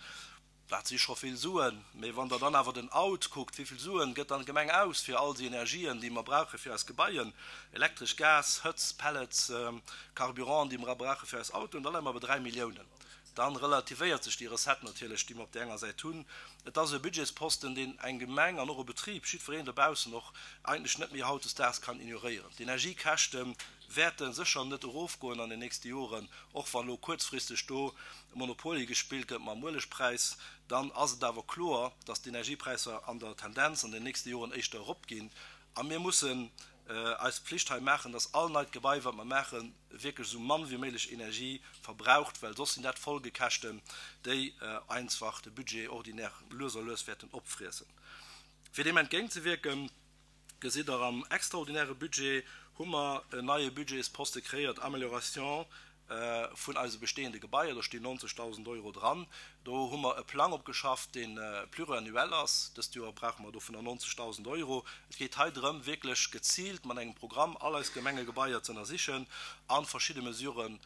Dat si scho vill Suen. Mee wann Der dann awer den Out kuckt, wéi vill Suen gëtt dann d'Gemeng aus fir all déi Energien, déi mer brauche fir eis Gebaien, elektresch, Gas, Hëtzt, Pellets, Carburant, déi mer brauche fir eis Autoen, da leie mer bei dräi Milliounen. Dann relativéiert sech déi Recette natierlech, déi mer op där enger Säit hunn. Et ass e Budgetsposten, deen eng Gemeng an och e Betrib, jiddwereen dobaussen och, eigentlech net méi hautdesdaags kann ignoréieren. D'Energiekäschte wäerte sécher net erofgoen an den nächste Joren, och wann elo kuerzfristeg do Monopoly gespillt gëtt mam Uelegpräis, dann ass et awer kloer, dass d'Energiepräisser an der Tendenz an den nächste Joren éischter eropginn. A mir mussen eis Pflicht hei maachen, dass all neit Gebai, wat mer maachen, wierklech esou mann wéi méiglech Energie verbraucht, well soss sinn dat Folgekäschten, déi einfach de Budget ordinaire lues a lues wäerten opfriessen. Fir deem entgéintzewierken, gesitt Der am extraordinäre Budget, hu mer en neie Budgetsposte kreéiert, Amélioration vun eise bestehende Gebaier, do stinn neunzegtausend Euro dran. Do hu mer e Plang opgeschafft, dee pluriannuel ass. Dëst Joer brauche mer dovunner neunzegtausend Euro. Et geet hei drëm, wierklech geziilt mat engem Programm all eis Gemengegebaier ze ënnersichen a verschidde Mesuren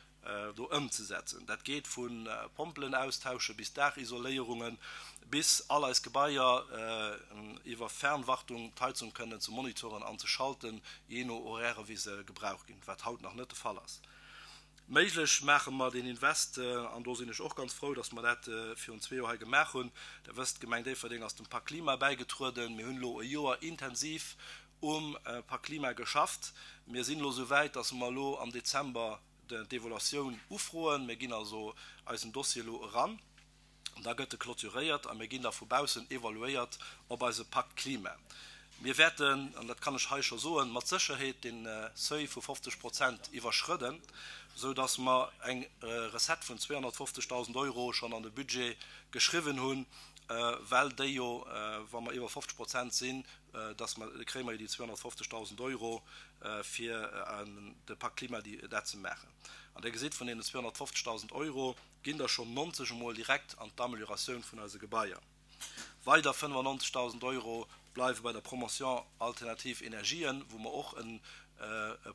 do ëmzesetzen. Dat geet vu Pompelen austausche bis Daachisoléierungen, bis all eis Gebaier iwwer Fernwartung d'Heizung kënnen ze monitoren an ze schalten, jee no Horaire wéi se gebraucht ginn, wat haut nach net de Fall ass. Méiglech maache mer deen Invest, an do sinn ech och ganz frou, dass mer dat virun zwee Joer hei gemaach hunn. Der wësst, d'Gemeng Déifferdeng ass dem Pakt Klima bäigetrueden. Mir hunn elo e Joer intensiv um Pakt Klima geschafft. Mir sinn elo esou wäit, dass mer elo am Dezember d'Evaluatioun ufroen. Mir ginn also eisen Dossier elo eran, da gëtt e clôturéiert a mir ginn da vu baussen evaluéiert op eise Pakt Klima. Mir wäerten, an dat kann ech hei scho soen, mat Sécherheet dee Seuil vu fofzeg Prozent iwwerschrëdden, esou datt mer eng Recette vun zweehonnertfofzegdausend Euro schonn an de Budget geschriwwen hunn, well déi jo, wa mer iwwer fofzeg Prozent sinn, datt mer, kréie mer jo déi zweehonnertfofzegdausend Euro fir de Pakt Klima dat ze maachen. An Dir gesitt, vun deenen zweehonnertfofzegdausend Euro ginn der schonn nonzeg emol direkt an d'Amelioratioun vun eise Gebaier. Weider fënnefannonzegdausend Euro bleiwe bei der Promotion alternativ Energien, wou mer och e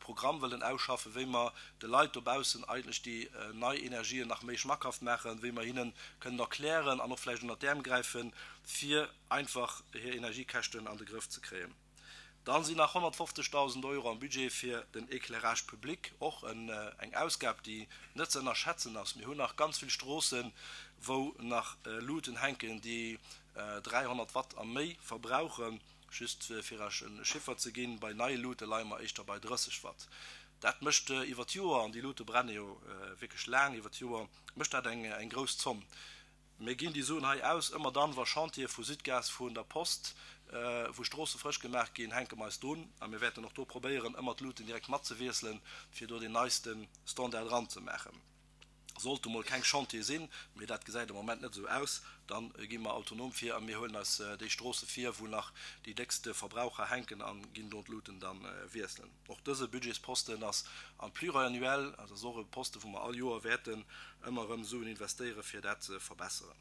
Programm wëllen ausschaffen, wéi mer de Leit dobaussen eigentlech déi nei Energien nach méi schmackhaft maachen, wéi mer hinne kënnen erklären an och vläicht ënnert d'Äerm gräifen, fir einfach hir Energiekäschten an de Grëff ze kréien. Dann sinn nach honnertfofzegdausend Euro am Budget fir den Éclairage public, och eng Ausgab, déi net ze ënnerschätzen ass. Mir hunn nach ganz vill Stroossen, wou nach Luuten hänken, déi dräihonnert Watt a méi verbrauchen. Just fir Iech e Chiffer ze ginn, bei neie Luute leie mer éischter bei drësseg Watt. Dat mécht iwwer d'Joer, an déi Luute brenne jo wierklech laang iwwer d'Joer, mécht dat eng grouss Zomm. Mir ginn déi Suen hei aus, ëmmer dann, wa Chantiere vu Sudgaz, vun der Post, wou Stroosse frësch gemaach ginn, hänke mer eis drun. A mir wäerten och do probéieren, ëmmer d'Luuten direkt matzewiesselen, fir do deen neiste Standard eranzemaachen. Sollte mol keng Chantiere sinn, mee dat gesäit am Moment net esou aus, da gi mer autonom vir a mir huelen eis déi Stroosse vir, wou nach déi déckste Verbraucher hänken a ginn do d'Luuten da wiesselen. Och dëse Budgetsposten ass am Pluriannuel, also ass och e Posten, wou mer all Joer wäerten ëmmer erëm Suen investéieren, fir dat ze verbesseren.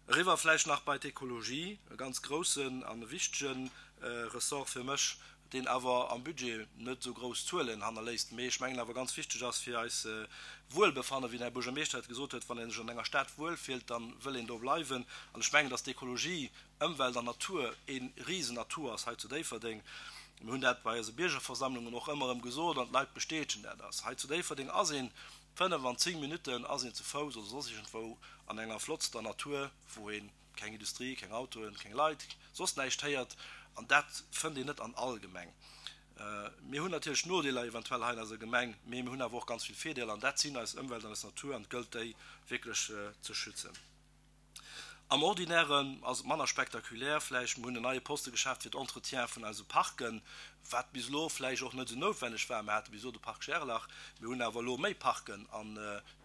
Eriwwer vläicht nach bei d'Ekologie, e ganz groussen an e wichtege Ressort fir mech, deen awer am Budget net esou grouss Zuelen hannerléisst, mee ech mengen awer ganz wichteg ass fir eis Wuelbefannen, wéi den Här Buergermeeschter et gesot huet, wann ee sech an enger Stad wuelfillt, da wëll een do bleiwen. An ech mengen, dass d'Ekologie, Ëmwelt an Natur ee Risenatout ass hei zu Déifferdeng. Mir hunn dat bei eise Biergerversammlungen och ëmmer erëm gesot an d'Leit bestätegen dat. Ass hei zu Déifferdeng ass een fënnef an zéng Minutten ass een ze Fouss oder soss iergendwou an enger flottster Natur, wou ee keng Industrie, keng Autoen, keng Leit, soss näischt héiert. An dat fënnt een net an all Gemeng. Mir hunn natierlech Nodeeler eventuell hei an eiser Gemeng, mee mir hunn awer och ganz vill Virdeeler an dat sinn eis Ëmwelt an eis Natur an et gëllt déi wierklech ze schützen. Am Ordinären ass et manner spektakulär vläicht. Mir hunn en neie Poste geschaaft fir d'Entretien vun eise Parken, wat bis elo vläicht och net esou noutwenneg war. Mir hate bis elo de Park Gerlach, mir hunn awer elo méi Parken an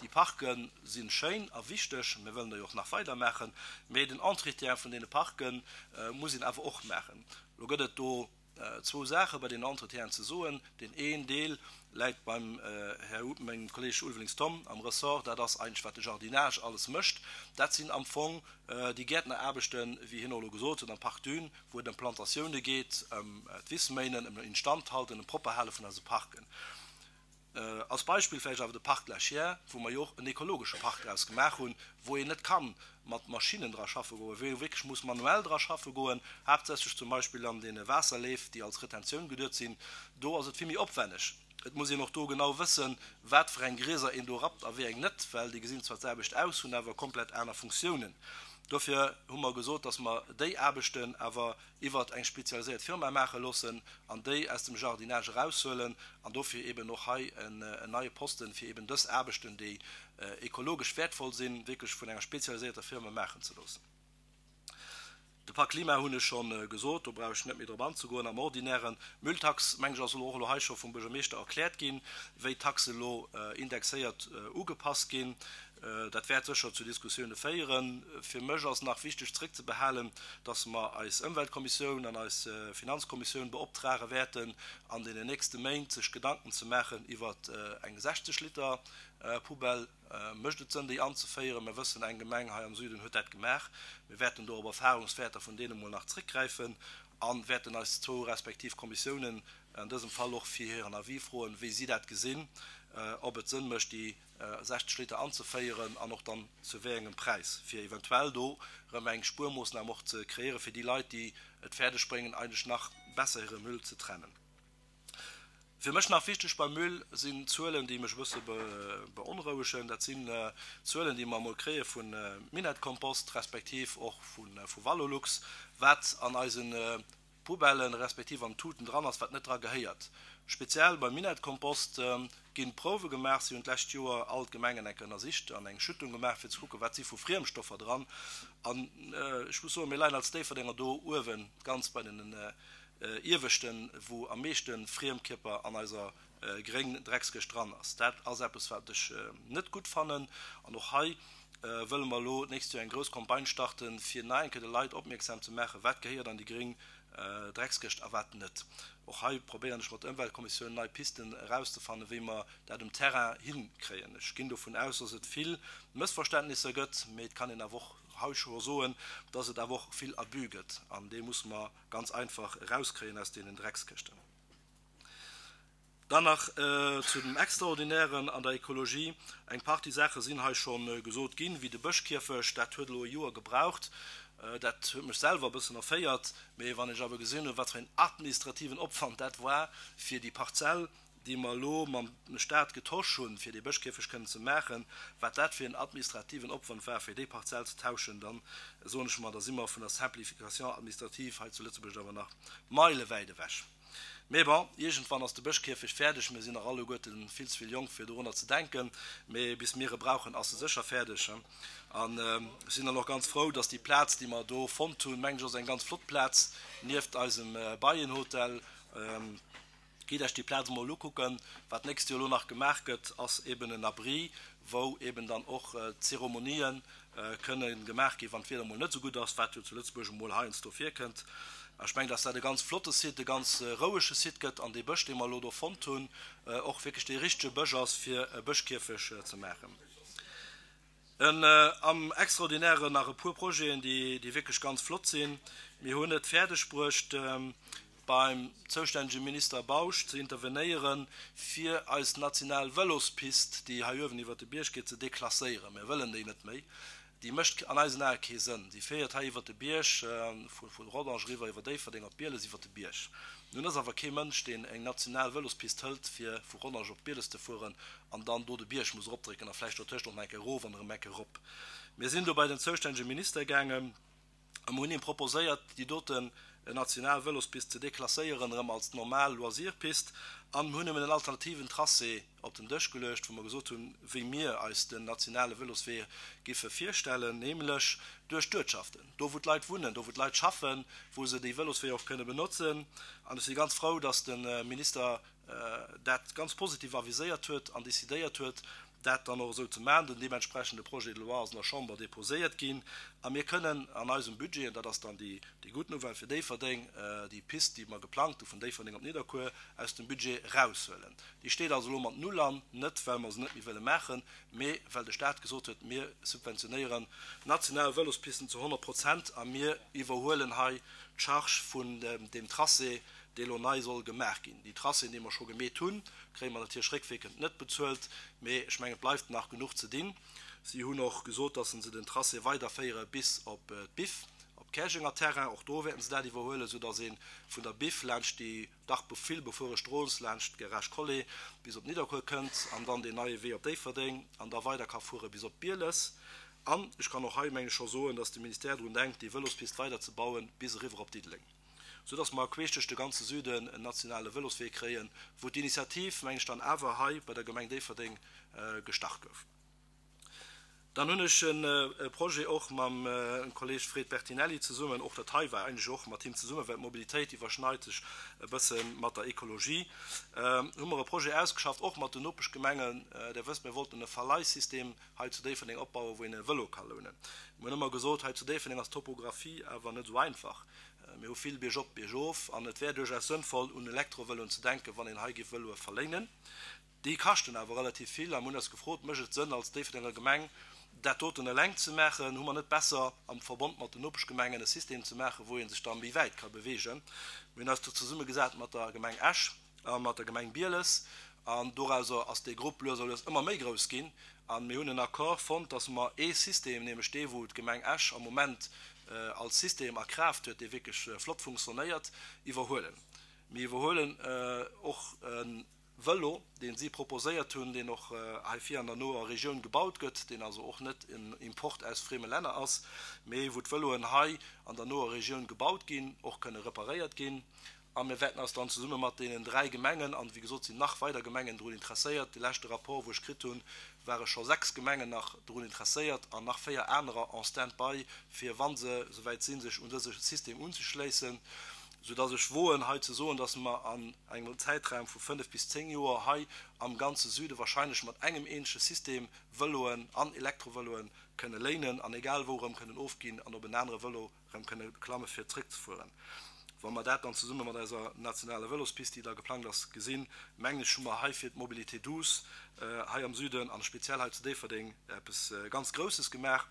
déi Parke si schéin a wichteg. Mir wëllen der jo och nach weider maachen, mee den Entretien vun deene Parke muss een awer och maachen. Elo gëtt et do zwou Saache bei deenen Entretienen ze soen. Deen een Deel läit beim Här, mengem Kolleeg Ulvelings Tom am Ressort, dat ass eigentlech wat de Jardinage alles mécht. Dat sinn am Fong déi Gäertneraarbechten, wéi hien och elo gesot huet, am Parc Dune, wou et ëm Plantatioune geet, ëm d'Wissméinen, ëm Instandhalten, ëm Propperhale vun eise Parken. Als Beispill vläicht awer de Parc de la Chiers, wou mer jo och en ekologesche Park draus gemaach hunn, wou een net ka mat Maschinnen dra schaffe goen, wou ee wierklech muss manuell dra schaffe goen, haaptsächlech zum Beispill an deene Waasserleef, déi als Retentioun geduet sinn. Do ass et vill méi opwenneg. Et muss een och do genau wëssen, wat fir eng Grieser een do rappt a wéi eng net, well déi gesinn zwar d'selwecht aus, hunn awer komplett aner Funktiounen. Dofir hu mer gesot, dass mer déi Aarbechten awer iwwert eng spezialiséiert Firma maache loossen an déi aus dem Jardinage eraushuelen an dofir eben och hei en neie Posten, fir eben dës Aarbechten, déi ekologesch wäertvoll sinn, wierklech vun enger spezialisierter Firma maachen ze loossen. De Pak Klima hunn ech scho gesot, do brauch ech net méi drop anzegoen. Am ordinären Mülltax, mengen ech, ass elo och elo hei scho vum Buergermeeschter erkläert ginn, wéi d'Taxe elo indexéiert ugepasst ginn. Dat wäert sécher zu Diskussioune féieren. Fir mech ass nach wichteg zréckzebehalen, dass mer eis Ëmweltkommissioun an eis Finanzkommissioun beoptrage wäerten, an deenen nächste Méint sech Gedanken ze maachen iwwer eng sechzeg Liter Poubelle. Mécht et Sënn, déi anzeféieren? Mir wëssen, eng Gemeng hei am Süden huet dat gemaach. Mir wäerten do op Erfahrungswäerter vun deene mol nach zréckgräifen a wäerten eis zwou respektiv Kommissiounen an dësem Fall och fir hiren Avis froen, wéi si dat gesinn, ob et Sënn mécht, déi sechzeg Liter anzeféieren an och dann zu wéi engem Präis, fir eventuell do erëm eng Spuermoossnam och ze kreéiere fir déi Leit, déi et fäerdeg bréngen, eigentlech nach besser hire Müll ze trennen. Fir mech nach wichteg beim Müll sinn Zuelen, déi mech e bësse beonrouegen. Dat sinn Zuelen, déi mer emol kréie vu Minett-Kompost respektiv och vu Valorlux, wat an eise Poubellen respektiv an Tuten dran ass, wat net dra gehéiert. Speziell beim Minett-Kompost ginn Prouwe gemaach. Si hunn d'lescht Joer all d'Gemengen eng Kéier ënnersicht an eng Schüttung gemaach, fir ze kucken, wat si vu Friemstoffer dran. An ech muss soen, mir leien als Déifferdenger do uewen, ganz bei den Ieweschten, wou am meeschte Friemkierper an eiser gréng Dreckskëscht dran ass. Dat ass eppes, wat ech net gutt fannen. An och hei wëlle mer elo d'nächst Joer eng grouss Campagne starten, fir nach eng Kéier de Leit opmierksam ze maachen, wat gehéiert an déi gréng Dreckskëscht a wat net. Och hei probéieren ech mat der Ëmweltkommissioun nei Pisten erauszefannen, wéi mer dat um Terrain hinkréien. Ech ginn dovun aus, dass et vill Mëssverständnisser gëtt, mee et kann een awer och hei scho soen, dass et awer och vill Abus gëtt. An dee musse mer ganz einfach erauskréien aus deenen Dreckskëschten. Dann nach zu dem Extraordinären an der Ekologie. Eng Partie Saache sinn hei scho gesot ginn, wéi de Bëschkierfecht. Dat huet elo e Joer gebraucht. Dat huet mech selwer e bëssen erféiert. Mee wann ech awer gesinn hunn, wat fir een administrativen Opwand dat war, fir déi Parzell, déi mer elo mam Staat getosch hunn, fir dee Bëschkierfecht kënnen ze maachen, wat dat fir en administrativen Opwand war, fir déi Parzell ze tauschen, dann soen ech mer, da si mer vun der Simplification administrative hei zu Lëtzebuerg awer nach meilewäit ewech. Mee bon, iergendwann ass de Bëschkierfecht fäerdeg. Mir sinn nach alleguerte vill ze vill jonk, fir dorunner ze denken, mee bis mir e brauchen, ass e sécher fäerdeg. An ech sinn dann och ganz frou, dass déi Plaz, déi mer do fonnt hunn, mengen ech, ass eng ganz flott Plaz nieft eisem Beienhotel. Gitt Iech déi Plaz emol ukucken. Wat d'nächst Joer elo nach gemaach gëtt, ass eben en Abri, wou eben dann och d'Zeremonien kënne gemaach ginn, wann d'Wieder emol net esou gutt ass, wat jo zu Lëtzebuerg emol heiansdo virkënnt. Ech mengen, dass dat e ganz flotte Site, e ganz rouege Site gëtt an dee Bësch, dee mer elo do fonnt hunn, och wierklech dee richtege Bësch ass, fir e Bëschkierfech ze maachen. En am Extraordinären nach e puer Projeten, déi, déi wierklech ganz flott sinn. Mir hunn et fäerdegbruecht, beim zoustännege Minister Bausch ze intervenéieren, fir eis national Vëlospist, déi hei uewen iwwert de Bierg geet, ze deklasséieren. Mir wëllen déi net méi. Déi mécht an eisen Ae kee Sënn. Déi féiert hei iwwert de Bierg, vu Rodange eriwwer iwwer Déifferdeng op Bieles iwwert de Bierg. Nun ass awer kee Mënsch, deen eng national Vëlospist hëlt, fir vu Rodange op Bieles ze fueren an dann do de Bierg muss eropdrécken a vläicht dotëscht och nach eng Kéier erof an erëm eng Kéier erop. Mir sinn do bei den zoustännege Minister gaangen a mir hunn him proposéiert, déi doten national Vëlospist ze deklasséieren erëm als normal Loisirpist an mir hunn him en alternativen Tracé op den Dësch geluecht, wou mer gesot hunn, wéi mir eis den nationale Vëloswee giffe virstellen, nämlech duerch d'Uertschaften, do wou d'Leit wunnen, do wou d'Leit schaffen, wou se déi Vëlosweeër och kënne benotzen. An ech si ganz frou, dass de Minister dat ganz positiv aviséiert huet an decidéiert huet, dat dann och esou ze maachen. Den deementsprechende Projet de loi ass an der Chamber déposéiert ginn a mir kënnen an eisem Budget, an dat ass dann déi gutt Nouvelle fir Déifferdeng, déi Pist, déi mer geplangt hu vun Déifferdeng op Nidderkuer, aus dem Budget eraushuelen. Déi steet also elo mat Null an, net well mer se net méi wëlle maachen, mee well de Staat gesot huet, mir subventionéieren national Vëlospisten zu honnert Prozent a mir iwwerhuelen hei d'Charge vun deem Tracé, dee lo nei soll gemaach ginn. Déi Tracéen, déi mer scho gemeet hunn, kréie mer natierlech réckwierkend net bezuelt, mee ech mengen, et bleift nach genuch ze dinn. Si hunn och gesot, dass se den Tracé weiderféiere bis op d'Biff, op Käerjenger Terrain. Och do wäerten se dat iwwerhuelen, soudass ee vun der Biff laanscht déi dach vill befuere Strooss, laanscht d'Garage Collet bis op Nidderkuer kënnt an dann deen neie Wee op Déifferdeng an da weider ka fuere bis op Bieles. An ech kann och hei, meng ech, scho soen, dass de Ministère drun denkt, déi Vëlospist weiderzebauen bis eriwwer op Diddeleng, soudass mer queesch duerch de ganze Süden en nationale Vëloswee kréien, wou d'Initiativ, meng ech, dann awer hei bei der Gemeng Déifferdeng gestart gouf. Dann hunn ech e Projet och mam Kolleeg Fred Bertinelli zesummen, och dat hei war eigentlech och mat him zesummen, well d'Mobilitéit iwwerschneit sech e bësse mat der Ekologie, hu mer e Projet ausgeschafft, och mat den Nopeschgemengen. Der wësst, mir wollten e Verleihsystem hei zu Déifferdeng opbauen, wou een e Vëlo ka lounen. Mir hunn ëmmer gesot, hei zu Déifferdeng ass d'Topographie awer net esou einfach. Mir hu vill biergop, biergof an et wär duerchaus sënnvoll, un Elektrovëloen ze denken, wann een hei géif Vëloe verléinen. Déi kaschten awer relativ vill a mir hunn eis gefrot, Mécht et Sënn, als Déifferdenger Gemeng dat doten eleng ze maachen? Hu mer net besser, am Verbond mat den Nopeschgemengen e System ze maachen, wou ee sech da méi wäit ka beweegen? Mir hunn eis do zesummegesat mat der Gemeng Esch a mat der Gemeng Bieles An dorauser ass dee Grupp lues a lues ëmmer méi grouss ginn. A mir hunn en Accord fonnt, dass mer ee System, nämlech dee wou d'Gemeng Esch am Moment als System a Kraaft huet, dee wierklech flott funktionéiert, iwwerhuelen. Mir iwwerhuelen och e Vëlo, dee si proposéiert hunn, deen och hei vir an der noer Regioun gebaut gëtt, deen also och net en Import aus frieme Länner ass, mee wou d'Vëloen hei an der noer Regioun gebaut ginn, och kënne reparéiert ginn. A mir wäerten eis dann zesumme mat deenen dräi Gemengen, an wéi gesot sinn nach weider Gemengen drun interesséiert, de leschte Rapport wou ech kritt hunn, ware scho sechs Gemengen nach drun interesséiert an nach véier anerer en stand-by, fir wa se esouwäit sinn, sech un dëse System unzeschléissen, soudass ech woen hei ze soen, dass mer an engem Zäitraum vu fënnef bis zéng Joer hei am ganze Süde wahrscheinlech mat engem eenzege System Vëloen an Elektrovëloen kënne léinen an egal wou erëm kënnen ofginn an op en anere Vëlo erëm kënne klamme fir zréckzefueren. Wa mer dat dann zesumme mat eiser nationaler Vëlospist, déi da geplangt ass, gesinn, mengen ech, hu mer hei fir d'Mobilité douce hei am Süden an speziell hei zu Déifferdeng eppes ganz Grousses gemaach.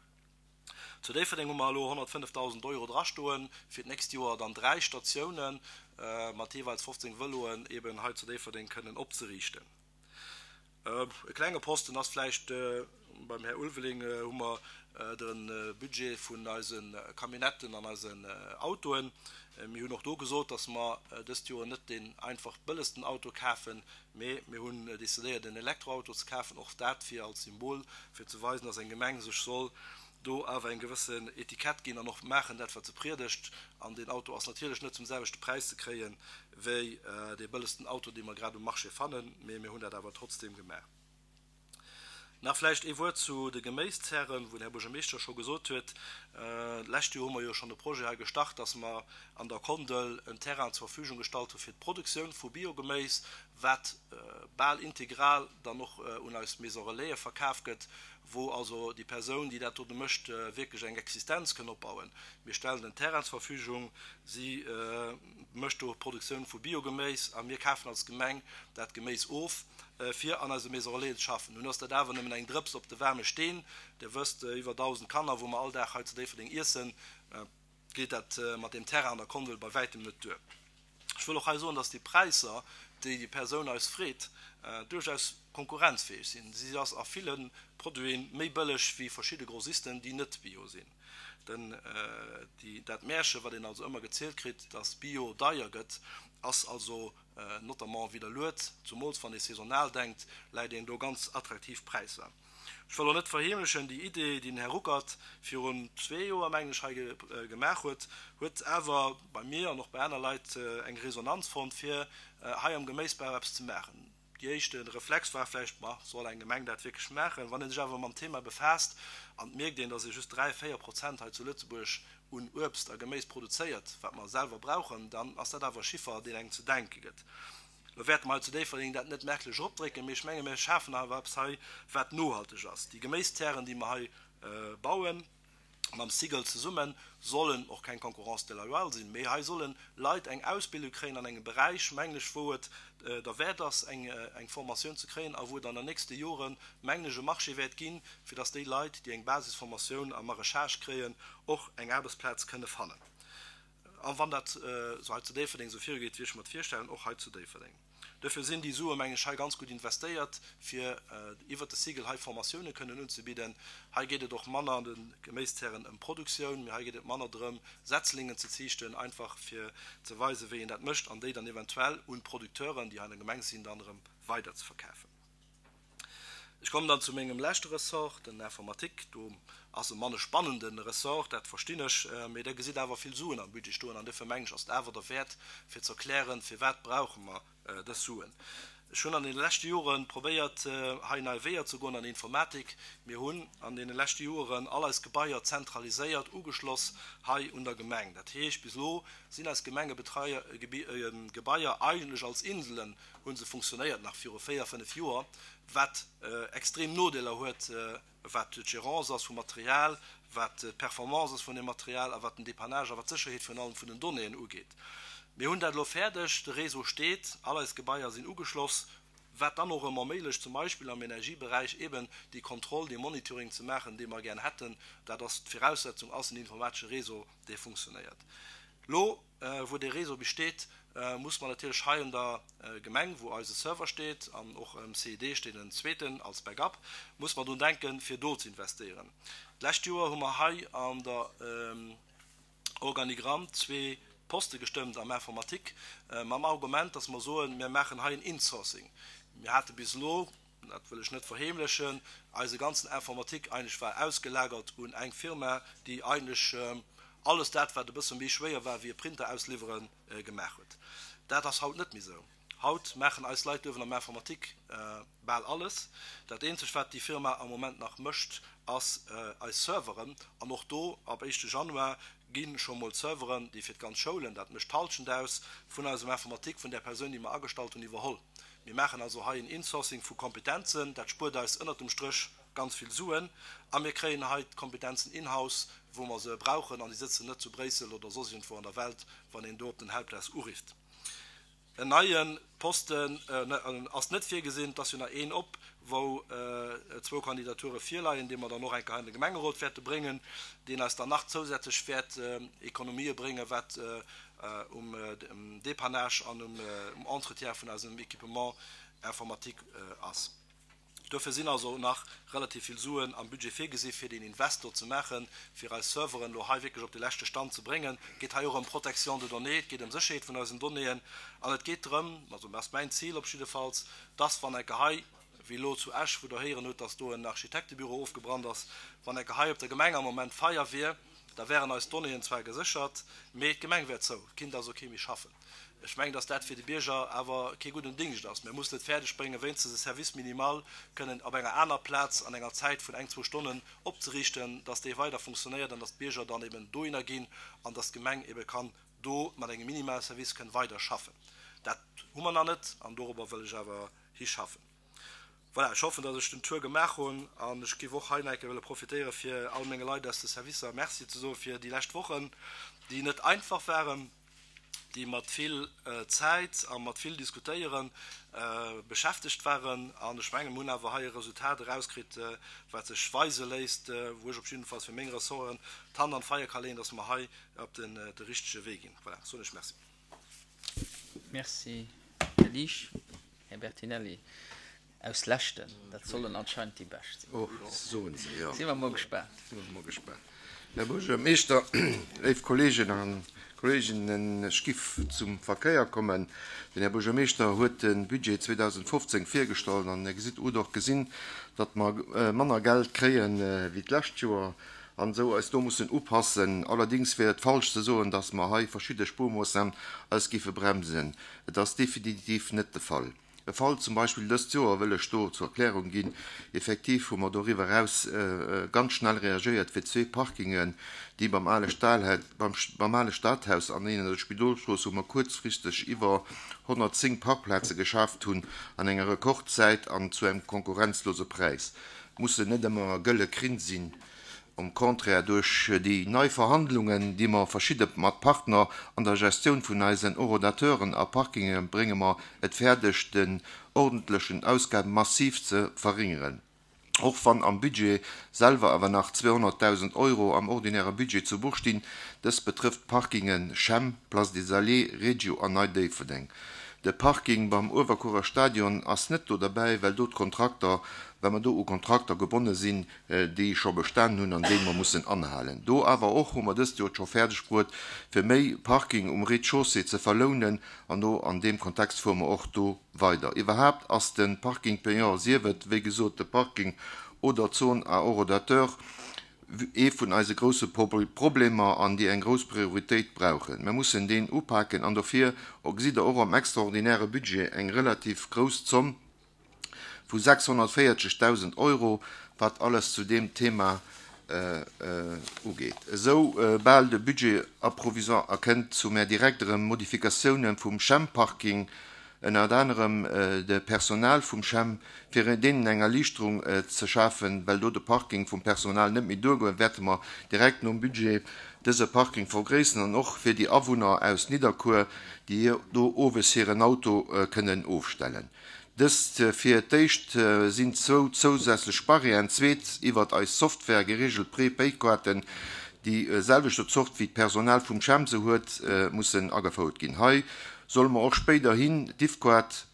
Zu Déifferdeng hu mer elo honnertfënnefdausend Euro drastoen, fir d'nächst Joer dann dräi Statiounen mat jeeweils fofzéng Vëloen eben hei zu Déifferdeng kënnen opzeriichten. E klenge Posten ass vläicht, beim Här Ulveling hu mer de Budget vun eise Camionnetten an eisen Autoen. Mir hunn och do gesot, datt mer dëst Joer net deen einfach bëllegsten Auto kafen, mee mir hunn decidéiert, en Elektroauto ze kafen, och dat fir als Symbol, fir ze weisen, datt eng Gemeng sech soll do awer eng gewëssen Etikett ginn an och maachen dat, wat se priedegt. An deen Auto ass natierlech net zum selwechte Präis ze kréie wéi dee bëllegsten Auto, dee mer grad um Marché fannen, mee mir hunn dat awer trotzdeem gemaach. Nach vläicht ee Wuert zu de Geméiszären, wou den Här Buergermeeschter scho gesot huet, d'lescht Joer hu mer jo schonn e Projet hei gestart, dass mer an der Kondel en Terrain zur Verfügung gestallt hu fir d'Produktioun vu Biogeméis, wat bal integral dann och un eis Maison Relaisen verkaf gëtt, wou also déi Persoun, déi dat dote mécht, wierklech eng Existenz kënn opbauen. Mir stellen den Terrain zur Verfügung, si mécht do d'Produktioun vu Biogeméis a mir kafen als Gemeng dat Geméis of, fir an eise Maison Relaisen ze schaffen. Nun ass dat awer nëmmen eng Drëps op de waarme Steen. Dir wësst, iwwer dausend Kanner, wou mer all Dag hei zu Déifferdeng iessen, geet dat mat deem Terrain an der Kondel bei wäitem net duer. Ech wëll och hei soen, dass déi Präisser, déi déi Persoun eis freet, duerchaus konkurrenzfäeg sinn. Si ass a ville Produite méi bëlleg wéi verschidde Grossisten, déi net bio sinn. Den, déi, dat Märche, wat een also ëmmer gezielt kritt, dass bio deier gëtt, ass also notamment widderluet. Zumools wann ee saisonal denkt, läit een do ganz attraktiv Präisser. Ech wëll och net verheemlechen, déi Idee, déi den Här Ruckert virun zwee Joer, mengen ech, hei gemaach huet, huet awer bei mir an och bei aner Leit eng Resonanz fonnt, fir hei am Geméisbau eppes ze maachen. Déi éischte Reflex war vläicht, Ma, soll eng Gemeng dat wierklech maachen? Wann ee sech awer mam Thema befaasst an et mierkt een, datt ee just dräi, véier Prozent hei zu Lëtzebuerg un Uebst a Geméis produzéiert, wat mer selwer brauchen, dann ass dat awer e Chiffer, deen engem ze denke gëtt. Lo wäerte mer hei zu Déifferdeng dat net merklech eropdrécken, mee ech menge mir schafen awer eppes hei, wat nohalteg ass. Déi Geméistären, déi mer hei bauen, mam Sigel zesummen, sollen och keng Concurrence déloyale sinn, mee hei solle Leit eng Ausbildung kréien an engem Beräich, mengen ech, wou et derwäert ass, eng Formatioun ze kréien a wou et an den nächste Joren, mengen ech, e Marché wäert ginn, fir dass déi Leit, déi eng Basisformatioun am Maraîchage kréien, och eng Aarbechtsplaz kënne fannen. A wann dat esou hei zu Déifferdeng esou virugeet, wéi ech mer et virstellen, och hei zu Déifferdeng. Duerfir sinn déi Sue, mengen ech, hei ganz gutt investéiert, fir iwwert de Cycle hei Formatioune kënnen unzebidden. Hei geet et och manner an de Geméistären ëm Produktioun, mee hei geet et manner drëm, Setzlingen ze ziichten, einfach fir ze weisen, wéi een dat mécht, an déi dann eventuell un d'Producteuren, déi hei an der Gemeng sinn, dann erëm weiderzeverkafen. Ech kommen dann zu mengem leschte Ressort, den Informatik. Do ass e manne spannende Ressort, dat verstinn ech, mee Der gesitt awer vill Suen am Budget stoen an duerfir mengen ech, ass et awer derwäert, fir ze erklären, firwat brauche mer dës Suen. Ech hunn an deene leschte Jore probéiert, hei nei Weeër ze goen an der Informatik. Mir hunn an deene leschte Joren all eis Gebaier zentraliséiert ugeschloss hei un der Gemeng. Dat heescht, bis elo sinn eis Gemengegebaier eigentlech als Inselen hu se funktionéiert, nach viru véier, fënnef Joer, wat extrem Nodeeler huet, wat d'Gérance ass vum Material, wat d'Performance ass vun dem Material a wat den Dépannage a wat d'Sécherheet virun allem vun den Donnéeën ugeet. Mir hunn dat elo fäerdeg, de Réseau steet, all eis Gebaier sinn ugeschloss, wat dann och erëm erméiglecht, zum Beispill am Energieberäich eben déi Kontroll, dee Monitoring ze maachen, dee mer gär hätten. Dat ass d'Viraussetzung, ass en informatesche Réseau, dee funktionéiert. Lo, wou dee Réseau besteet, muss mer natierlech hei an der Gemeng, wou eise Server steet, an och um C I D steet en zweeten als Backup, muss mer drun denken, fir do ze investéieren. D'lescht Joer hu mer hei an der Organigramm zwee Poste gestëmmt am Informatique, mam Argument, dass mer soen, mir maachen hei en Insourcing. Mir hate bis elo, dat wëll ech net verheemlechen, eise ganzen Informatique eigentlech war ausgelagert un eng Firma, déi eigentlech alles dat, wat e bësse méi schwéier war wéi e Printer ausliwweren, gemaach huet. Dat ass haut net méi esou. Haut maachen eis Leit uewen am Informatique bal alles. Dat eenzegt, wat déi Firma am Moment nach mécht, ass eis Serveren. An och do, ab éischte Januar gi scho mol d'Serveren, déi fir d'ganz Schoulen, dat mécht d'Hallschent aus, vun eisem Informatique, vun där Persoun, déi mer agestallt hunn, iwwerholl. Mir maachen also hei en Insourcing vu Kompetenzen. Dat spuert eis ënnert dem Stréch ganz vill Suen. A mir kréien hei d'Kompetenzen in-house, wou mer se brauchen, an déi sëtzen net zu Bréissel oder soss iergendwou an der Welt, wann een do op den Helpdesk urifft. En neie Posten ass net virgesinn. Et ass jo nach een op, wou zwou Kandidature virleien, dee mer dann och eng Kéier hei an de Gemengerot wäerte bréngen, deen eis dann nach zousätzlech wäert Ekonomië bréngen, wat um Dépannage an um Entretien vun eisem Équipement informatique ass. Dofir sinn also nach relativ vill Suen am Budget virgesi fir deen Invest do ze maachen, fir eis Serveren elo hei wierklech op de leschte Stand ze bréngen. Et geet hei och ëm Protection de données, et geet ëm Sécherheet vun eisen Donnéeën an et geet drëm, also dat ass mäin Zil op jiddefalls, dass wann enke hei, wéi elo zu Esch, wou Der héieren hutt, dass do en Architektebüro ofgebrannt ass, wann enke hei op der Gemeng am Moment Feier wier, da wären eis Donnéeën zwar geséchert, mee d'Gemeng wär zou, et kinnt also kee méi schaffen. Ech mengen, dass dat fir de Bierger awer kee gudden Dingscht ass. Mir mussen et fäerdeg bréngen, wéinstens e Service minimal kënnen op enger aner Plaz an enger Zäit vun eng, zwou Stonnen opzeriichten, dass dee weider funktionéiert an dass d'Bierger dann eben dohinner ginn an dass d'Gemeng ebe kann do mat engem Minimalservice kënn weider schaffen. Dat hu mer nach net an dorobber wëll ech awer hischaffen. Voilà, ech hoffen, dass ech den Tour gemaach hunn an ech géif och hei nach eng Kéier wëlle profitéiere fir all menge Leit aus de Servicer Merci ze soe fir déi lescht Wochen, déi net einfach waren, déi mat vill Zäit a mat vill Diskutéiere beschäftegt waren. An ech mengen, mir hunn awer hei e Resultat erauskritt, wat sech weise léisst, wou ech op jiddefalls fir meng Ressorten d'Hand an d'Feier ka leeën, dass mer hei op de richtege Wee ginn. Voilà, soen ech Merci. Merci, Här Liesch. Här Bertinelli aus Leschten, dat sollen anscheinend déi bescht sinn. Oh, soen se, jo. Si mer mol gespaant. Si mer mol gespaant. Här Buergermeeschter, léif Kolleegen a Kolleeginnen, ech giff zum Verkéier kommen. Den Här Buergermeeschter huet de Budget zweedausendfofzéng virgestallt an Dir gesitt, hutt och gesinn, datt mer manner Geld kréien wéi d'lescht Joer an esou eis do mussen upassen. Allerdings wier et falsch ze soen, datt mer hei verschidde Spuermoossnamen eis giffe bremsen. Et ass definitiv net de Fall. E Fall zum Beispill dëst Joer wëll ech do zur Erklärung ginn. Effektiv hu mer doriwwer eraus ganz schnell reagéiert, fir zwee Parkingen, déi beim ale beim ale Stadhaus an een an der Spidolstrooss, wou mer kuerzfristeg iwwer honnertzéng Parkplaze geschaaft hunn an enger Rekordzäit an zu engem konkurrenzlose Präis. Mussen net ëmmer gëlle Krinn sinn. Au contraire, duerch déi nei Verhandlungen, déi mer verschidde mat Partner an der Gestioun vun eisen Horodateuren a Parkinge brénge mer et fäerdeg, den ordentlechen Ausgaben massiv ze verringeren. Och wann am Budget selwer awer nach zweehonnertdausend Euro am ordinäre Budget zu Buch stinn, dëst betrëfft d'Parkingen Chem, Place des Alliés, Regio an Nei Déifferdeng. De Parking beim Uewerkuerer Stadion ass net do derbäi, well do d'Kontrakter, well mer do u Kontrakter gebonne sinn, déi scho bestanen hunn an déi mer mussen anhalen. Do awer och hu mer dëst Joer et scho fäerdeg bruet, fir méi Parking um Rez-de-chaussée ze verlounen an do an deem Kontext fuere mer och do weider. Iwwerhaapt ass de Parking payant, sief et wéi gesot de Parking oder d'Zone à horodateur, ee vun eise grousse Problemer an déi eng grouss Prioritéit brauchen. Mer mussen deen upaken an dofir gesitt Der och am extraordinäre Budget eng relativ grouss Zomm vu sechshonnertvéierzegdausend Euro, wat alles zu deem Thema ugeet. Esou bal de Budget approvisoire erkënnt, zu mär direkt erëm Modifikatiounen vum Chem-Parking, ënnert anerem de Personal vum Chem, fir deenen eng Erliichterung ze schafen, well do de Parking vum Personal net méi duergoen, wäerte mer direkt nom Budget dëse Parking vergréisseren an och fir déi Awunner aus Nidderkuer, déi do owes hiren Auto kënnen ofstellen. Dëst fir d'éischt sinn zwou zousätzlech Barrièren, zweet iwwert eis Software gereegelt Prépaykaarten, déi selwechte Zort wéi d'Personal vum Chem se huet, mussen agefouert ginn. Hei solle mer och spéiderhin d'Diffquad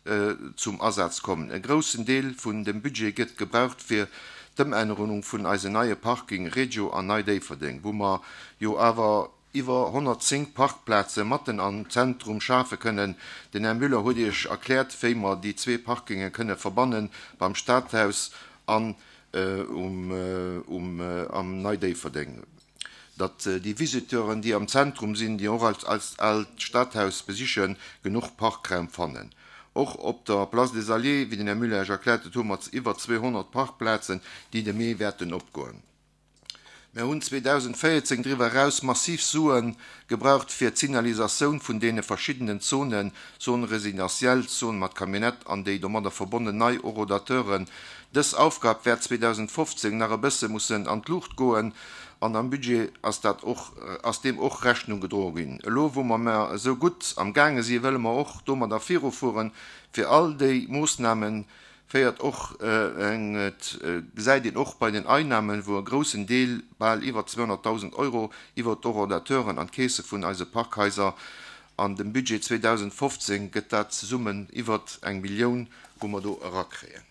zum Asaz kommen. E groussen Deel vun dem Budget gëtt gebraucht fir d'Ëmännerung vun eise neie Parking Regio an Nei Déifferdeng, wou mer jo awer iwwer honnertzéng Parkplaze matten am Zentrum schafe kënnen. Den Här Müller huet Iech erkläert, wéi mer déi zwee Parkinge kënne verbannen beim Stadhaus an um um am Nei Déifferdeng, datt déi Visiteuren, déi am Zentrum sinn, déi och als als aalt Stadhaus besichen, genuch Parkraum fannen. Och op der Place des Alliés, wéi den Här Müller Iech erkläert huet, hu mer iwwer zweehonnert Parkplazen, déi de Mee wäerten opgoen. Mir hunn zweedausendvéierzéng driwwer eraus massiv Sue gebraucht fir d'Signalisatioun vun deene verschiddenen Zonen, Zone résidentielle, Zone mat Camionnette an déi domadder verbonnen nei Horodateuren. Dës Aufgab wäert zweedausendfofzéng nach e bësse mussen an d'Luucht goen an am Budget ass dat och, ass deem och Rechnung gedroe ginn. Elo wou mer mer esou gutt am gaange si wëlle mer och domadder virufueren, fir all déi Moossnamen féiert och eng, et gesäit een och bei den Einnahmen, wou e groussen Deel, bal iwwer zweehonnertdausend Euro, iwwer d'Horodateuren an d'Keese vun eise Parkhaiser. An dem Budget zweedausendfofzéng gëtt dat zesummen iwwer eng Millioun, wou mer do erakréien.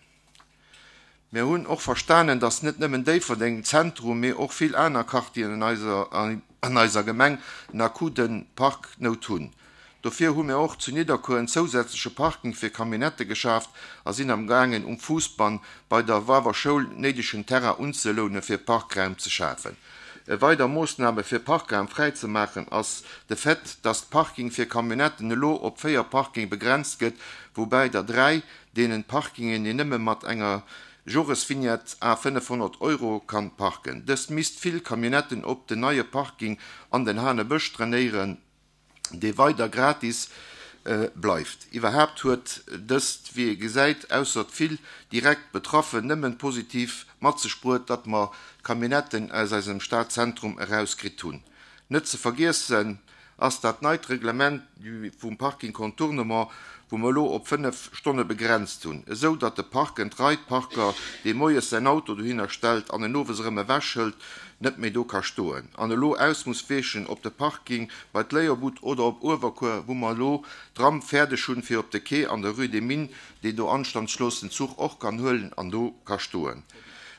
Mir hunn och verstanen, datt net nëmmen Déifferdeng Zentrum, mee och vill aner Quartieren an eiser, an eiser Gemeng en akute Parknout hunn. Dofir hu mir och zu Nidderkuer en zousätzleche Parking fir Camionnette geschaaft a sinn am gaangen um Fuussbann bei der Wawer Schoul néidegen Terrain unzeloune fir Parkraum ze schafen. E weider Moossname fir Parkraum fräizemaachen ass de Fait, datt d'Parking fir Camionnetten elo op véier Parking begrenzt gëtt, woubäi der dräi deenen Parkingen een nëmme mat enger Joresvignette à fënnefhonnert Euro kann parken. Dëst misst vill Camionnetten op den neie Parking an den Hanebësch trainéieren, dee weider gratis bleift. Iwwerhaapt huet dëst, wéi ee gesäit, ausser vill direkt Betraffen nëmmen positiv mat sech bruet, datt mer d'Camionnetten aus eisem Stadzentrum erauskritt hunn. Net ze vergiessen ass dat neit Reglement vum Parking Contournement, wou mer elo op fënnef Stonne begrenzt hunn, esou datt de Park and Ride Parker, dee moies säin Auto dohinner stellt an en owes erëm ewechhëlt, net méi do ka stoen an elo aus muss weechen op de Parking bei d'Léierbud oder op Uewerkuer, wou mer elo d'Ramp fäerdeg hunn fir op de Quai an der Rue des Mines, deen do anstandslos den Zuch och kann huelen an do ka stoen.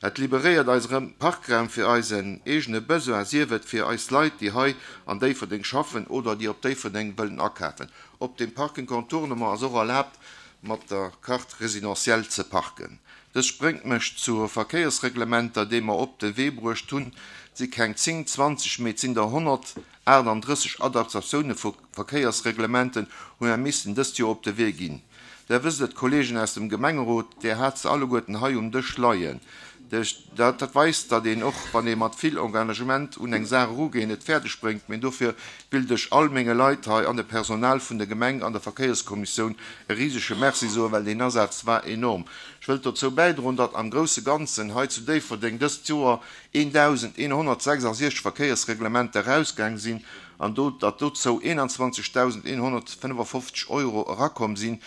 Et liberéiert eis erëm Parkraum fir eisen eegene Besoin, sief et fir eis Leit, déi hei an Déifferdeng schaffen oder déi op Déifferdeng wëllen akafen. Op dem Parking Contournement ass och erlaabt, mat der Carte résidentielle ze parken. Dëst bréngt mech zu Verkéiersreglementer, déi mer op de Wee bruecht hunn. Et si keng zéng, zwanzeg, mee et sinn der honnertaachtanddrësseg Adaptatioune vu Verkéiersreglementen hu mer missen dëst Joer op de Wee ginn. Der wësst et, Kolleegen aus dem Gemengerot, där hat se alleguerten hei um Dësch leien. Dat weist, datt een och, wann ee mat vill Engagement un eng Saach erugeet, et fäerdeg bréngt. Mee dofir wëllt ech all menge Leit hei an dem Personal vun der Gemeng an der Verkéierskommissioun e risege Merci soen, well deen Asaz war enorm. Ech wëllt dozou bäidroen, datt am grousse Ganzen hei zu Déifferdeng dëst Joer eendausendeenhonnertsechsasiechzeg Verkéiersreglementer erausgaang sinn an do, datt dozou eenanzwanzegdausendeenhonnertfënnefafofzeg Euro erakomm sinn,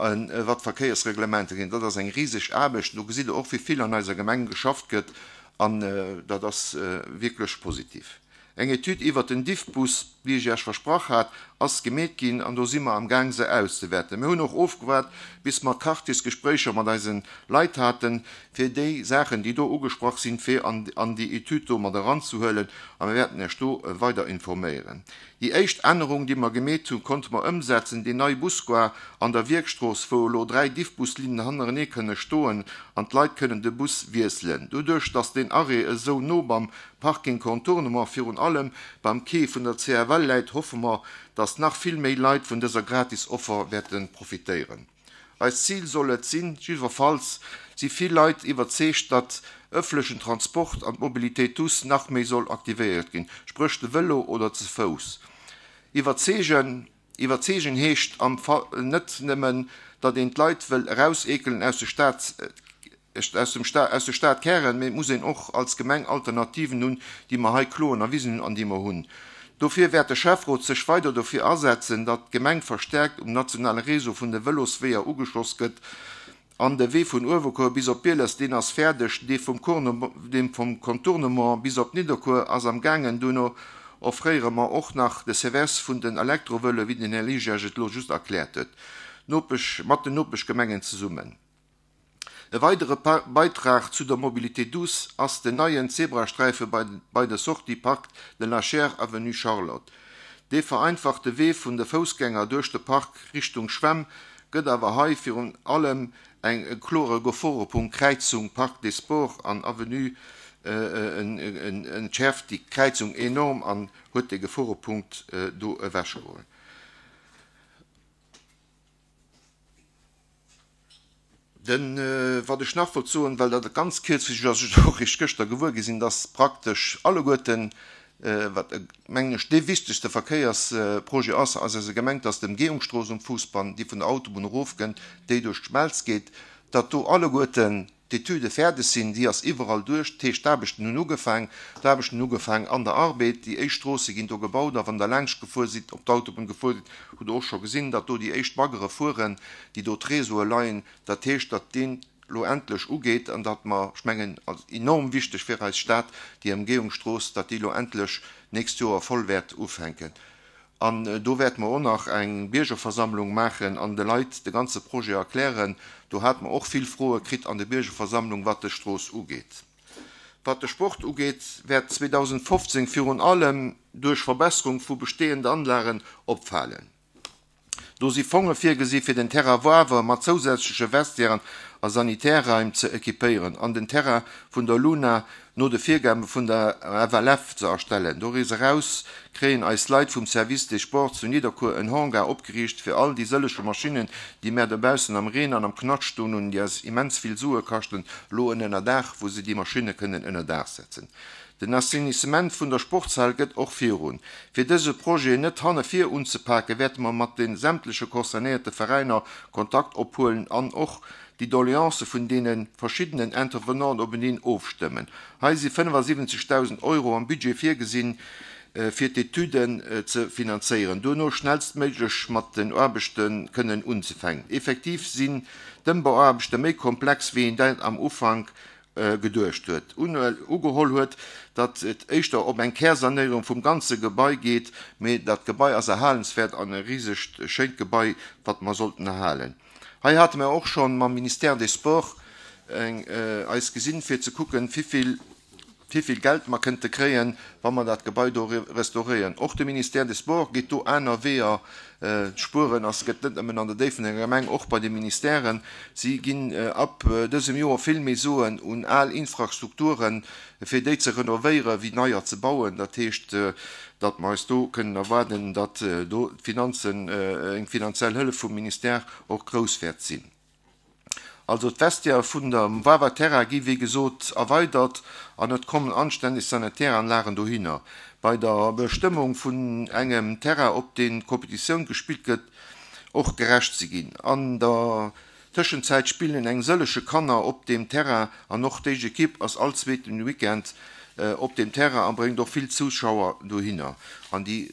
wat d'Verkéiersreglementer ginn. Dat ass eng riseg Aarbecht. Do gesitt Der och, wéi vill an eiser Gemeng geschafft gëtt an dat ass wierklech positiv. Eng Etüd iwwert den Diffbus, wéi ech Iech versprach hat, ass gemeet ginn an do si mer am Gaang se auszewäerten. Mir hunn och ofgewaart, bis mer Quartiersgespréicher mat eise Leit haten, fir déi Saachen, déi do ugesprach sinn, fir an, an déi Etüd do mat eranzehuelen a mir wäerten Iech do weider informéieren. Déi éischt Ännerung, déi mer gemeet hunn, konnte mer ëmsetzen, déi nei Busgare an der Wierkstrooss, wou elo dräi Diffbuslinnen hannerenee kënne stoen an d'Leit kënnen de Bus wiesselen. Doduerch, datt deen Arrêt esou no beim Parking Contournement, virun allem beim Quai vun der C F L läit, hoffe mer, datt nach vill méi Leit vun dëser Gratis-Offer wäerte profitéieren. Eist Zil soll et sinn, jiddwerfalls si vill Leit iwwerzeegt, datt ëffentlechen Transport an d'Mobilité douce nach méi soll aktivéiert ginn, spréch de Vëlo oder ze Fouss. Iwwerzeegen, iwwerzeegen heescht am Fall net nëmmen, datt een d'Leit wëll erauseekelen aus de Stad, aus dem Sta-, aus de Stadkären, mee muss een och als Gemeng Alternativen hunn, déi mer hei kloen erwisen hunn an déi mer hunn. Dofir wäert de Schäfferot sech weider dofir asetzen, datt d'Gemeng verstärkt um nationale Réseau vun de Vëlosweeër ugeschloss gëtt An de Wee vun Uewerkuer bis op Bieles, deen ass fäerdeg, dee vum dee vum Contournement bis op Nidderkuer ass am gaangen. Duerno offréiere mer och nach de Service vun den Elektrovëloe, wéi den Här Liges et elo just erkläert huet, Nopesch, mat den Nopeschgemengen zesummen. E weidere Beitrag zu der Mobilité douce ass den neien Zebrasträife bei, bei der Sortie Parc de la Chaire, Avenue Charlotte. Dee vereinfacht de Wee vun de Foussgänger duerch de Park Richtung Schwämm, gëtt awer hei virun allem eng klore Geforepunkt Kräizung Parc des Sports an Avenue entschäerft déi Kräizung enorm an huet de Geforepunkt do ewechgeholl. Den, wat ech nach wollt soen, well dat ganz kierzlech ass, ech och eréischt gëschter gewuer gi sinn, dass praktesch alleguerten, wat mengen ech dee wichtegste Verkéiersprojet ass aus eiser Gemeng, dass d'Ëmgehungsstrooss um Fousbann, déi vun der Autobunn erofkënnt, déi duerch d'Schmelz geet, datt do alleguerten d'Etüde fäerdeg sinn, déi ass iwwerall duerch, dat heescht d'Aarbechten hunn ugefaang, d'Aarbechten hunn ugefaang an der Arbed, déi éischt Stroosse ginn do gebaut a wann Der laanscht gefuer sidd, op d'Autobunn gefuer sidd, hutt Der och scho gesinn, datt do déi éischt Baggere fueren, déi do d'Réseaue leien. Dat heescht, datt deen elo endlech ugeet an datt mer, ech mengen, als enorm wichteg fir eis Stad, déi Emgehungsstrooss, datt déi elo endlech d'nächst Joer voll wäert ufänken. An do wäerte mer och nach eng Biergerversammlung maachen an de Leit de ganze Projet erklären. Do hate mer och vill Froe kritt an der Biergerversammlung, wat dës Strooss ugeet. Wat de Sport ugeet, wäert zweedausendfofzéng virun allem duerch Verbesserung vu bestehende Anlagen opfalen. Do si Fonge virgesi fir den Terrain Wawer mat zousätzleche Vestiairen a Sanitärraim ze equipéieren an den Terrain vun der Luna no de Virgabe vun der F L F ze erstellen. Doriwwer eraus kréien eis Leit vum Service des Sports zu Nidderkuer en Hangar opgeriicht fir all déi sëllege Maschinnen, déi mär dobaussen am Reen an am Knascht stoen hunn, déi eis immens vill Sue kaschten, elo en Ënnerdaach, wou se déi Maschinne kënnen ënnerdaach setzen. Den Assainissement vun der Sportshal gëtt och virun. Fir dëse Projet net hanne vir unzepaken, wäerte mer mat de sämtleche concernéierte Veräiner Kontakt ophuelen an och déi Doleancë vun deene verschiddenen Intervenanten openeen ofstëmmen. Hei si fënnefasiwwenzegdausend Euro am Budget virgesinn, fir d'Etüden ze finanzéieren, duerno schnellstméiglech mat den Aarbechte kënnen unzefänken. Effektiv sinn d'Ëmbauaarbechte méi komplex, wéi een dat am Ufank geduecht huet. Ugeholl huet, datt et éischter op eng Kärsanéierung vum ganze Gebai geet, mee dat Gebai ass erhalenswäert an e risegt schéint Gebai, wat mer sollten erhalen. Hei hate mer och scho mam Ministère des Sports eis gesinn, fir ze kucken, wivill wivill Geld mer kënnte kréien, wa mer dat Gebai do restauréieren. Och de Ministère des Sports geet do aner Weeër. D'Spueren ass gëtt net nëmmen an der Déifferdenger Gemeng, och bei de Ministèren. Si ginn ab dësem Joer vill méi Suen un al Infrastrukturen, fir déi ze renovéieren, wéi neier ze bauen. Dat heescht, datt mer eis do kënnen erwaarden, datt do d'Finanzen, eng finanziell Hëllef vum Ministère och grouss wäert sinn. Also d'Vestiaire vun der Wawer Terrain gi wéi gesot erweidert an et kommen anstänneg Sanitäranlagen dohinner. Bei der Bestëmmung vun engem Terrain, op deen d'Kompetitioun gespillt gëtt, och gerecht ze ginn. An der Tëschenzäit spillen eng sëllege Kanner op deem Terrain an och d'éischt Ekipp ass all zweeten Weekend op deem Terrain a bréngt och vill Zuschauer dohinner. An déi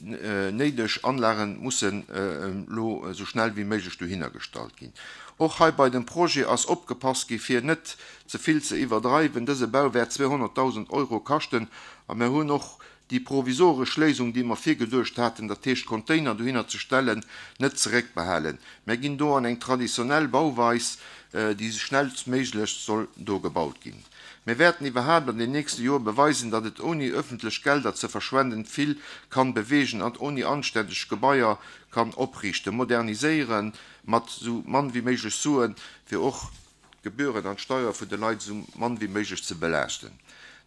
néideg Anlage mussen elo esou schnell wéi méiglech dohinner gestallt ginn. Och hei bei dem Projet ass opgepasst gi fir net ze vill ze iwwerdreiwen. Dëse Bau wäert zweehonnertdausend Euro kaschten a mir hunn och déi provisoresch Léisung, déi mer virgeduecht haten, dat heescht Container dohinner ze stellen, net zeréckbehalen. Mir ginn do an eng traditionell Bauweis, déi schnellstméiglech soll do gebaut ginn. Mir wäerten iwwerhaapt an den nächste Joer beweisen, datt et ouni ëffentlech Gelder ze verschwenden vill kann beweegen an ouni anstänneg Gebaier kann opriichten, moderniséieren mat sou mann wéi méiglech Suen, fir och d'Gebühren an d'Steier vun de Leit sou mann wéi méiglech ze belaaschten.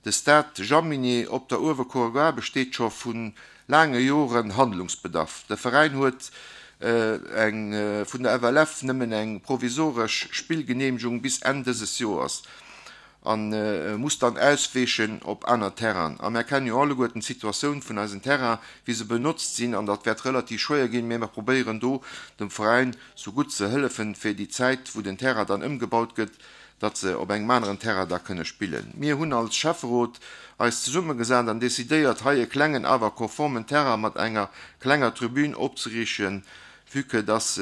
De Stade Jaminet op der Uewerkuerer Gare besteet scho vu laange Joren Handlungsbedarf. De Veräin huet eng vun der F L F nëmmen eng provisoresch Spillgeneemegung bis Enn dëses Joers a muss dann ausweechen op aner Terrainen. A mär kennen jo alleguerten d'Situatioun vun eisen Terrainen, wéi se benotzt sinn, an dat wäert relativ schwéier ginn, mä mer probéieren do dem Veräin sou gutt ze hëllefen, fir déi Zäit, wou den Terrain dann ëmgebaut gëtt, datt se op engem aneren Terrain da kënne spillen. Mir hunn als Schäfferot eis zesummegesat an decidéiert, hei e klengen awer konformen Terrain mat enger klenger Tribün opzeriichten, vue que dass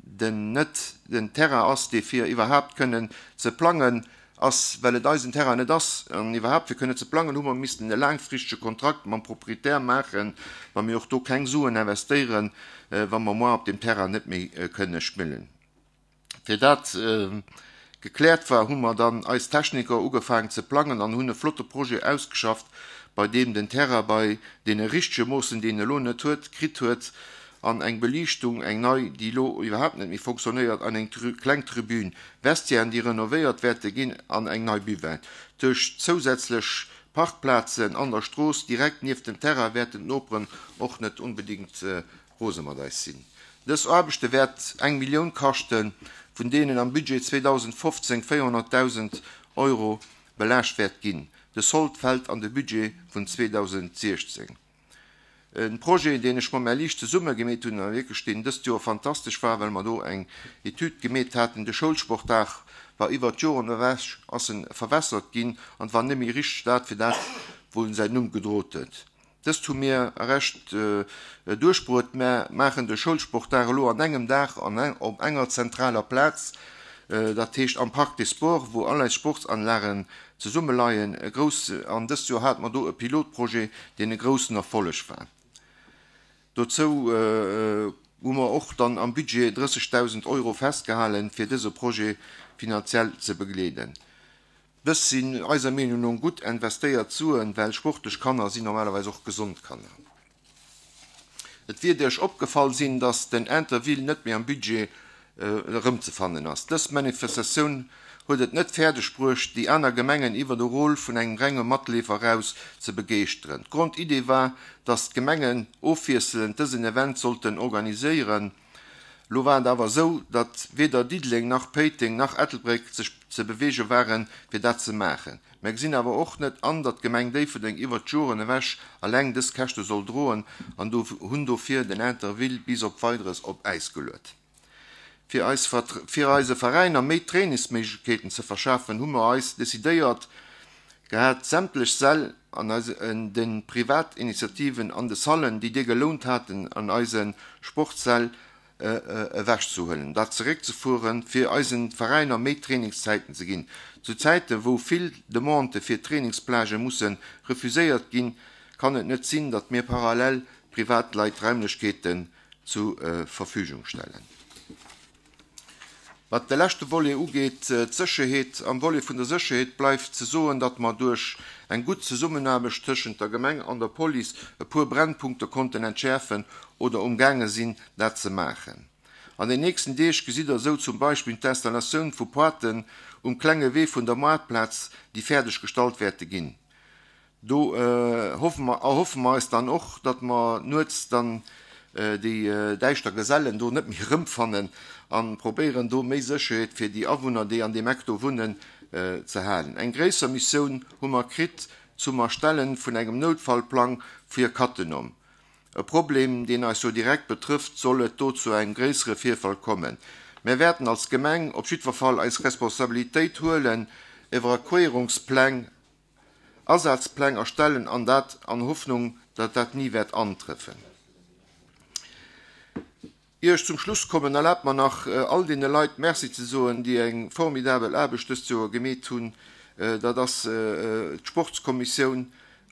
den net den Terrain ass, dee fir iwwerhaapt kënnen ze plangen ass, well et eisen Terrain net ass, an iwwerhaapt fir kënnen ze plangen, hu mer missten e laangfristege Kontrakt mam Proprietär maachen, wa mir och do keng Suen investéieren, wa mer moar op deem Terrain net méi kënne spillen. Fir dat gekläert war, hu mer dann eis Techniker ugefaangen ze plangen an hunn e flotte Projet ausgeschafft, bei deem den Terrain bei deene richtege Moossen, déi en elo net huet, kritt huet an eng Beliichtung, eng nei, déi elo iwwerhaapt net méi fonctionnéiert, an eng kleng Tribün, Vestiairen, déi renovéiert wäerte ginn, an eng nei Buvette. Duerch zousätzlech Parkplazen an der Strooss direkt nieft dem Terrain wäerten d'Noperen och net onbedéngt rose mat eis sinn. Dës Aarbechte wäert eng Millioun kaschten, vun deenen am Budget zweedausendfofzéng véierhonnertdausend Euro belaascht wäert ginn. De Sold fält an de Budget vun zweedausentsiechzéng. E Projet, deen ech mam Här Liesch zesumme gemeet hunn a wierklech deen dëst Joer fantastesch war, well mer do eng Etüd gemeet haten, de Schoulsportdag war iwwert d'Joren ewech, ass en verwässert ginn an war net méi richteg dat fir dat, wou en säin Numm gedrot huet. Dëst hu mir erecht duerchbruet. Mär maachen de Schoulsportdag elo an engem Dag an op enger zentraler Plaz, dat heescht am Parc des Sports, wou all eis Sportsanlagen zesummeleien. E grouss, an dëst Joer hate mer do e Pilotprojet, deen e groussen Erfolleg war. Dozou hu mer och dann am Budget drëssegdausend Euro festgehalen, fir dëse Projet finanziell ze begleeden. Dës sinn eiser Meenung no gutt investéiert Suen, well sportlech Kanner sinn normalerweis och gesond Kanner. Et wiert Iech opgefall sinn, datt den Interville net méi am Budget erëmzefannen ass. Dës Manifestatioun huet et net fäerdeg bruecht, déi aner Gemengen iwwer de Rôle vun engem renge Matleefer eraus ze begeeschteren. D'Grondidee war, datt d'Gemengen ofwiesselend dësen Event sollten organiséieren. Lo war et awer esou, datt weder Diddeleng nach Péiteng nach Ettelbréck sech ze beweege waren, fir dat ze maachen. Mär gesinn awer och net an, datt d'Gemeng Déifferdeng iwwert d'Joren ewech eleng dës Käschte soll droen an hunn dofir den Interville bis op Weideres op Äis geluet. Fir eis fir eise Veräiner méi Trainingsméiglechkeeten ze verschafen, hu mer eis decidéiert gehat, sämtlech Säll an eise de Privatinitiativen an de Sallen, déi dir gelount haten, an eise Sportssäll ewechzehuelen, dat zeréckzefueren, fir eisen Veräiner méi Trainingszäiten ze ginn. Zu Zäiten, wou vill Demandë fir Trainingsplagë musse refuséiert ginn, kann et net sinn, datt mir parallel Privatleit Raimlechkeeten zu Verfügung stellen. Wat de leschte Volet ugeet, d'Sécherheet, am Volet vun der Sécherheet bleift ze soen, datt mer duerch eng gutt Zesummenaarbecht tëschent der Gemeng an der Police e puer Brennpunkte konnten entschäerfen oder umgaange sinn, dat ze maachen. An den nächsten Deeg gesitt Der esou zum Beispill d'Installatioun vu Pointen um klenge Wee vun der Moartplaz, déi fäerdeg gestallt wäerte ginn. Do hoffe mer, erhoffe mer eis dann och, datt mer nuets dann déi däischter Gesellen do net méi erëmfannen an probéieren do méi Sécherheet fir déi Awunner, déi an deem Eck do wunnen, ze halen. Eng gréisser Missioun hu mer kritt zum Erstellen vun engem Noutfallplang fir Cattenom. E Problem, deen eis jo direkt betrëfft, soll et do zu engem gréissere Virfall kommen. Mär wäerten als Gemeng op jiddwer Fall eis Responsabilitéit huelen, Evakuéierungspläng, Asazpläng erstellen an dat an Hoffnung, datt dat ni wäert antrëffen. Ier ech zum Schluss kommen, erlaabt mer nach, all deene Leit Merci ze soen, déi eng formidabel Aarbecht dëst Joer gemeet hunn. Dat ass d'Sportskommissioun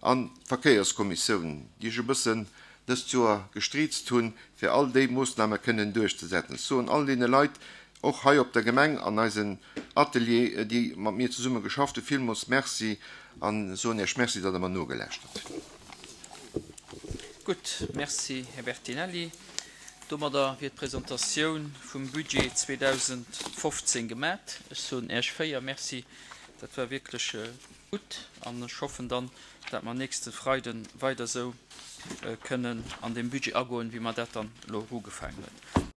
an d'Verkéierskommissioun, déi ech e bëssen dëst Joer gestriizt hunn, fir all déi Moossname kënnen duerchzesetzen. Ech soen all deene Leit, och hei op der Gemeng an eisen Atelier, déi mat mir zesumme geschafft hunn, villmools Merci a soen Iech Merci, datt Der mer nogelauschtert hutt. Gutt, Merci, Här Bertinelli. Domadder wier d'Presentatioun vum Budget zweedausendfofzéng gemat. Ech soen Äech véier Merci, dat war wierklech gutt an ech hoffen dann, dat mer nächste Freide weider esou kënnen an dee Budget agoen, wéi mer dat dann elo ugefaangen hunn.